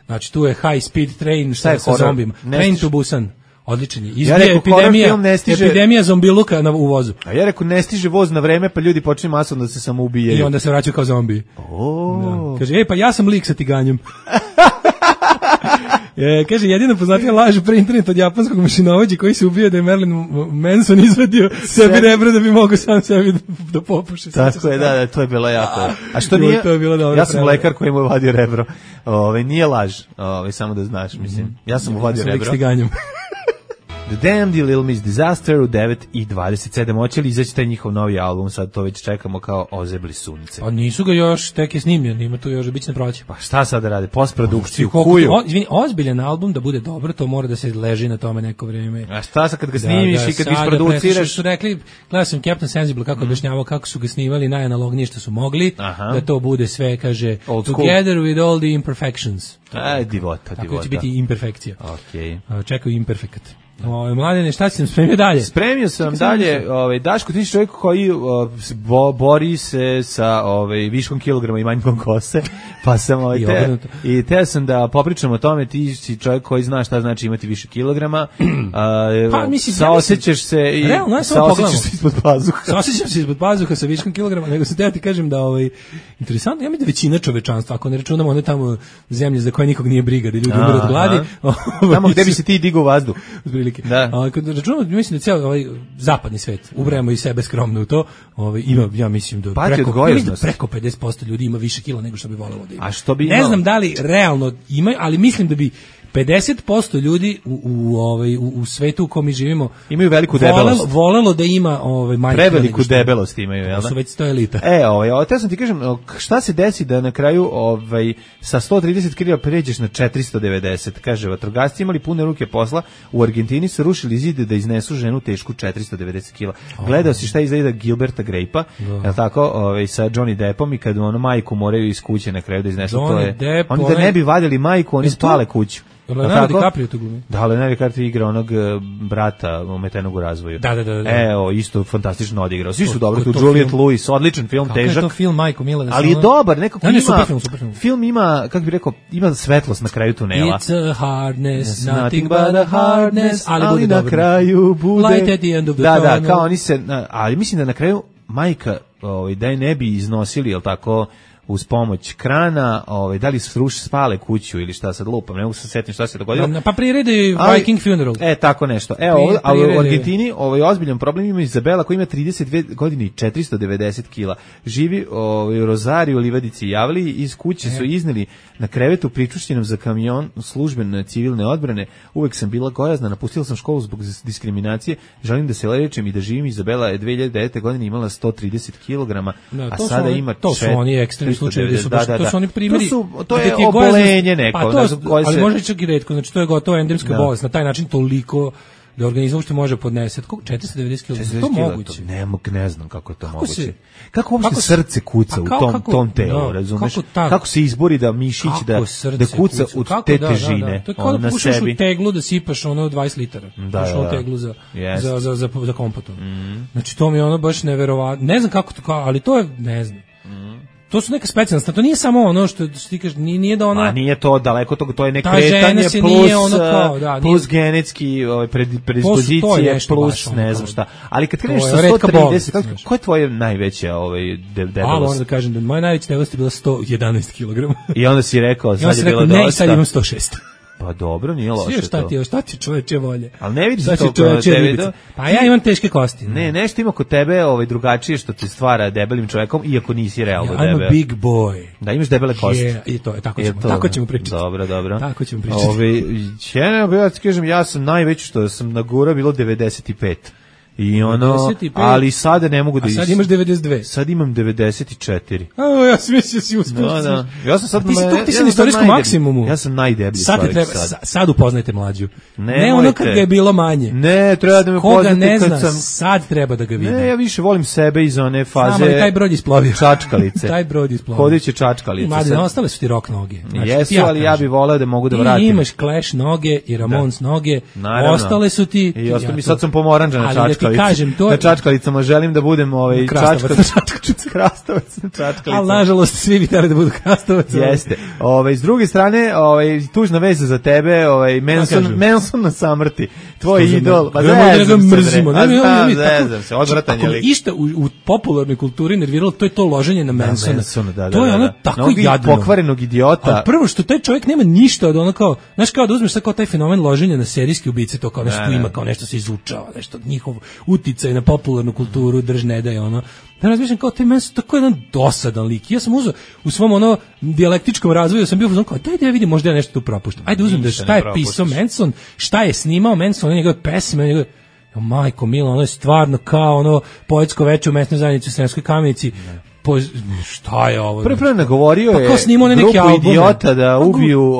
Znači, tu je High Speed Train sa zombima. Train to Busan. Odličan je. Izbije epidemija zombiluka u vozu. A ja rekao, ne stiže voz na vreme, pa ljudi počne masovno da se samo ubijaju. I onda se vraćaju kao zombi. Da. Kaže, pa ja sam lik sa tiganjem. Kaže, jedina poznatija laž pre internet od japanskog mašinovođa koji se ubio da je Marilyn Manson izvadio sebi rebro da bi mogao sam sebi da popuše. Tako je, da, to je bilo jako. A što nije? Ja sam lekar koji mu je vadio rebro. Nije laž, samo da znaš, mislim. Ja sam mu vadio rebro. Lik s tiganjem. The Damned i Little Miss Disaster u 9:27. Hoće li izaći taj njihov novi album? Sad to već čekamo kao ozebli sunce. A nisu ga još, tek je snimljen, ima tu još biće na proći. Pa šta sad da rade? Postprodukciju, kuju. Izvini, ozbiljan album da bude dobro, to mora da se leži na tome neko vrijeme. A šta sad kad ga snimiš i kad isproduciraš? Su rekli, gledao sam Captain Sensible kako objašnjavao kako su ga snimali najanalognije što su mogli, da to bude sve, kaže, together with all the imperfections. Divota. Tako će biti imperfekcija. Okej. Čekaju imperfekat. Mladene, šta si nam spremio dalje? Spremio sam dalje, Daško, ti si čovjek koji bori se sa viškom kilograma i manjkom kose, pa sam teo sam da popričam o tome, ti si čovjek koji zna šta znači imati više kilograma, saosećaš se i saosećaš se ispod pazuha. Saosećam se ispod pazuha sa viškom kilograma, nego sam teo ti kažem da interesantno, ja mi da većina čovečanstva, ako ne računamo one tamo zemlje za koje nikog nije briga, da ljudi umiru od gladi. Tamo gde bi se ti digao vazduh. Da. Kad računamo, mislim da cijel zapadni svet, ubrajamo i sebe skromno u to, ima, ja mislim da preko 50% ljudi ima više kila nego što bi volelo da ima. A što bi ne znam da li realno ima, ali mislim da bi 50% ljudi u svetu u kom mi živimo imaju veliku debelost. Volelo da ima manje. Preveliku debelost imaju, jel da? To su već 100 elita. Te sam ti kažem, šta se desi da na kraju sa 130 kg pređeš na 490? Kaže, vatrogasci imali pune ruke posla, u Argentini su rušili zid da iznesu ženu tešku 490 kg. Gledao si šta izgleda Gilberta Grape-a, jel tako, sa Johnny Deppom i kad majku moraju iz kuće na kraju da iznesu, to je. Oni da ne bi vadili majku, oni spale kuću. Leonardo DiCaprio to glumi. Da, Leonardo DiCaprio igra onog brata ometenog u razvoju. Da. Isto fantastično odigrao. Svi su dobri, tu Juliette Lewis, odličan film, težak. Kako je to film, majko mila? Ali je dobar, nekako ima. Super film. Film ima, kako bih rekao, ima svetlost na kraju tunela. It's a hardness, nothing but a hardness, ali na kraju bude light at the end of the tunnel. Da, kao oni se, ali mislim da na kraju majka, da je ne bi iznosili, jel tako, uz pomoć krana, da li su spale kuću ili šta sad lupam, ne mogu se setiti šta se dogodilo. Pa priredi Viking Funeral. Tako nešto. Ali u Argentini ozbiljan problem ima Izabela koja ima 32 godine i 490 kila. Živi u Rozariju, Livadici Javliji, iz kuće su izneli na krevetu pričušćenom za kamion službene civilne odbrane. Uvek sam bila gojazna, napustila sam školu zbog diskriminacije, želim da se lečim i da živim. Izabela je 2009. godine imala 130 kg, a sada ima to su oni ekstremni slučajevi, to su oni primjeri. To je obolenje neko. Ali može čak i retko, znači to je gotovo endemska bolest, na taj način toliko da organizam što može podneseti. 490 kg, to moguće. Ne znam kako je to moguće. Kako uopšte srce kuca u tom telu, razumeš? Kako se izbori da mišić da kuca od te težine to je kao da pušaš u teglu da sipaš 20 litara. Pušaš u teglu za kompotom. Znači to mi je baš neverovatno. Ne znam kako to, ali to je, ne znam. To su neka specijalnost, to nije samo ono što ti kažeš, nije da ona... nije to daleko toga, to je nekretanje plus genetski predispozicije, plus ne znam šta. Ali kad kreneš sa 130, ko je tvoje najveća debelost? Moram da kažem da moja najveća debelost je bila 111 kg. I onda si rekao, sad je bilo dosta. Ne, sad imam 106. Pa dobro, nije loše to. Šta ti čoveče volje? Ali ne vidiš to kod tebe. Pa ja imam teške kosti. Ne, nešto ima kod tebe drugačije što te stvara debelim čovjekom, iako nisi realno debel. I'm a big boy. Da, imaš debele kosti. I to je, tako ćemo pričati. Dobro. Tako ćemo pričati. Ja ti kažem, ja sam najveći što sam nagura bilo 95. I 95, ali sada ne mogu da... A sad imaš 92. Sad imam 94. Ja sam mislio si uspio. Ja sam sad... Ti si na istorijskom maksimumu. Ja sam najdeblji. Sad upoznajte mlađu. Ne ono kad ga je bilo manje. Ne, treba da me upoznate ne zna, sad treba da ga vidi. Ne, ja više volim sebe iz one faze... Znam, ali taj brod isplovio. Čačkalice. Taj brod isplovio. Hodeće čačkalice. Mlade, ostale su ti rock noge. Jesu, ali ja bih voleo da mogu da vratim. Ti imaš Clash noge i Ramones noge. Ostale su ti... I sad sam pomoranđa na čačkalice. čačkalici. Kažem, to na čačkalicama želim da budem krastavac na čačkalicama. Ali nažalost svi bi trebali da budu krastavac. Jeste. S druge strane, tužna veza za tebe, Manson na samrti. Tvoj idol. Pa mrzimo. Zezam se, odvratan je lik. Išta u popularnoj kulturi nerviralo, to je to loženje na Mansona. To je ono tako jadno. Pokvarenog idiota. A prvo što taj čovjek nema ništa od ono kao, znaš, kao da uzmeš sad kao taj fenomen loženja na serijske ubice, to kao nešto ima, kao nešto se izučava, nešto njihov uticaj na popularnu kulturu drž ne daje ono. Da razmišljam kao taj Manson, tako je jedan dosadan lik. Ja sam uzeo u svom ono dijalektičkom razvoju, sam bio kao daj da ja vidim, možda ja nešto tu propuštam. Ajde uzmem da šta je pisao Manson, šta je snimao Manson, njegove pesme, njegove majko milo, ono je stvarno kao ono poetsko veče u mesnoj zajednici u Sremskoj Kamenici. Šta je ovo? Prvo nagovorio je grupu idiota da ubiju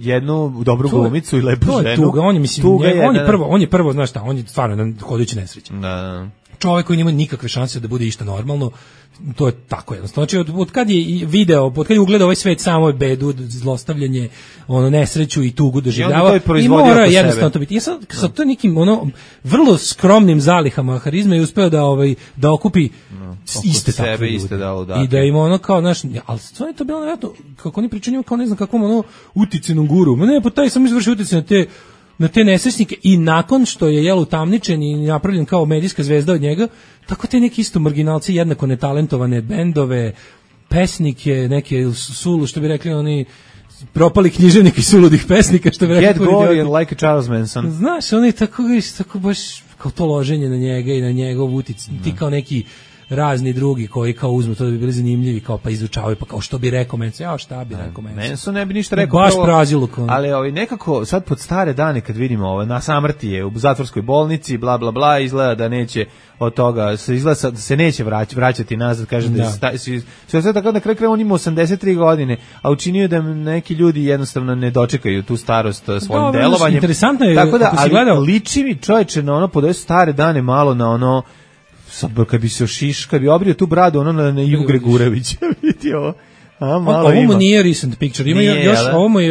jednu dobru glumicu i lepu ženu. To je tuga, on je prvo, znaš šta, on je stvarno jedan hodajući nesreća. Da. Čovjek koji nema nikakve šanse da bude išta normalno, to je tako jednostavno. Znači, od kad je video, od kad je ugledao ovaj svet samo bedu, zlostavljanje, nesreću i tugu doživljava, i mora jednostavno to biti. Ja sam sa to nekim vrlo skromnim zalihama harizme i uspeo da okupi iste takve ljude. I da ima kao, znaš, ali stvarno je to bilo nevjerojatno, kako oni pričaju kao ne znam kakvom uticajnom guru. Ne, pa taj sam izvršio uticaj na te nesrećnike i nakon što je utamničen i napravljen kao medijska zvezda od njega, tako te neki isto marginalci, jednako netalentovane bendove, pesnike, neke sulu, što bi rekli oni propali književnik i suludih pesnika, što bi rekli. Get going like a Charles Manson. Znaš, oni tako baš kao to loženje na njega i na njegov uticaj, ti kao neki razni drugi koji kao uzmu to da bi bili zanimljivi, kao pa izučavaju, pa kao što bi rekao Manson, šta bi rekao Manson. Manson ne bi ništa rekao. Baš praziluk. Ali nekako sad pod stare dane kad vidimo na samrti je u zatvorskoj bolnici, bla bla bla, izgleda da neće od toga, izgleda da se neće vraćati nazad, kaže sve tako na kraju on ima 83 godine, a učinio da neki ljudi jednostavno ne dočekaju tu starost svojim delovanjem. Interesantno je, tako da, ali liči mi čovječe na pod ove stare dane malo na kad bi se kad bi obrio tu bradu na Ivu Gregurevića, vidi ovo. Ovo mu nije recent picture, ima još,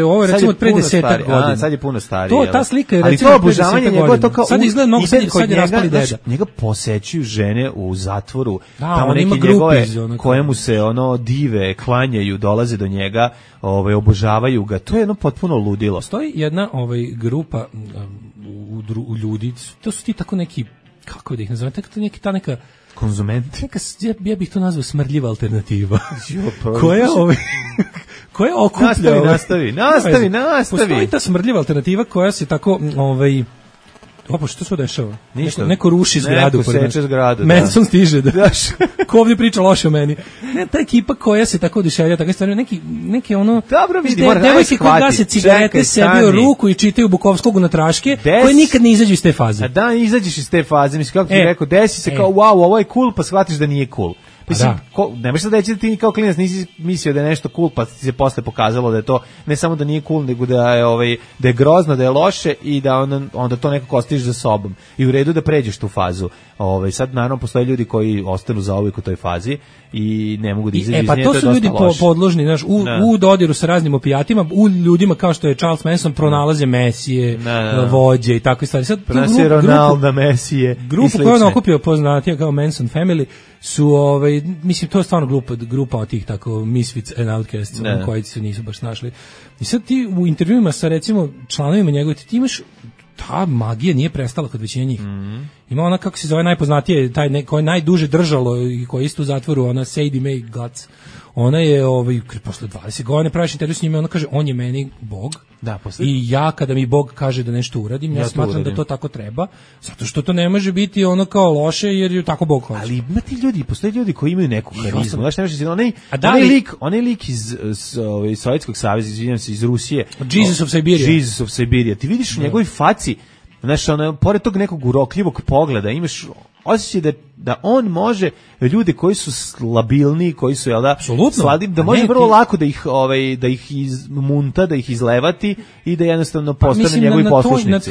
ovo recimo od pre 10 godina. Sad je puno stariji. Ta slika je recimo pre 10 godina. Sad izgleda mnogo sad je raspali deda. Njega posećuju žene u zatvoru, tamo neki njegove koje mu se dive, klanjaju, dolaze do njega, obožavaju ga. To je potpuno ludilo. Stoji jedna grupa u ljudi, to su ti tako neki, kako da ih nazovem, ta neka konzumenti. Ja bih to nazvao smrdljiva alternativa. koja okuplja... Nastavi. Postoji ta smrdljiva alternativa koja se tako... što se dešava? Ništa. Neko ruši zgradu. Neko seče zgradu. Manson stiže. Ko ovdje priča loše o meni. Ta ekipa koja se tako oduševlja, tako stvari, neki dobro vidi, mora devojke koje gase cigarete, sebi u ruku i čitaju Bukovskog na traške, koje nikad ne izađu iz te faze. Da, izađeš iz te faze. Mislim, kako ti rekao, desi se kao, wow, ovo je cool, pa shvatiš da nije cool. Mislim, ne možeš da reći da ti kao klinac nisi mislio da je nešto cool, pa ti se posle pokazalo da je to ne samo da nije cool, nego da je grozno, da je loše i da onda to nekako ostaviš za sobom. I u redu da pređeš tu fazu. Sad naravno postoje ljudi koji ostanu zauvijek u toj fazi i ne mogu da izađu iz nje. Pa to su ljudi podložni, znaš, u dodiru sa raznim opijatima, u ljudima kao što je Charles Manson pronalaze mesije, vođe i takve stvari. Sad pronalaze Ronalda, mesije. Grupu koju on okupio poznatija kao Manson Family su, mislim, to je stvarno grupa od tih tako misfits and outcasts, koji se nisu baš našli. I sad ti u intervjuima sa, recimo, članovima njegove, ti imaš, ta magija nije prestala kod većine njih. Ima ona, kako se zove, najpoznatije, koja je najduže držalo i koja je isto u zatvoru, ona Sadie Mae Guts. Ona je, posle 20 godina praviš intervju s njima, ona kaže, on je meni Bog. Da, i ja, kada mi Bog kaže da nešto uradim, ja smatram da to tako treba, zato što to ne može biti ono kao loše, jer je tako Bog hoće. Ali ima ti ljudi, postoje ljudi koji imaju neku karizmu. Znaš, ne možeš onaj lik iz Sovjetskog saveza, izvinjam se, iz Rusije. Jesus of Siberia. Ti vidiš u njegovoj faci, znaš, pored tog nekog urokljivog pogleda, imaš osjećaj da on može ljude koji su slabilni, koji su slabi, da može vrlo lako da ih izmunta, da ih izlevati i da jednostavno postane njegovi poslušnici.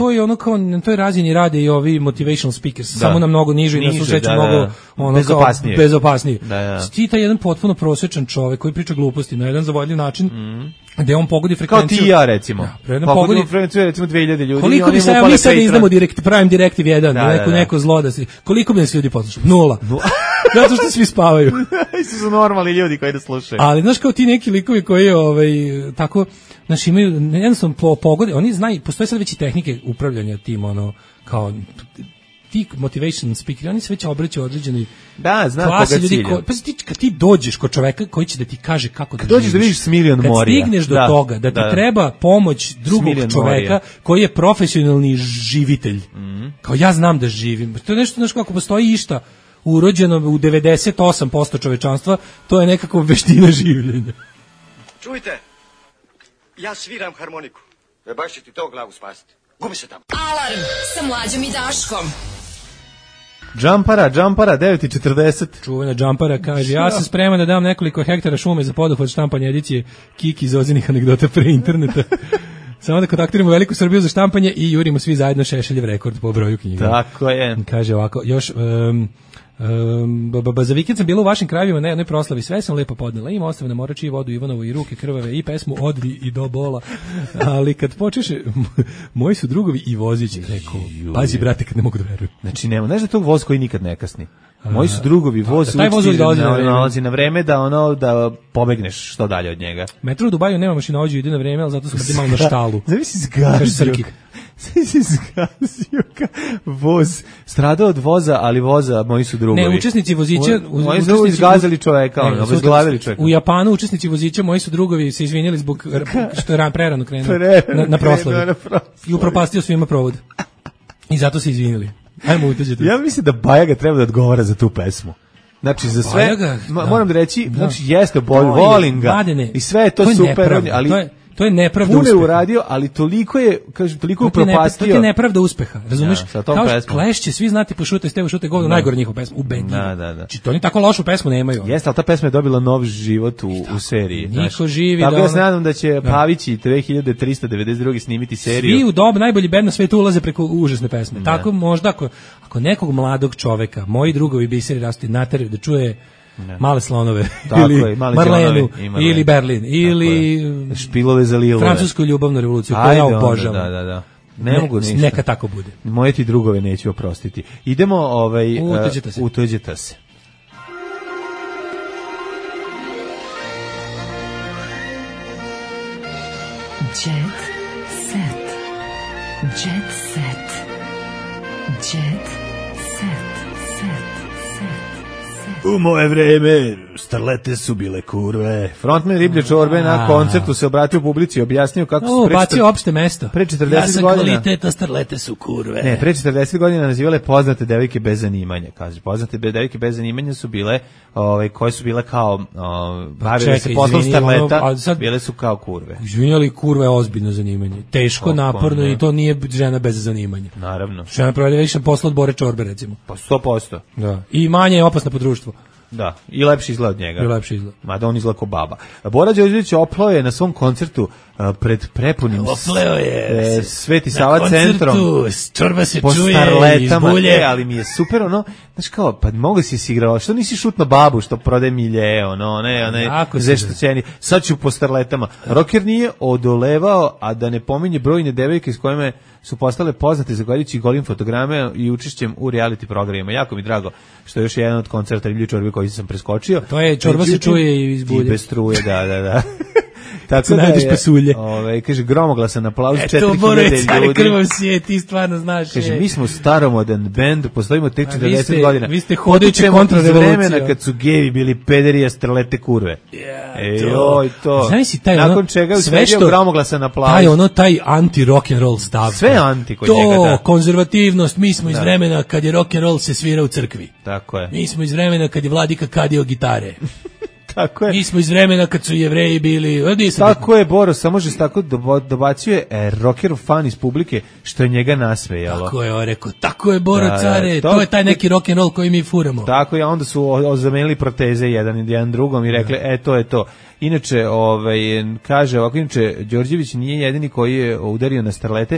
Na toj razini rade i ovi motivational speakers, samo na mnogo niže i na susreću mnogo bezopasnije. Ti taj jedan potpuno prosječan čovek koji priča gluposti na jedan zavodljiv način, gde on pogodi frekvenciju. Kao ti i ja, recimo. Pogodi frekvenciju, recimo 2000 ljudi. Koliko bi se, mi sad izdamo Prime Directive 1, neko zlo da si, koliko bi nas ljudi poslušali? 0. Zato što svi spavaju. Isto su normalni ljudi koji da slušaju. Ali znaš kao ti neki likovi koji tako, znaš, imaju jednostavno pogode, oni znaju, postoje sad već i tehnike upravljanja tim, kao ti motivation speaker, oni se već obraćaju određenoj klasi ljudi. Kad ti dođeš kod čoveka koji će da ti kaže kako da živiš. Dođeš da vidiš Smiljan Morija. Kad stigneš do toga da ti treba pomoć drugog čoveka koji je profesionalni živitelj. Kao ja znam da živim. To je nešto, znaš, kako postoji išta urođeno u 98% čovečanstva, to je nekako veština življenja. Čujte, ja sviram harmoniku. Baš će ti to glavu spasiti. Gubi se tamo. Alarm sa Mlađom i Daškom. Džampara, 9:40. Čuvena Džampara kaže, ja sam spreman da dam nekoliko hektara šume za poduhvat štampanja edicije Kiki iz Ozinih anegdota pre interneta. Samo da kontaktiramo Veliku Srbiju za štampanje i jurimo svi zajedno Šešeljev rekord po broju knjiga. Tako je. Kaže ovako, još... za vikend sam bila u vašim krajevima na jednoj proslavi, sve sam lepo podnela, ima ostavljena morači i vodu Ivanovu i ruke krvave i pesmu Odri i do bola, ali kad počeše moji su drugovi i vozići, rekao, pazi brate kad ne mogu da verujem. Znači nema, znaš da tog voz koji nikad ne kasni. Moji su drugovi, voz nalazi na vreme da pobegneš što dalje od njega. Metro u Dubaju nema mašinovođu, ide na vreme, ali zato sam kad imao na štalu. Zavisi zgazio voz, stradao od voza, ali voza moji su drugovi. Ne, učesnici vozića... Moji su izgazali čoveka, obezglavili čoveka. U Japanu učesnici vozića moji su drugovi se izvinjeli zbog što je prerano krenuo na proslavi. I upropastio svima provod. I zato se izvinjeli. Ajmo uteđete. Ja mislim da Bajaga treba da odgovara za tu pesmu. Znači za sve, moram da reći, znači jeste volim ga i sve je to super, ali to je nepravda uspeha. Puno je uradio, ali toliko je, kažem, toliko upropastio. To je nepravda uspeha, razumeš? Kao Clash će svi znati po Šute, Stevo Šute govno, najgore njihova pesma, ubedljivo. Znači, to oni tako lošu pesmu nemaju. Jeste, ali ta pesma je dobila nov život u seriji. Niko živi. Tako ja se nadam da će Pavići 2392 snimiti seriju. Svi u dobu najbolji bend na svetu ulaze preko užasne pesme. Tako možda, ako nekog mladog čoveka, moji drugovi biseri rastu nateraju da čuje Male slonove, ili Marlenu, ili Berlin, ili Špilove za Lilove, francusku ljubavnu revoluciju, koju ja obožavam. Da. Ne mogu ništa. Neka tako bude. Moje ti drugove neću oprostiti. Idemo, utuđete se. Jet set. Jet set. Jet set. U moje vreme starlete su bile kurve. Frontman Riblje čorbe na koncertu se obratio publici i objasnio kako su bacio opšte mesto. Pre 40 godina. Ja sam kvaliteta, starlete su kurve. Ne, pre 40 godina nazivale poznate devojke bez zanimanja. Kaže, poznate devojke bez zanimanja su bile, koje su bile kao bavile se poslom starleta, bile su kao kurve. Izvinjali, kurva je ozbiljno zanimanje. Teško, naporno i to nije žena bez zanimanja. Naravno. Žena provede više posla od Bore čorbe, recimo. Pa 100%. Da. I manje je opasna po društvu. Da, i lepši izgled od njega. I lepši izgled. Mada on izgleda kao baba. Bora Đorđević oplao je na svom koncertu pred prepunim Sveti Sava centrom. Čorba se po čuje iz bulje. Ali mi je super, znaš kao, pa mogu si se igrao, što nisi šutno babu što prode milje, zeštoćeni, sad ću po starletama. Rocker nije odolevao, a da ne pominje brojne devojke s kojima su postale poznate zahvaljujući golim fotograme i učešćem u reality programima. Jako mi drago što je još jedan od koncerta Riblje čorbe koji sam preskočio. To je čorba se čuje iz bulje. I bez struje, da. Tako da je, pasulje. Kaže, gromoglasan aplauz, 4000 ljudi. Krvom si ti stvarno znaš. Kaže, mi smo staromodan bend, postojimo tek 40 godina. Vi ste hodajući kontrarevolucija. Vremena kad su gevi bili pederi, a starlete kurve. To. Znaš si taj nakon čega je usledio gromoglasan aplauz. Taj anti-rock'n'roll stav. Sve anti kod njega, da. Konzervativnost, mi smo iz vremena kad je rock'n'roll se svira u crkvi. Tako je. Mi smo iz vremena kad je Vladika kadio gitare. Tako je. Mi smo iz vremena kad su Jevreji bili... Tako je, Boro, samo že tako dobacuje rocker fan iz publike, što je njega nasmejalo. Tako je, rekao, tako je, Boro, care, to je taj neki rock'n'roll koji mi furamo. Tako je, onda su zamenili proteze jedan drugom i rekli, to je to. Inače, kaže ovako, inače, Đorđević nije jedini koji je udario na starlete.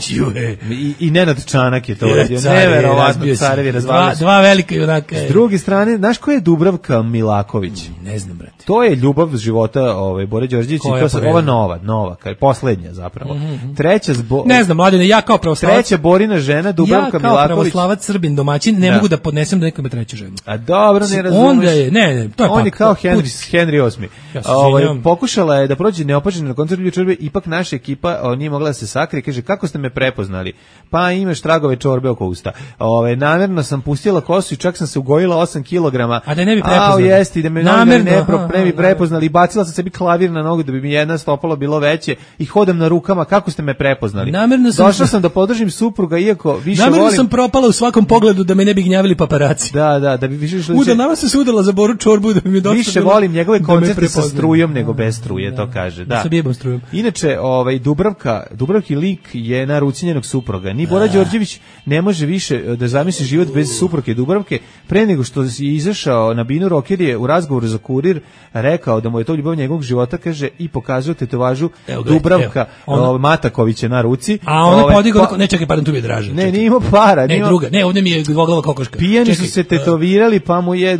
I Nenad Čanak je to uradio. Neverovatno, carevi razvalili. Dva velika junaka. S druge strane, znaš ko je Dubravka Milaković? Ne znam, brate. To je ljubav života Bore Đorđevića. Ova nova, kao je poslednja zapravo. Treća ne znam, mladine, ja kao pravoslavac. Treća Borina žena, Dubravka Milaković. Ja kao pravoslavac, Srbin, domaćin, ne mogu da podnesem da neko ima treću ženu. A dobro, ne razumeš. Onda je, ne, to je on je kao Henry VIII. Pokušala je da prođe neopaženo na koncertu čorbe, ipak naša ekipa nije mogla da se sakrije. Kaže, kako ste me prepoznali? Pa imaš tragove čorbe oko usta. Namjerno sam pustila kosu i čak sam se ugojila 8 kilograma. A da ne bi prepoznali. Jesti, da me ne bi prepoznali. Bacila sam sebi klavir na nogu da bi mi jedna stopalo bilo veće i hodam na rukama. Kako ste me prepoznali? Došla sam da podržim supruga, iako više volim. Namjerno sam propala u svakom pogledu da me ne bi gnjavili paparaci. Da bi više išli. Nama sam se udala za Boru Čorbu da bi mi došlo. Više volim njegove koncerte sa strujom nego bez struje, to kaže. Da. Sa bibom strujom. Inače, Dubravki lik je na ruci njenog supruga. Ni Bora Đorđević ne može više da zamisli život bez supruge Dubravke. Pre nego što je izašao na binu, rocker je u razgovoru za Kurir rekao da mu je to ljubav njegovog života, kaže, i pokazao tetovažu Dubravka Matakovića na ruci. A ona podigao, ne čekaj, pardon, tu mi je draže. Ne, nije imao para. Ne, druga, ne, ovdje mi je dvoglava kokoška. Pijani su se tetovirali, pa mu je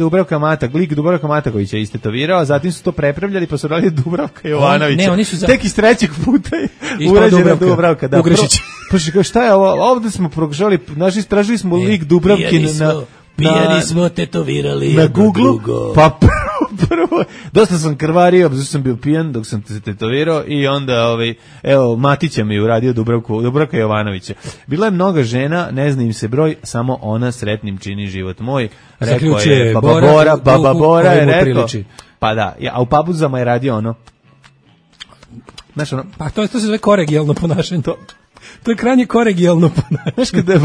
lik Dubravka Matakovića istetovirao, a zatim su to prepravljali, pa su radili Dubravka Jovanovića. Tek iz trećeg puta je urađena Dubravka. Ugrešić. Pa šta je ovo? Ovdje smo prokušali, istražili smo lik Dubravkin Pijani smo tetovirali na Google, pa prvo, dosta sam krvario, zato sam bio pijan dok sam se tetovirao i onda, Matića mi je uradio Dubravka Jovanovića. Bila je mnoga žena, ne zna im se broj, samo ona sretnim čini život moj. Rekao je Baba Bora je rekao, pa da, a u Pabuzama je radio ono. Znaš ono? Pa to se zove kolegijalno ponašanje. To je krajnje kolegijalno ponašanje. Znaš kada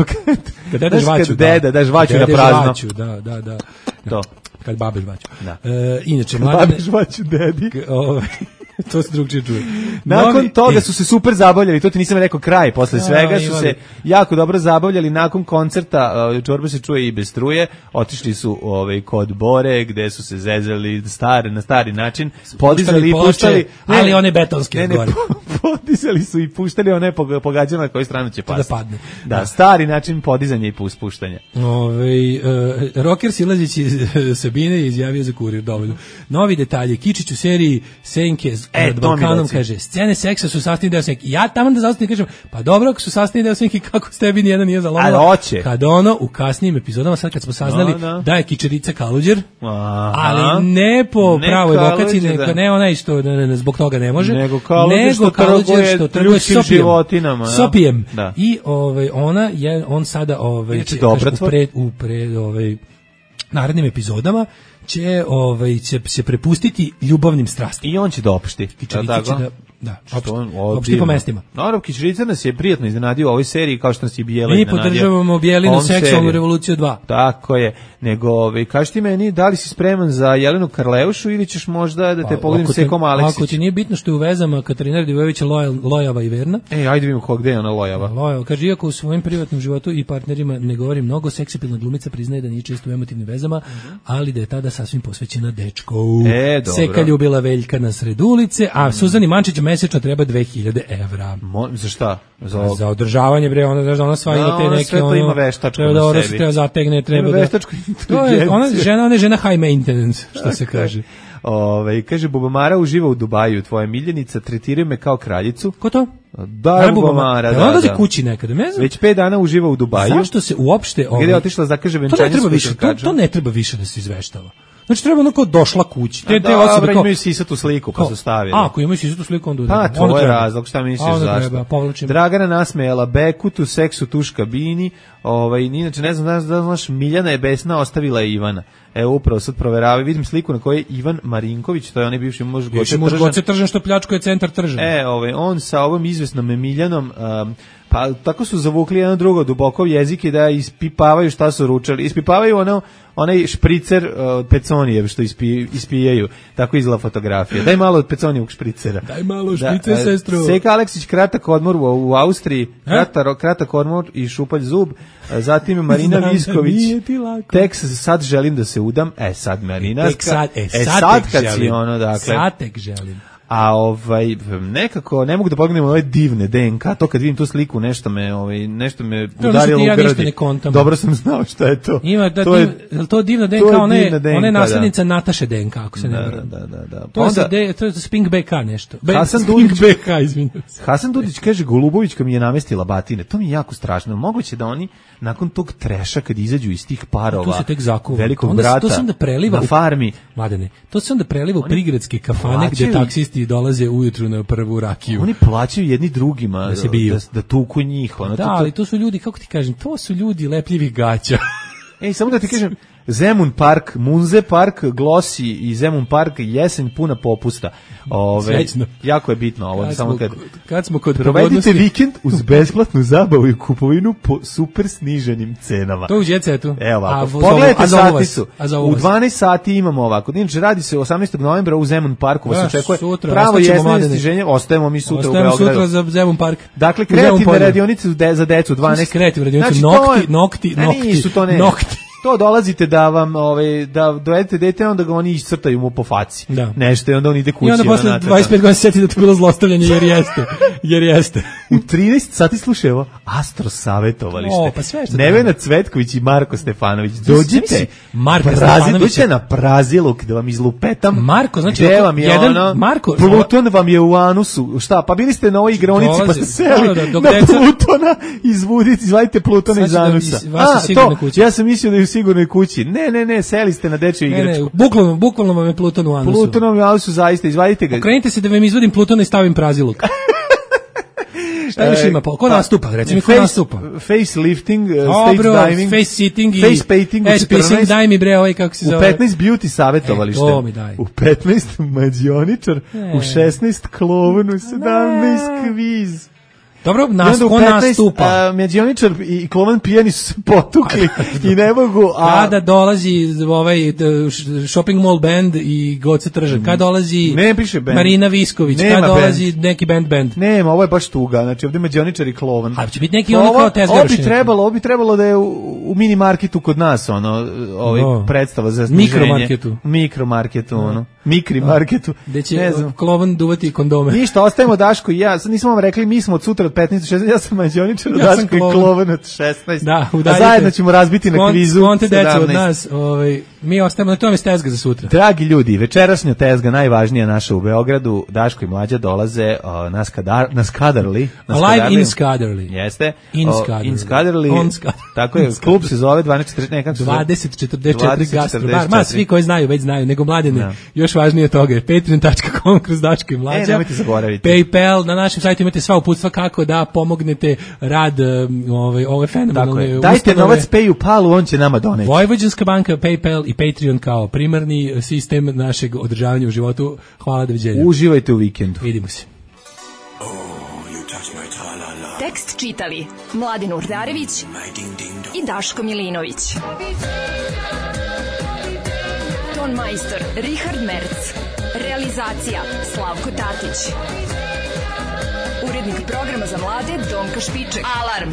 daš žvaću na prazno. Da. To. Kad babe žvaću. Da. Inače, babe žvaću dedi. To se drugčije čuje. Nakon toga su se super zabavljali, to ti nisam rekao kraj, posle svega su se jako dobro zabavljali, nakon koncerta, čorba se čuje i bez struje, otišli su kod Bore, gde su se zezali na stari način, podizali i puštali, ali one betonske gore. Podizali su i puštali one pogađama na koju stranu će pasti. Da padne. Da, stari način podizanja i puštanja. Rocker Silazić iz Sabine izjavio za Kurir dovoljno. Novi detalji, Kičić u seriji Senke nad Balkanom kaže, scene seksa su sastavni deo Senke. Ja tamo da zaostavim kažem, pa dobro, ako su sastavni deo Senke, kako s tebi nijedan nije zalomila? Kad u kasnijim epizodama, sad kad smo saznali da je Kičerica Kaluđer, ali ne po pravoj vokaciji, ne ona isto, zbog toga ne može, nego Kaluđer što trguje sopijem. I ona je, on sada u narednim epizodama će se prepustiti ljubavnim strastima. I on će doopšti. Opšti po mestima. Naravno, Kičerica nas je prijatno iznenadio u ovoj seriji, kao što nas je Bijela iznenadio. Mi podržavamo Bijelinu seksualnu revoluciju 2. Tako je. Nego, kaži ti meni, da li si spreman za Jelenu Karleušu ili ćeš možda da te pogledim Sekom Aleksić? Ako ti nije bitno što je u vezama Katarina Radivojevića lojava i verna. Ajde vidimo gde je ona lojava. Lojava. Kaže, iako u svojim privatnom životu i partnerima ne govori mnogo, seksipilna glumica priznaje da nije često u emotivnim vezama, ali da je tada sasvim posvećena dečkovu. Seka ljubila Veljka na sred ulice, a Suzani Mančić mesečno treba 2000 evra. Za šta? Za održavanje, bre, ona sva ima te neke, sve to ima veštačku na sebi. Treba zategne, treba da... Veštačku inteligenciju. Ona je žena high maintenance, što se kaže. Kaže, Bubamara uživa u Dubaju, tvoja miljenica, tretiraju me kao kraljicu. Ko to? Da, Bubamara, da. Ona dođe kući nekada, ne znam. Već 5 dana uživa u Dubaju. Zašto se uopšte... Gdje je otišla zakaže venčanje s košarkačom? To ne treba više da se izveštava. Znači treba ono kao došla kući. Dobro, imaju sisatu sliku pa su stavili. Ako imaju sisatu sliku, onda pa to je razlog, šta misliš zašto? Dragana nasmejala Bekutu, seksu tuš kabini, inače ne znam da znaš, Miljana je besna, ostavila je Ivana. Evo upravo sad proveravaju, vidim sliku na kojoj je Ivan Marinković, to je onaj bivši muž Goce Tržan što pljačkuje centar Tržan. On sa ovom izvesnom Miljanom Pa tako su zavukli jedno drugo duboko jezike da ispipavaju šta su ručali. Ispipavaju onaj špricer od Peconijev što ispijaju. Tako izgleda fotografija. Daj malo od Peconijevog špricera. Daj malo špricer, sestro. Seka Aleksić, kratak odmor u Austriji, kratak odmor i šupalj zub. Zatim Marina Visković, tek sad želim da se udam. Sad Marina. Sad kad si ono, dakle. Sad tek želim. A nekako ne mogu da pogledam ove divne DNK, to kad vidim tu sliku nešto me udarilo u grdi. Dobro sam znao šta je to. Ima to divna DNK, ona je naslednica Nataše DNK, ako se ne varam. Da. To je Spink BK nešto. Hasan Dudić kaže Golubovićka mi je namestila batine. To mi je jako strašno. Moguće da oni nakon tog treša kad izađu iz tih parova velikog brata na farmi. Mladene, to se onda preliva u prigradske kafane gde taksisti dolaze ujutru na prvu rakiju. Oni plaćaju jedni drugima da tuku njih. Ali to su ljudi, kako ti kažem, to su ljudi lepljivih gaća. Samo da ti kažem, Zemun park, Munze park, Glosi i Zemun park, jesen puna popusta. Jako je bitno ovo. Kad smo kod provedite vikend uz besplatnu zabavu i kupovinu po super sniženim cenama. To u Djecetu. Evo ovako, pogledajte saticu. U 12 sati imamo ovako. Inače radi se 18. novembra u Zemun parku. Vas očekuje pravo jesno sniženje. Ostajemo mi sutra u Beogradu. Ostajemo sutra za Zemun park. Dakle, kreativne radionice za decu 12. Kreativne radionice, nokti. To dolazite da vam da dovedete dete, onda ga oni iscrtaju mu po faci. Nešto i onda on ide kući. I onda posle 25 godina seti da to bilo zlostavljanje jer jeste. U 13 sati slušaj ovo Astro savjetovalište. Nevena Cvetković i Marko Stefanović. Dođite. Dođite na Praziluk da vam izlupetam. Marko, znači Pluton vam je u anusu. Šta? Pa bili ste na ovoj igronici pa ste seli na Plutona. Izvadite Plutona iz anusa. Ja sam mislio da je u sigurnoj kući. Ne, seli ste na dečju igračku. Bukvalno vam je Pluton u anusu. Pluton vam je u anusu, zaista, izvadite ga. Okrenite se da vam izvodim Plutona i stavim Praziluk. Šta još ima? Ko nastupa? Recimo, ko nastupa? Facelifting, stage diving, face sitting i face painting u 14. Daj mi bre ovaj kako se zove. U 15 beauty savjetovalište. U 15 mađioničar, u 16 klovn, u 17 kviz. Dobro, ko nastupa? Mađioničar i klovan pijani su se potukli i ne mogu... Kada dolazi Shopping Mall band i Goce Tržan, kada dolazi Marina Visković, kada dolazi neki band? Nema, ovo je baš tuga, znači ovdje Mađioničar i klovan. A će biti neki ono kao tezgarošenje? Ovo bi trebalo da je u mini marketu kod nas, predstava za sniženje. Mikromarketu, Mikri marketu. Gde će klovan duvati kondome. Ništa, ostajemo Daško i ja, sad nismo vam rekli, mi smo od sutra od 15 do 16, ja sam Mađioničar, Daško i klovan od 16. Da, a zajedno ćemo razbiti na kvizu 17. Deca od nas, mi ostajemo na tome s tezga za sutra. Dragi ljudi, večerašnja tezga, najvažnija naša u Beogradu, Daško i Mlađa dolaze na Skadarli. Live in Skadarli. Jeste. In Skadarli. Tako je, klub se zove 2044 bar. Ma, svi koji znaju, već znaju, nego Mladene, još važnije od toga je patreon.com kroz Daško i Mlađa. Nemojte zaboraviti. PayPal, na našem sajtu imate sva uputstva kako da pomognete rad ove fenomenalne ustanove. Dajte novac PayPalu, on će nama doneti. Vojvođanska banka, PayPal i Patreon kao primarni sistem našeg održavanja u životu. Hvala, doviđenja. Uživajte u vikendu. Vidimo se. Tekst čitali Mladin Urdarević i Daško Milinović. Ton majstor Richard Merc. Realizacija Slavko Tatić. Urednik programa za mlade Donka Špiček. Alarm!